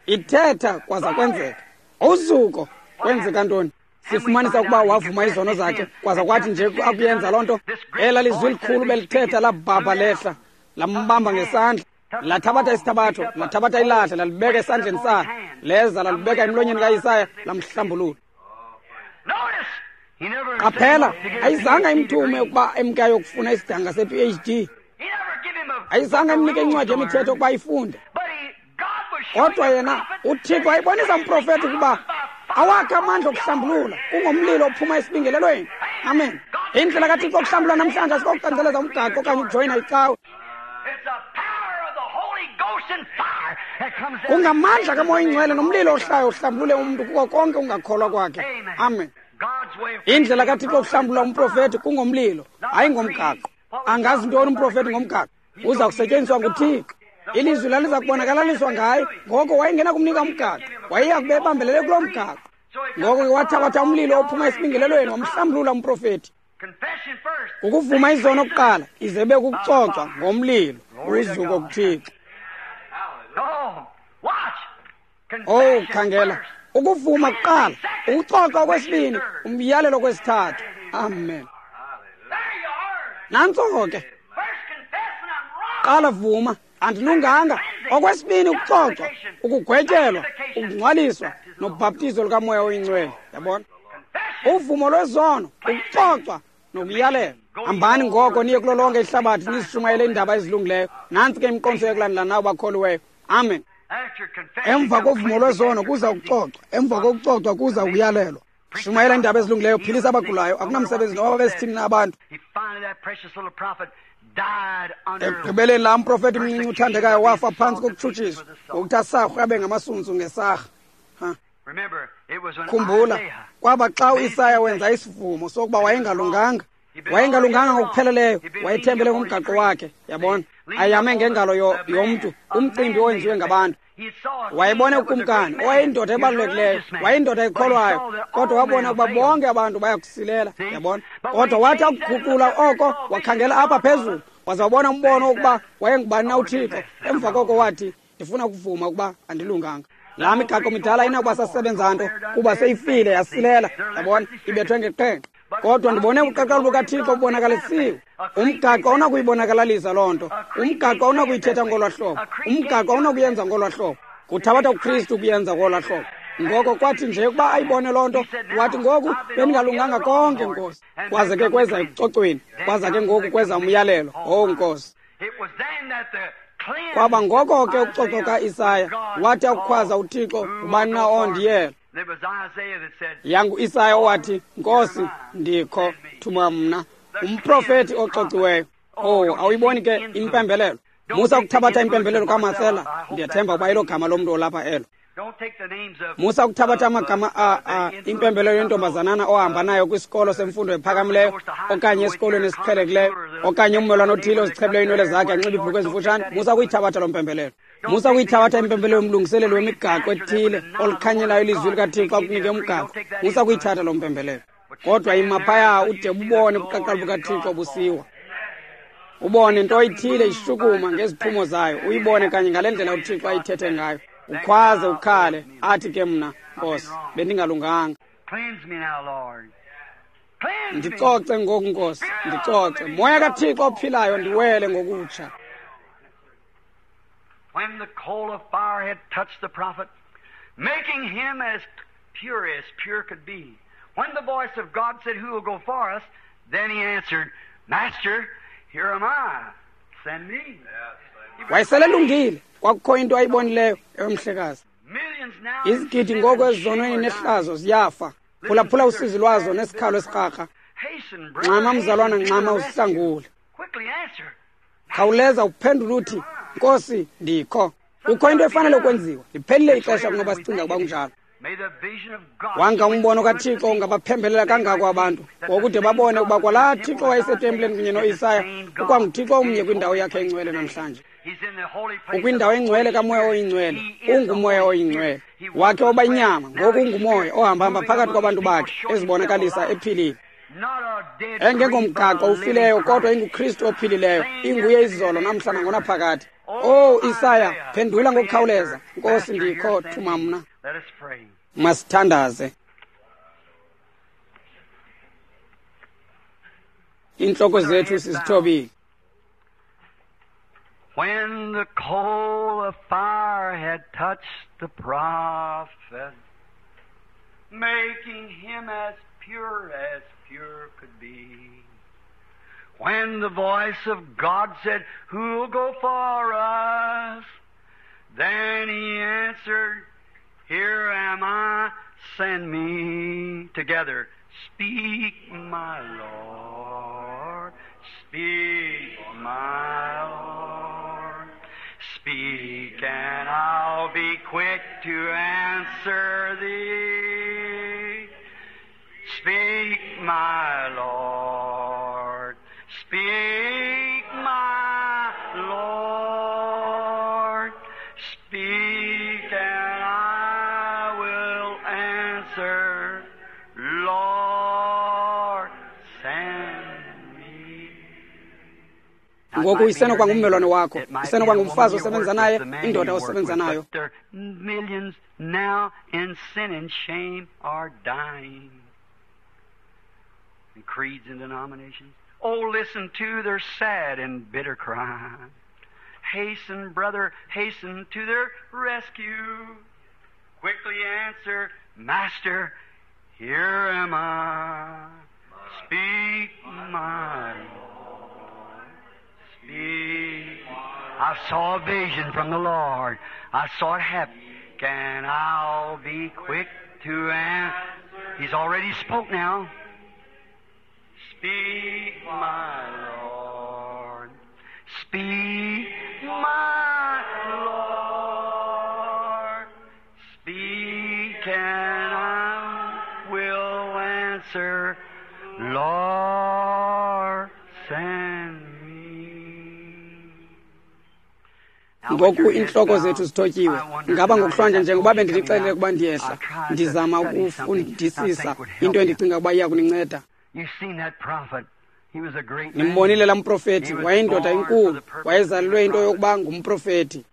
Speaker 1: ithetha kwaza kwenzeka. Uzuko. Kwenzeka ntoni? Sifumanisa ukuba wavuma izono zakhe, kwaza kwathi nje akuyenza loo nto, ela lizwi likhulu belithetha labhabha lehla, lambamba ngesandla, lathabatha isithabatho, lathabatha ilahle, lalibeka esandleni sakhe, leza lalibeka emlonyeni kaIsaya, lamhlambulula. Qaphela, ayizange imthume ukuba emke ayokufuna isidanga se-PhD, ayizange imnike incwadi yemithetho ukuba ayifunde. Kodwa yena uThixo wayebonisa umprofethi ukuba awakhe amandla okuhlambulula kungomlilo ophuma esibingelelweni. Amen. Indlela kaThixo okuhlambulula namhlanje asikokucanceleza umgaqo okanye ukujoyina icawe. Kungamandla kaMoya Ingcwele nomlilo ohlayo uhlambulule umntu kuko konke ungakholwa kwakhe. Amen. Indlela kaThixo okuhlambulula umprofethi kungomlilo, hayi ngomgaqo. Angazi ntoni umprofethi ngomgaqo? Uza kusetyenziswa nguThixo. Ilizwi laliza kubonakalaliswa ngaye, ngoko wayengena kumnika umgaqo, wayeya kube ebambelele kuloo mgaqo. Ngoko ke wathabatha umlilo ophuma esibingelelweni wamhlambulula umprofethi. Ukuvuma izono kuqala, ize ibe kukucocwa ngomlilo. Uzuko kuThixo. Oh, khangela, ukuvuma kuqala, ukucocwa okwesibini, umyalelo okwesithathu. Amen. Nantso ke. Qala vuma, andilunganga. Okwesibini, ukucocwa, ukugwetyelwa, ukungcwaliswa nobhaptizo lukaMoya Oyingcwele. Yabona? Uvumo lwezono, ukucocwa nokuyalela. Hambani ngoko niye kulo lonke ihlabathi nizishumayele iindaba ezilungileyo. Nantsi ke imiqondiso yokulandela nawo bakholiweyo. Amen. Emva kovumo lwezono kuza ukucocwa, emva kokucocwa kuza ukuyalelwa. Shumayela iindaba ezilungileyo, philisa abagulayo, akunamsebenzi noba babesithini na abantu. Ekugqibeleni laa mprofethi mncinci uthandekayo wafa phantsi kokutshutshiswa ngokuthi asarhwe abe ngamasuntsu ngesarha. Khumbula, kwaba xa uIsaya wenza isivumo sokuba wayengalunganga, wayengalunganga ngokupheleleyo, wayethembele ngomgaqo wakhe, yabona, ayame ngengalo yomntu, umcimbi owenziwe ngabantu. Wayebona ukumkani owayeyindoda ebalulekileyo, wayeyindoda ekholwayo, kodwa wabona ukuba bonke abantu bayakusilela, yabona. Kodwa wathi akuguqula oko, wakhangela apha phezulu, waza wabona umbono wokuba wayengubani na uThixo. Emva koko wathi, ndifuna ukuvuma ukuba andilunganga. Laa migaqo midala ayinakuba sasebenza nto kuba seyifile yasilela, yabona, ibethwe ngeqhenqa. Kodwa ndibone ubuqaqawuli bukaThixo bubonakalisiwe. Umgaqo awunakuyibonakalisa loo nto. Umgaqo awunakuyithetha ngolwa hlobo. Umgaqo awunakuyenza ngolwa hlobo. Kuthabatha uKristu ukuyenza ngolwa hlobo. Ngoko kwathi nje ukuba ayibone loo nto, wathi ngoku bendingalunganga konke, Nkosi. Kwaze ke kweza ekucocweni, kwaza ke ngoku kweza umyalelo. Oh, Nkosi. Kwaba ngoko ke ukucocwa kaIsaya, wathi akukhwaza uThixo, ngubani na ondiyela? YanguIsaya owathi, Nkosi, ndikho, thuma mna. Umprofeti ocociweyo. Oh, awuyiboni ke impembelelo? Musa ukuthabatha impembelelo kaMarcela. Ndiyathemba ukuba ilo gama lomntu olapha elo. Musa ukuthabatha amagama impembelelo yentombazanana ohamba nayo kwisikolo semfundo ephakamileyo okanye esikolweni esiqhelekileyo okanye ummelwane othile ozichebileyo iinwele zakhe anxibe iibhulukhwe ezimfutshane. Musa ukuyithabatha loo mpembelelo. Musa ukuyithabatha impembelelo yomlungiseleli wemigaqo ethile olukhanyelayo ilizwi likaThixo akunike umgaqo. Musa ukuyithatha loo mpembelelo. Kodwa ima phaya ude ubone ubuqaqawuli bukaThixo busiwa. Ubone nto ithile ishukuma ngeziphumo zayo, uyibone kanye ngale ndlela uThixo ayithethe ngayo. Ukhwaze ukhale, athi ke mna, Nkosi, bendingalunganga. Ndicoce ngoku, Nkosi, ndicoce. Moya kaThixo ophilayo, ndiwele ngokutsha.
Speaker 2: When the coal of fire had touched the prophet, making him as pure as pure could be. When the voice of God said, Who will go for us? Then he answered, Master, here am I. Send me.
Speaker 1: Wayeselelungile, kwakukho into ayibonileyo emhlekazi. Izigidi ngoku ezizonweni nehlazo ziyafa. Phulaphula usizi lwazo nesikhalo esikrakra. Nxama mzalwana, nxama uzihlangule. Khawuleza uphendule uthi, Nkosi, ndikho. Kukho into efanele ukwenziwa. Liphelile ixesha kunoba sicinga ukuba kunjalo. Wanga umbono kaThixo ungabaphembelela kangako abantu ngokude babone ukuba kwalaa Thixo wayesetempileni kunye noIsaya ukwanguThixo omnye kwindawo yakhe engcwele namhlanje. Ukwindawo engcwele kaMoya oyiNgcwele, unguMoya oyiNgcwele. Wakhe woba inyama, ngoku unguMoya ohambahamba phakathi kwabantu bakhe, ezibonakalisa ephilile. Engengomgaqo ufileyo, kodwa inguKristu ophilileyo, inguye izolo namhla nangonaphakade. Oh, Isaya, phendula ngokukhawuleza. Nkosi, ndikho, thuma mna. Masithandaze. Iintloko zethu sizithobile.
Speaker 2: When the coal of fire had touched the prophet, making him as pure as pure could be. When the voice of God said, Who'll go for us? Then he answered, Here am I, send me. Together, speak, my Lord, speak, my Lord. Speak, and I'll be quick to answer thee. Speak, my Lord, speak, my Lord. Speak, and I will answer, Lord, send me.
Speaker 1: Ngoku isenokuba ngummelwane wakho, isenokuba ngumfazi osebenza naye, indoda osebenza nayo.
Speaker 2: There are millions now in sin and shame are dying. And creeds and denominations. Oh, listen to their sad and bitter cry. Hasten, brother, hasten to their rescue. Quickly answer, Master, here am I. Speak, my Lord. Speak. I saw a vision from the Lord. I saw it happen. And I'll be quick to answer. He's already spoke now. Speak, my Lord. Speak, my Lord. Speak, and I will answer. Lord, send me.
Speaker 1: Ngoku iintloko zethu zithotyiwe. Ngaba ngokuhlwanje njengoba bendinixelele ukuba ndiyehla, ndizama ukufundisisa into endicinga ukuba iya kuninceda. Nimbonile laa mprofethi, wayeyindoda enkulu, wayezalelwe into yokuba ngumprofethi.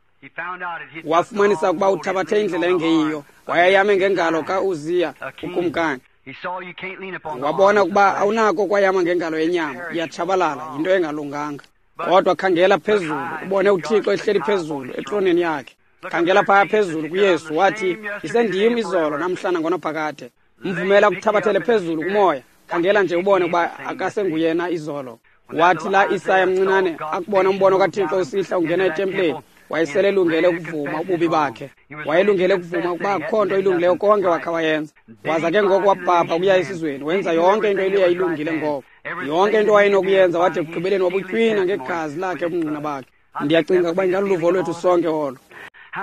Speaker 1: Wafumanisa ukuba uthabathe indlela engeyiyo, wayeyame ngengalo ka-Uziya ukumkani. Wabona ukuba awunako kwayama ngengalo yenyama, iyatshabalala, yinto engalunganga. Kodwa khangela phezulu, ubone uThixo ehleli phezulu etroneni yakhe. Khangela phaya phezulu kuYesu, wathi, isendim izolo namhla nangonaphakade. Mvumela kuthabathele phezulu kumoya. Khangela nje ubone ukuba akasenguyena izolo. Wathi la Isaya mncinane akubona umbono kaThixo usihla ungena etempileni, wayeselelungele ukuvuma ububi bakhe. Wayelungele ukuvuma ukuba akukho nto ilungileyo konke wakha wayenza. Waza ke ngoku wabhabha ukuya esizweni, wenza yonke into eyayilungile ngoko. Yonke into wayenokuyenza, wathi ekugqibeleni wabutywina ngegazi lakhe ubungqina bakhe. Ndiyacinga ukuba ingaluluvo lwethu sonke olo.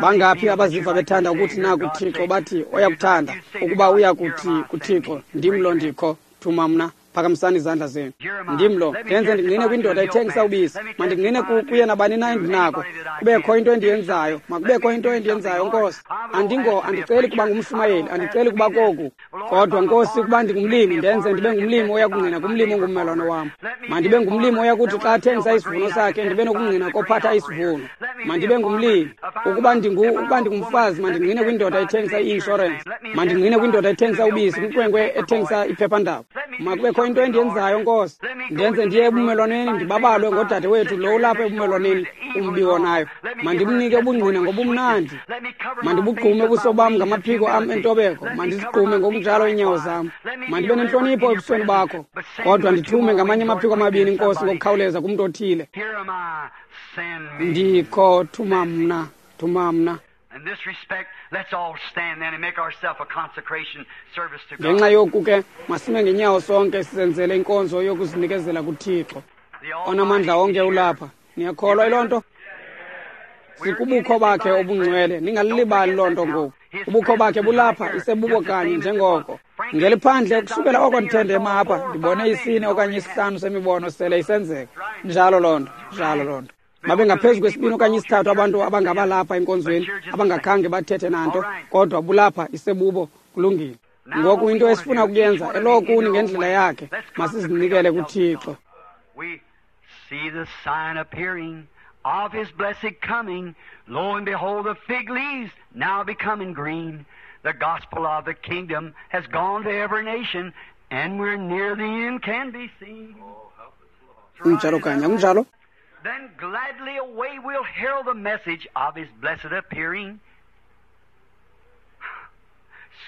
Speaker 1: Bangaphi abaziva bethanda ukuthi naku Thixo, bathi oyakuthanda ukuba uya kuthi kuThixo, ndim lo ndikho, thuma mna. Phakamisani izandla zenu. Ndim lo, ndenze ndingqine kwindoda ethengisa ubisi. Mandingqine kuye nabani na endinako. Kubekho into endiyenzayo, makubekho into endiyenzayo, Nkosi. Andiceli kuba ngumshumayeli, andiceli kuba koku. Kodwa Nkosi, kuba ndingumlimi, ndenze ndibe ngumlimi oya kungqina kumlimi ongummelwane wam. Mandibe ngumlimi oya kuthi xa athengisa isivuno sakhe, ndibe nokungqina kophatha isivuno. Mandibe ngumlimi. Ukuba ndingumfazi, mandingqine kwindoda ethengisa i-inshorensi. Mandingqine kwindoda ethengisa ubisi, kwinkwenkwe ethengisa iphephandaba. Makubekho into endiyenzayo, Nkosi. Ndenze ndiye ebumelwaneni, ndibabalwe ngodade wethu lo ulapha ebumelwaneni umbi wonayo. Mandimnike ubungqina ngobumnandi. Mandibugqume ubuso bam ngamaphiko am entobeko. Mandizigqume ngokunjalo iinyawo zam. Mandibe nentlonipho ebusweni bakho. Kodwa ndithume ngamanye amaphiko amabini, Nkosi, ngokukhawuleza kumntu othile. Ndikho, thuma mna, thuma mna. Ngenxa yoku ke masime ngenyawo sonke sizenzele inkonzo yokuzinikezela kuThixo. Onamandla onke ulapha. Niyakholwa yiloo nto? Sikubukho bakhe obungcwele, ningalilibali loo nto ngoku. Ubukho bakhe bulapha, isebubo kanye njengoko. Ngeliphandle kusukela oko ndithendema apha, ndibone isine okanye isihlanu semibono sele isenzeka. Njalo loo nto, njalo loo nto. Babe ngaphezu kwesibini okanye isithathu abantu abangabalapha enkonzweni abangakhange bathethe nanto, kodwa bulapha isebubo, kulungile. Ngoku into esifuna ukuyenza elowo kuni ngendlela yakhe, masizinikele kuThixo.
Speaker 2: See the sign appearing of his blessed coming. Lo and behold, the fig leaves now becoming green. The gospel of the kingdom has gone to every nation, and we're near the end can be seen.
Speaker 1: Kunjalo kanye, kunjalo.
Speaker 2: Then gladly away we'll herald the message of his blessed appearing.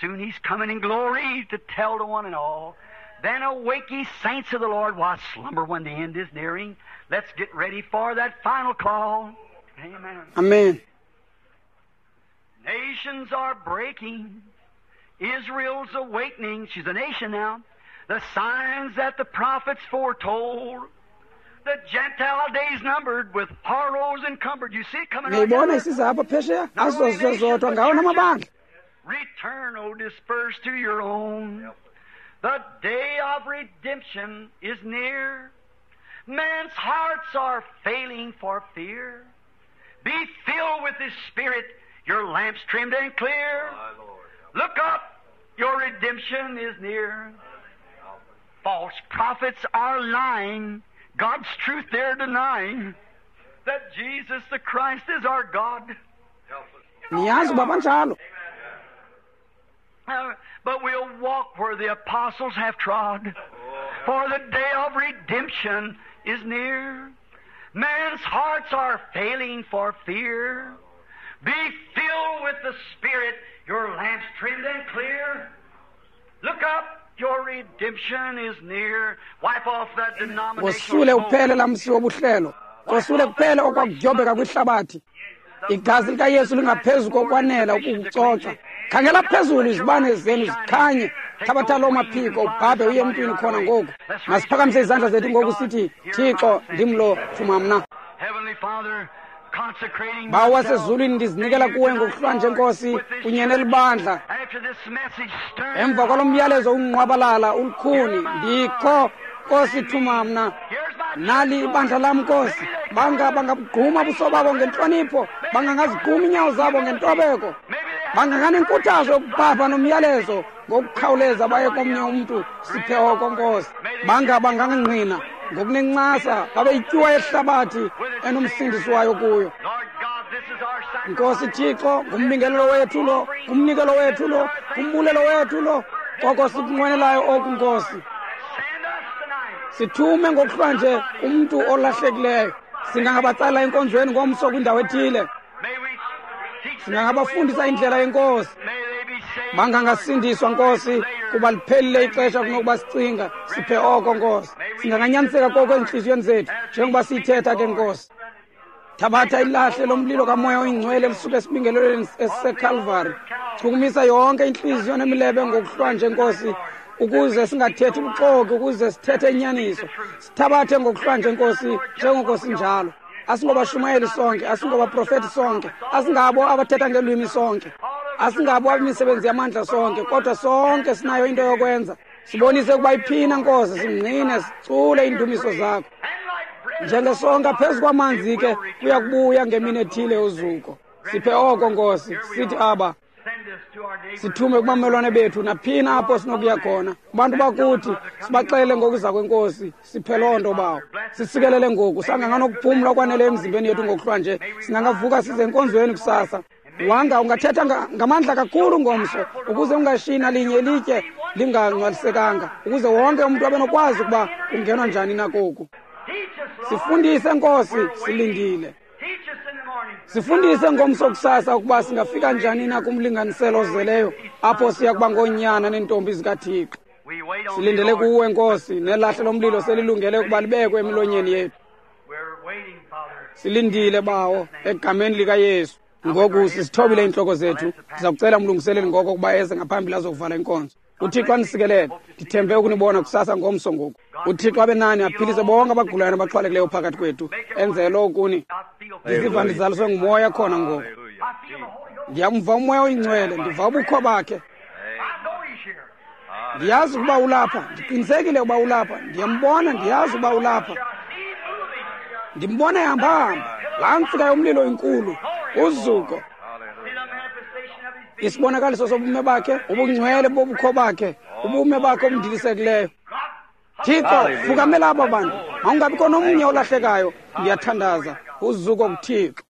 Speaker 2: Soon he's coming in glory to tell to one and all. Then awake ye saints of the Lord, while slumber when the end is nearing. Let's get ready for that final call. Amen.
Speaker 1: Amen.
Speaker 2: Nations are breaking. Israel's awakening. She's a nation now. The signs that the prophets foretold. The Gentile days numbered with horrors encumbered. You see it coming right
Speaker 1: Niyibona
Speaker 2: now?
Speaker 1: isiza apha phesheya? Azozozodwa ngawona amabandla.
Speaker 2: Return, O dispersed to your own. The day of redemption is near. Man's hearts are failing for fear. Be filled with His Spirit, your lamps trimmed and clear. Look up, your redemption is near. False prophets are lying, God's truth they're denying, that Jesus the Christ is our God.
Speaker 1: Niyazi uba banjalo.
Speaker 2: But we'll walk where the apostles have trod, for the day of redemption is near. Man's hearts are failing for fear. Be filled with the Spirit, your lamps trimmed and clear. Look up, your redemption is near. Wipe off that denominational
Speaker 1: Kosule
Speaker 2: smoke.
Speaker 1: uphele lamsi wobuhlelo. Kosule kuphele okwakudyobeka kwihlabathi. Igazi likaYesu lingaphezu kokwanela ukukucoca. Khangela phezulu izibane zenu zikhanye. Thabatha loo maphiko ubhabhe uye emntwini khona ngoku. Masiphakamise izandla zethu ngoku sithi, Thixo, ndim lo, thuma mna.
Speaker 2: Heavenly Father, consecrating
Speaker 1: Bawo
Speaker 2: myself
Speaker 1: wasezulwini, ndizinikela kuwe ngokuhlwanje, Nkosi, kunye nelibandla.
Speaker 2: after this message, stir
Speaker 1: Emva kwalo myalezo ungqwabalala ulukhuni, ndikho, Nkosi, thuma mna. Nali ibandla lam, Nkosi. Banga bangabugquma ubuso babo ngentlonipho, bangangazigquma iinyawo zabo ngentobeko, banganganenkuthazo yokubhabha nomyalezo ngokukhawuleza baye komnye umntu. Siphe oko, Nkosi. Banga bangangqina ngokunencasa babe yityuwa yehlabathi enomsindisi wayo kuyo.
Speaker 2: Lord God, this is our
Speaker 1: Nkosi Thixo, ngumbingelelo wethu lo, ngumnikelo wethu lo, ngumbulelo wethu lo, koko sikunqwenelayo oku, Nkosi. Sithume ngokuhlwanje umntu olahlekileyo. Singangabatsala enkonzweni ngomso kwindawo ethile. Singangabafundisa indlela yeNkosi. Bangangasindiswa, Nkosi, kuba liphelile ixesha kunokuba sicinga. Siphe oko, Nkosi. Singanganyaniseka koko ezintliziyweni zethu njengoba siyithetha ke, Nkosi. Thabatha ilahle lomlilo kaMoya oyiNgcwele lisuke esibingelelweni esiseKalvari. Chukumisa yonke intliziyo nemilebe ngokuhlwanje, Nkosi, ukuze singathethi ubuxoki, ukuze sithethe inyaniso. Sithabathe ngokuhlwanje, Nkosi, njengoko sinjalo. Asingobashumayeli sonke, asingobaprofeti sonke, asingabo abathetha ngelwimi sonke, asingabo abemisebenzi yamandla sonke, kodwa sonke sinayo into yokwenza. Sibonise ukuba iphina, Nkosi, singqine, sicule iindumiso zakho. Njengesonka phezu kwamanzi ke kuya kubuya ngemini ethile uzuko. Siphe oko, Nkosi, sithi aba. Sithume kubamelwane bethu naphina apho sinokuya khona. Kubantu bakuthi sibaxele ngokuza kweNkosi. Siphe loo nto, Bawo. Sisikelele ngoku, sanganganokuphumla okwanele emzimbeni yethu ngokuhlwanje. Singangavuka size enkonzweni kusasa. Wanga ungathetha ngamandla kakhulu ngomso, ukuze ungashiyi nalinye ilitye lingangcwalisekanga, ukuze wonke umntu abe nokwazi ukuba kungenwa njani na koku. Sifundise, Nkosi, silindile. Sifundise ngomso kusasa ukuba singafika njani na kumlinganiselo ozeleyo apho siya kuba ngoonyana neentombi zikaThixo. Silindele kuwe, Nkosi, nelahle lomlilo selilungele ukuba libekwe emilonyeni yethu. Silindile, Bawo, egameni likaYesu. Ngoku sisithobile iintloko zethu. Ndiza kucela umlungiseleli ngoko ukuba eze ngaphambili azokuvala inkonzo. UThixo anisikelele. Ndithembe ukunibona kusasa ngomso ngoku. UThixo abe nani, aphilise bonke abagulayo nabaxhwalekileyo phakathi kwethu. Enze lo kuni. Ndiziva ndizaliswe nguMoya khona ngoku. Ndiyamva uMoya oyiNgcwele, ndiva ubukho bakhe. Ndiyazi ukuba ulapha, ndiqinisekile ukuba ulapha. Ndiyambona, ndiyazi ukuba ulapha. Ndimbona ehamba-hamba. Laa ntsika yomlilo inkulu, uzuko. Isibonakaliso sobume bakhe, ubungcwele bobukho bakhe, ubume bakhe obundilisekileyo. Thixo, fukamela aba bantu. Mawungabikho nomnye olahlekayo. Ndiyathandaza. Uzuko kuThixo.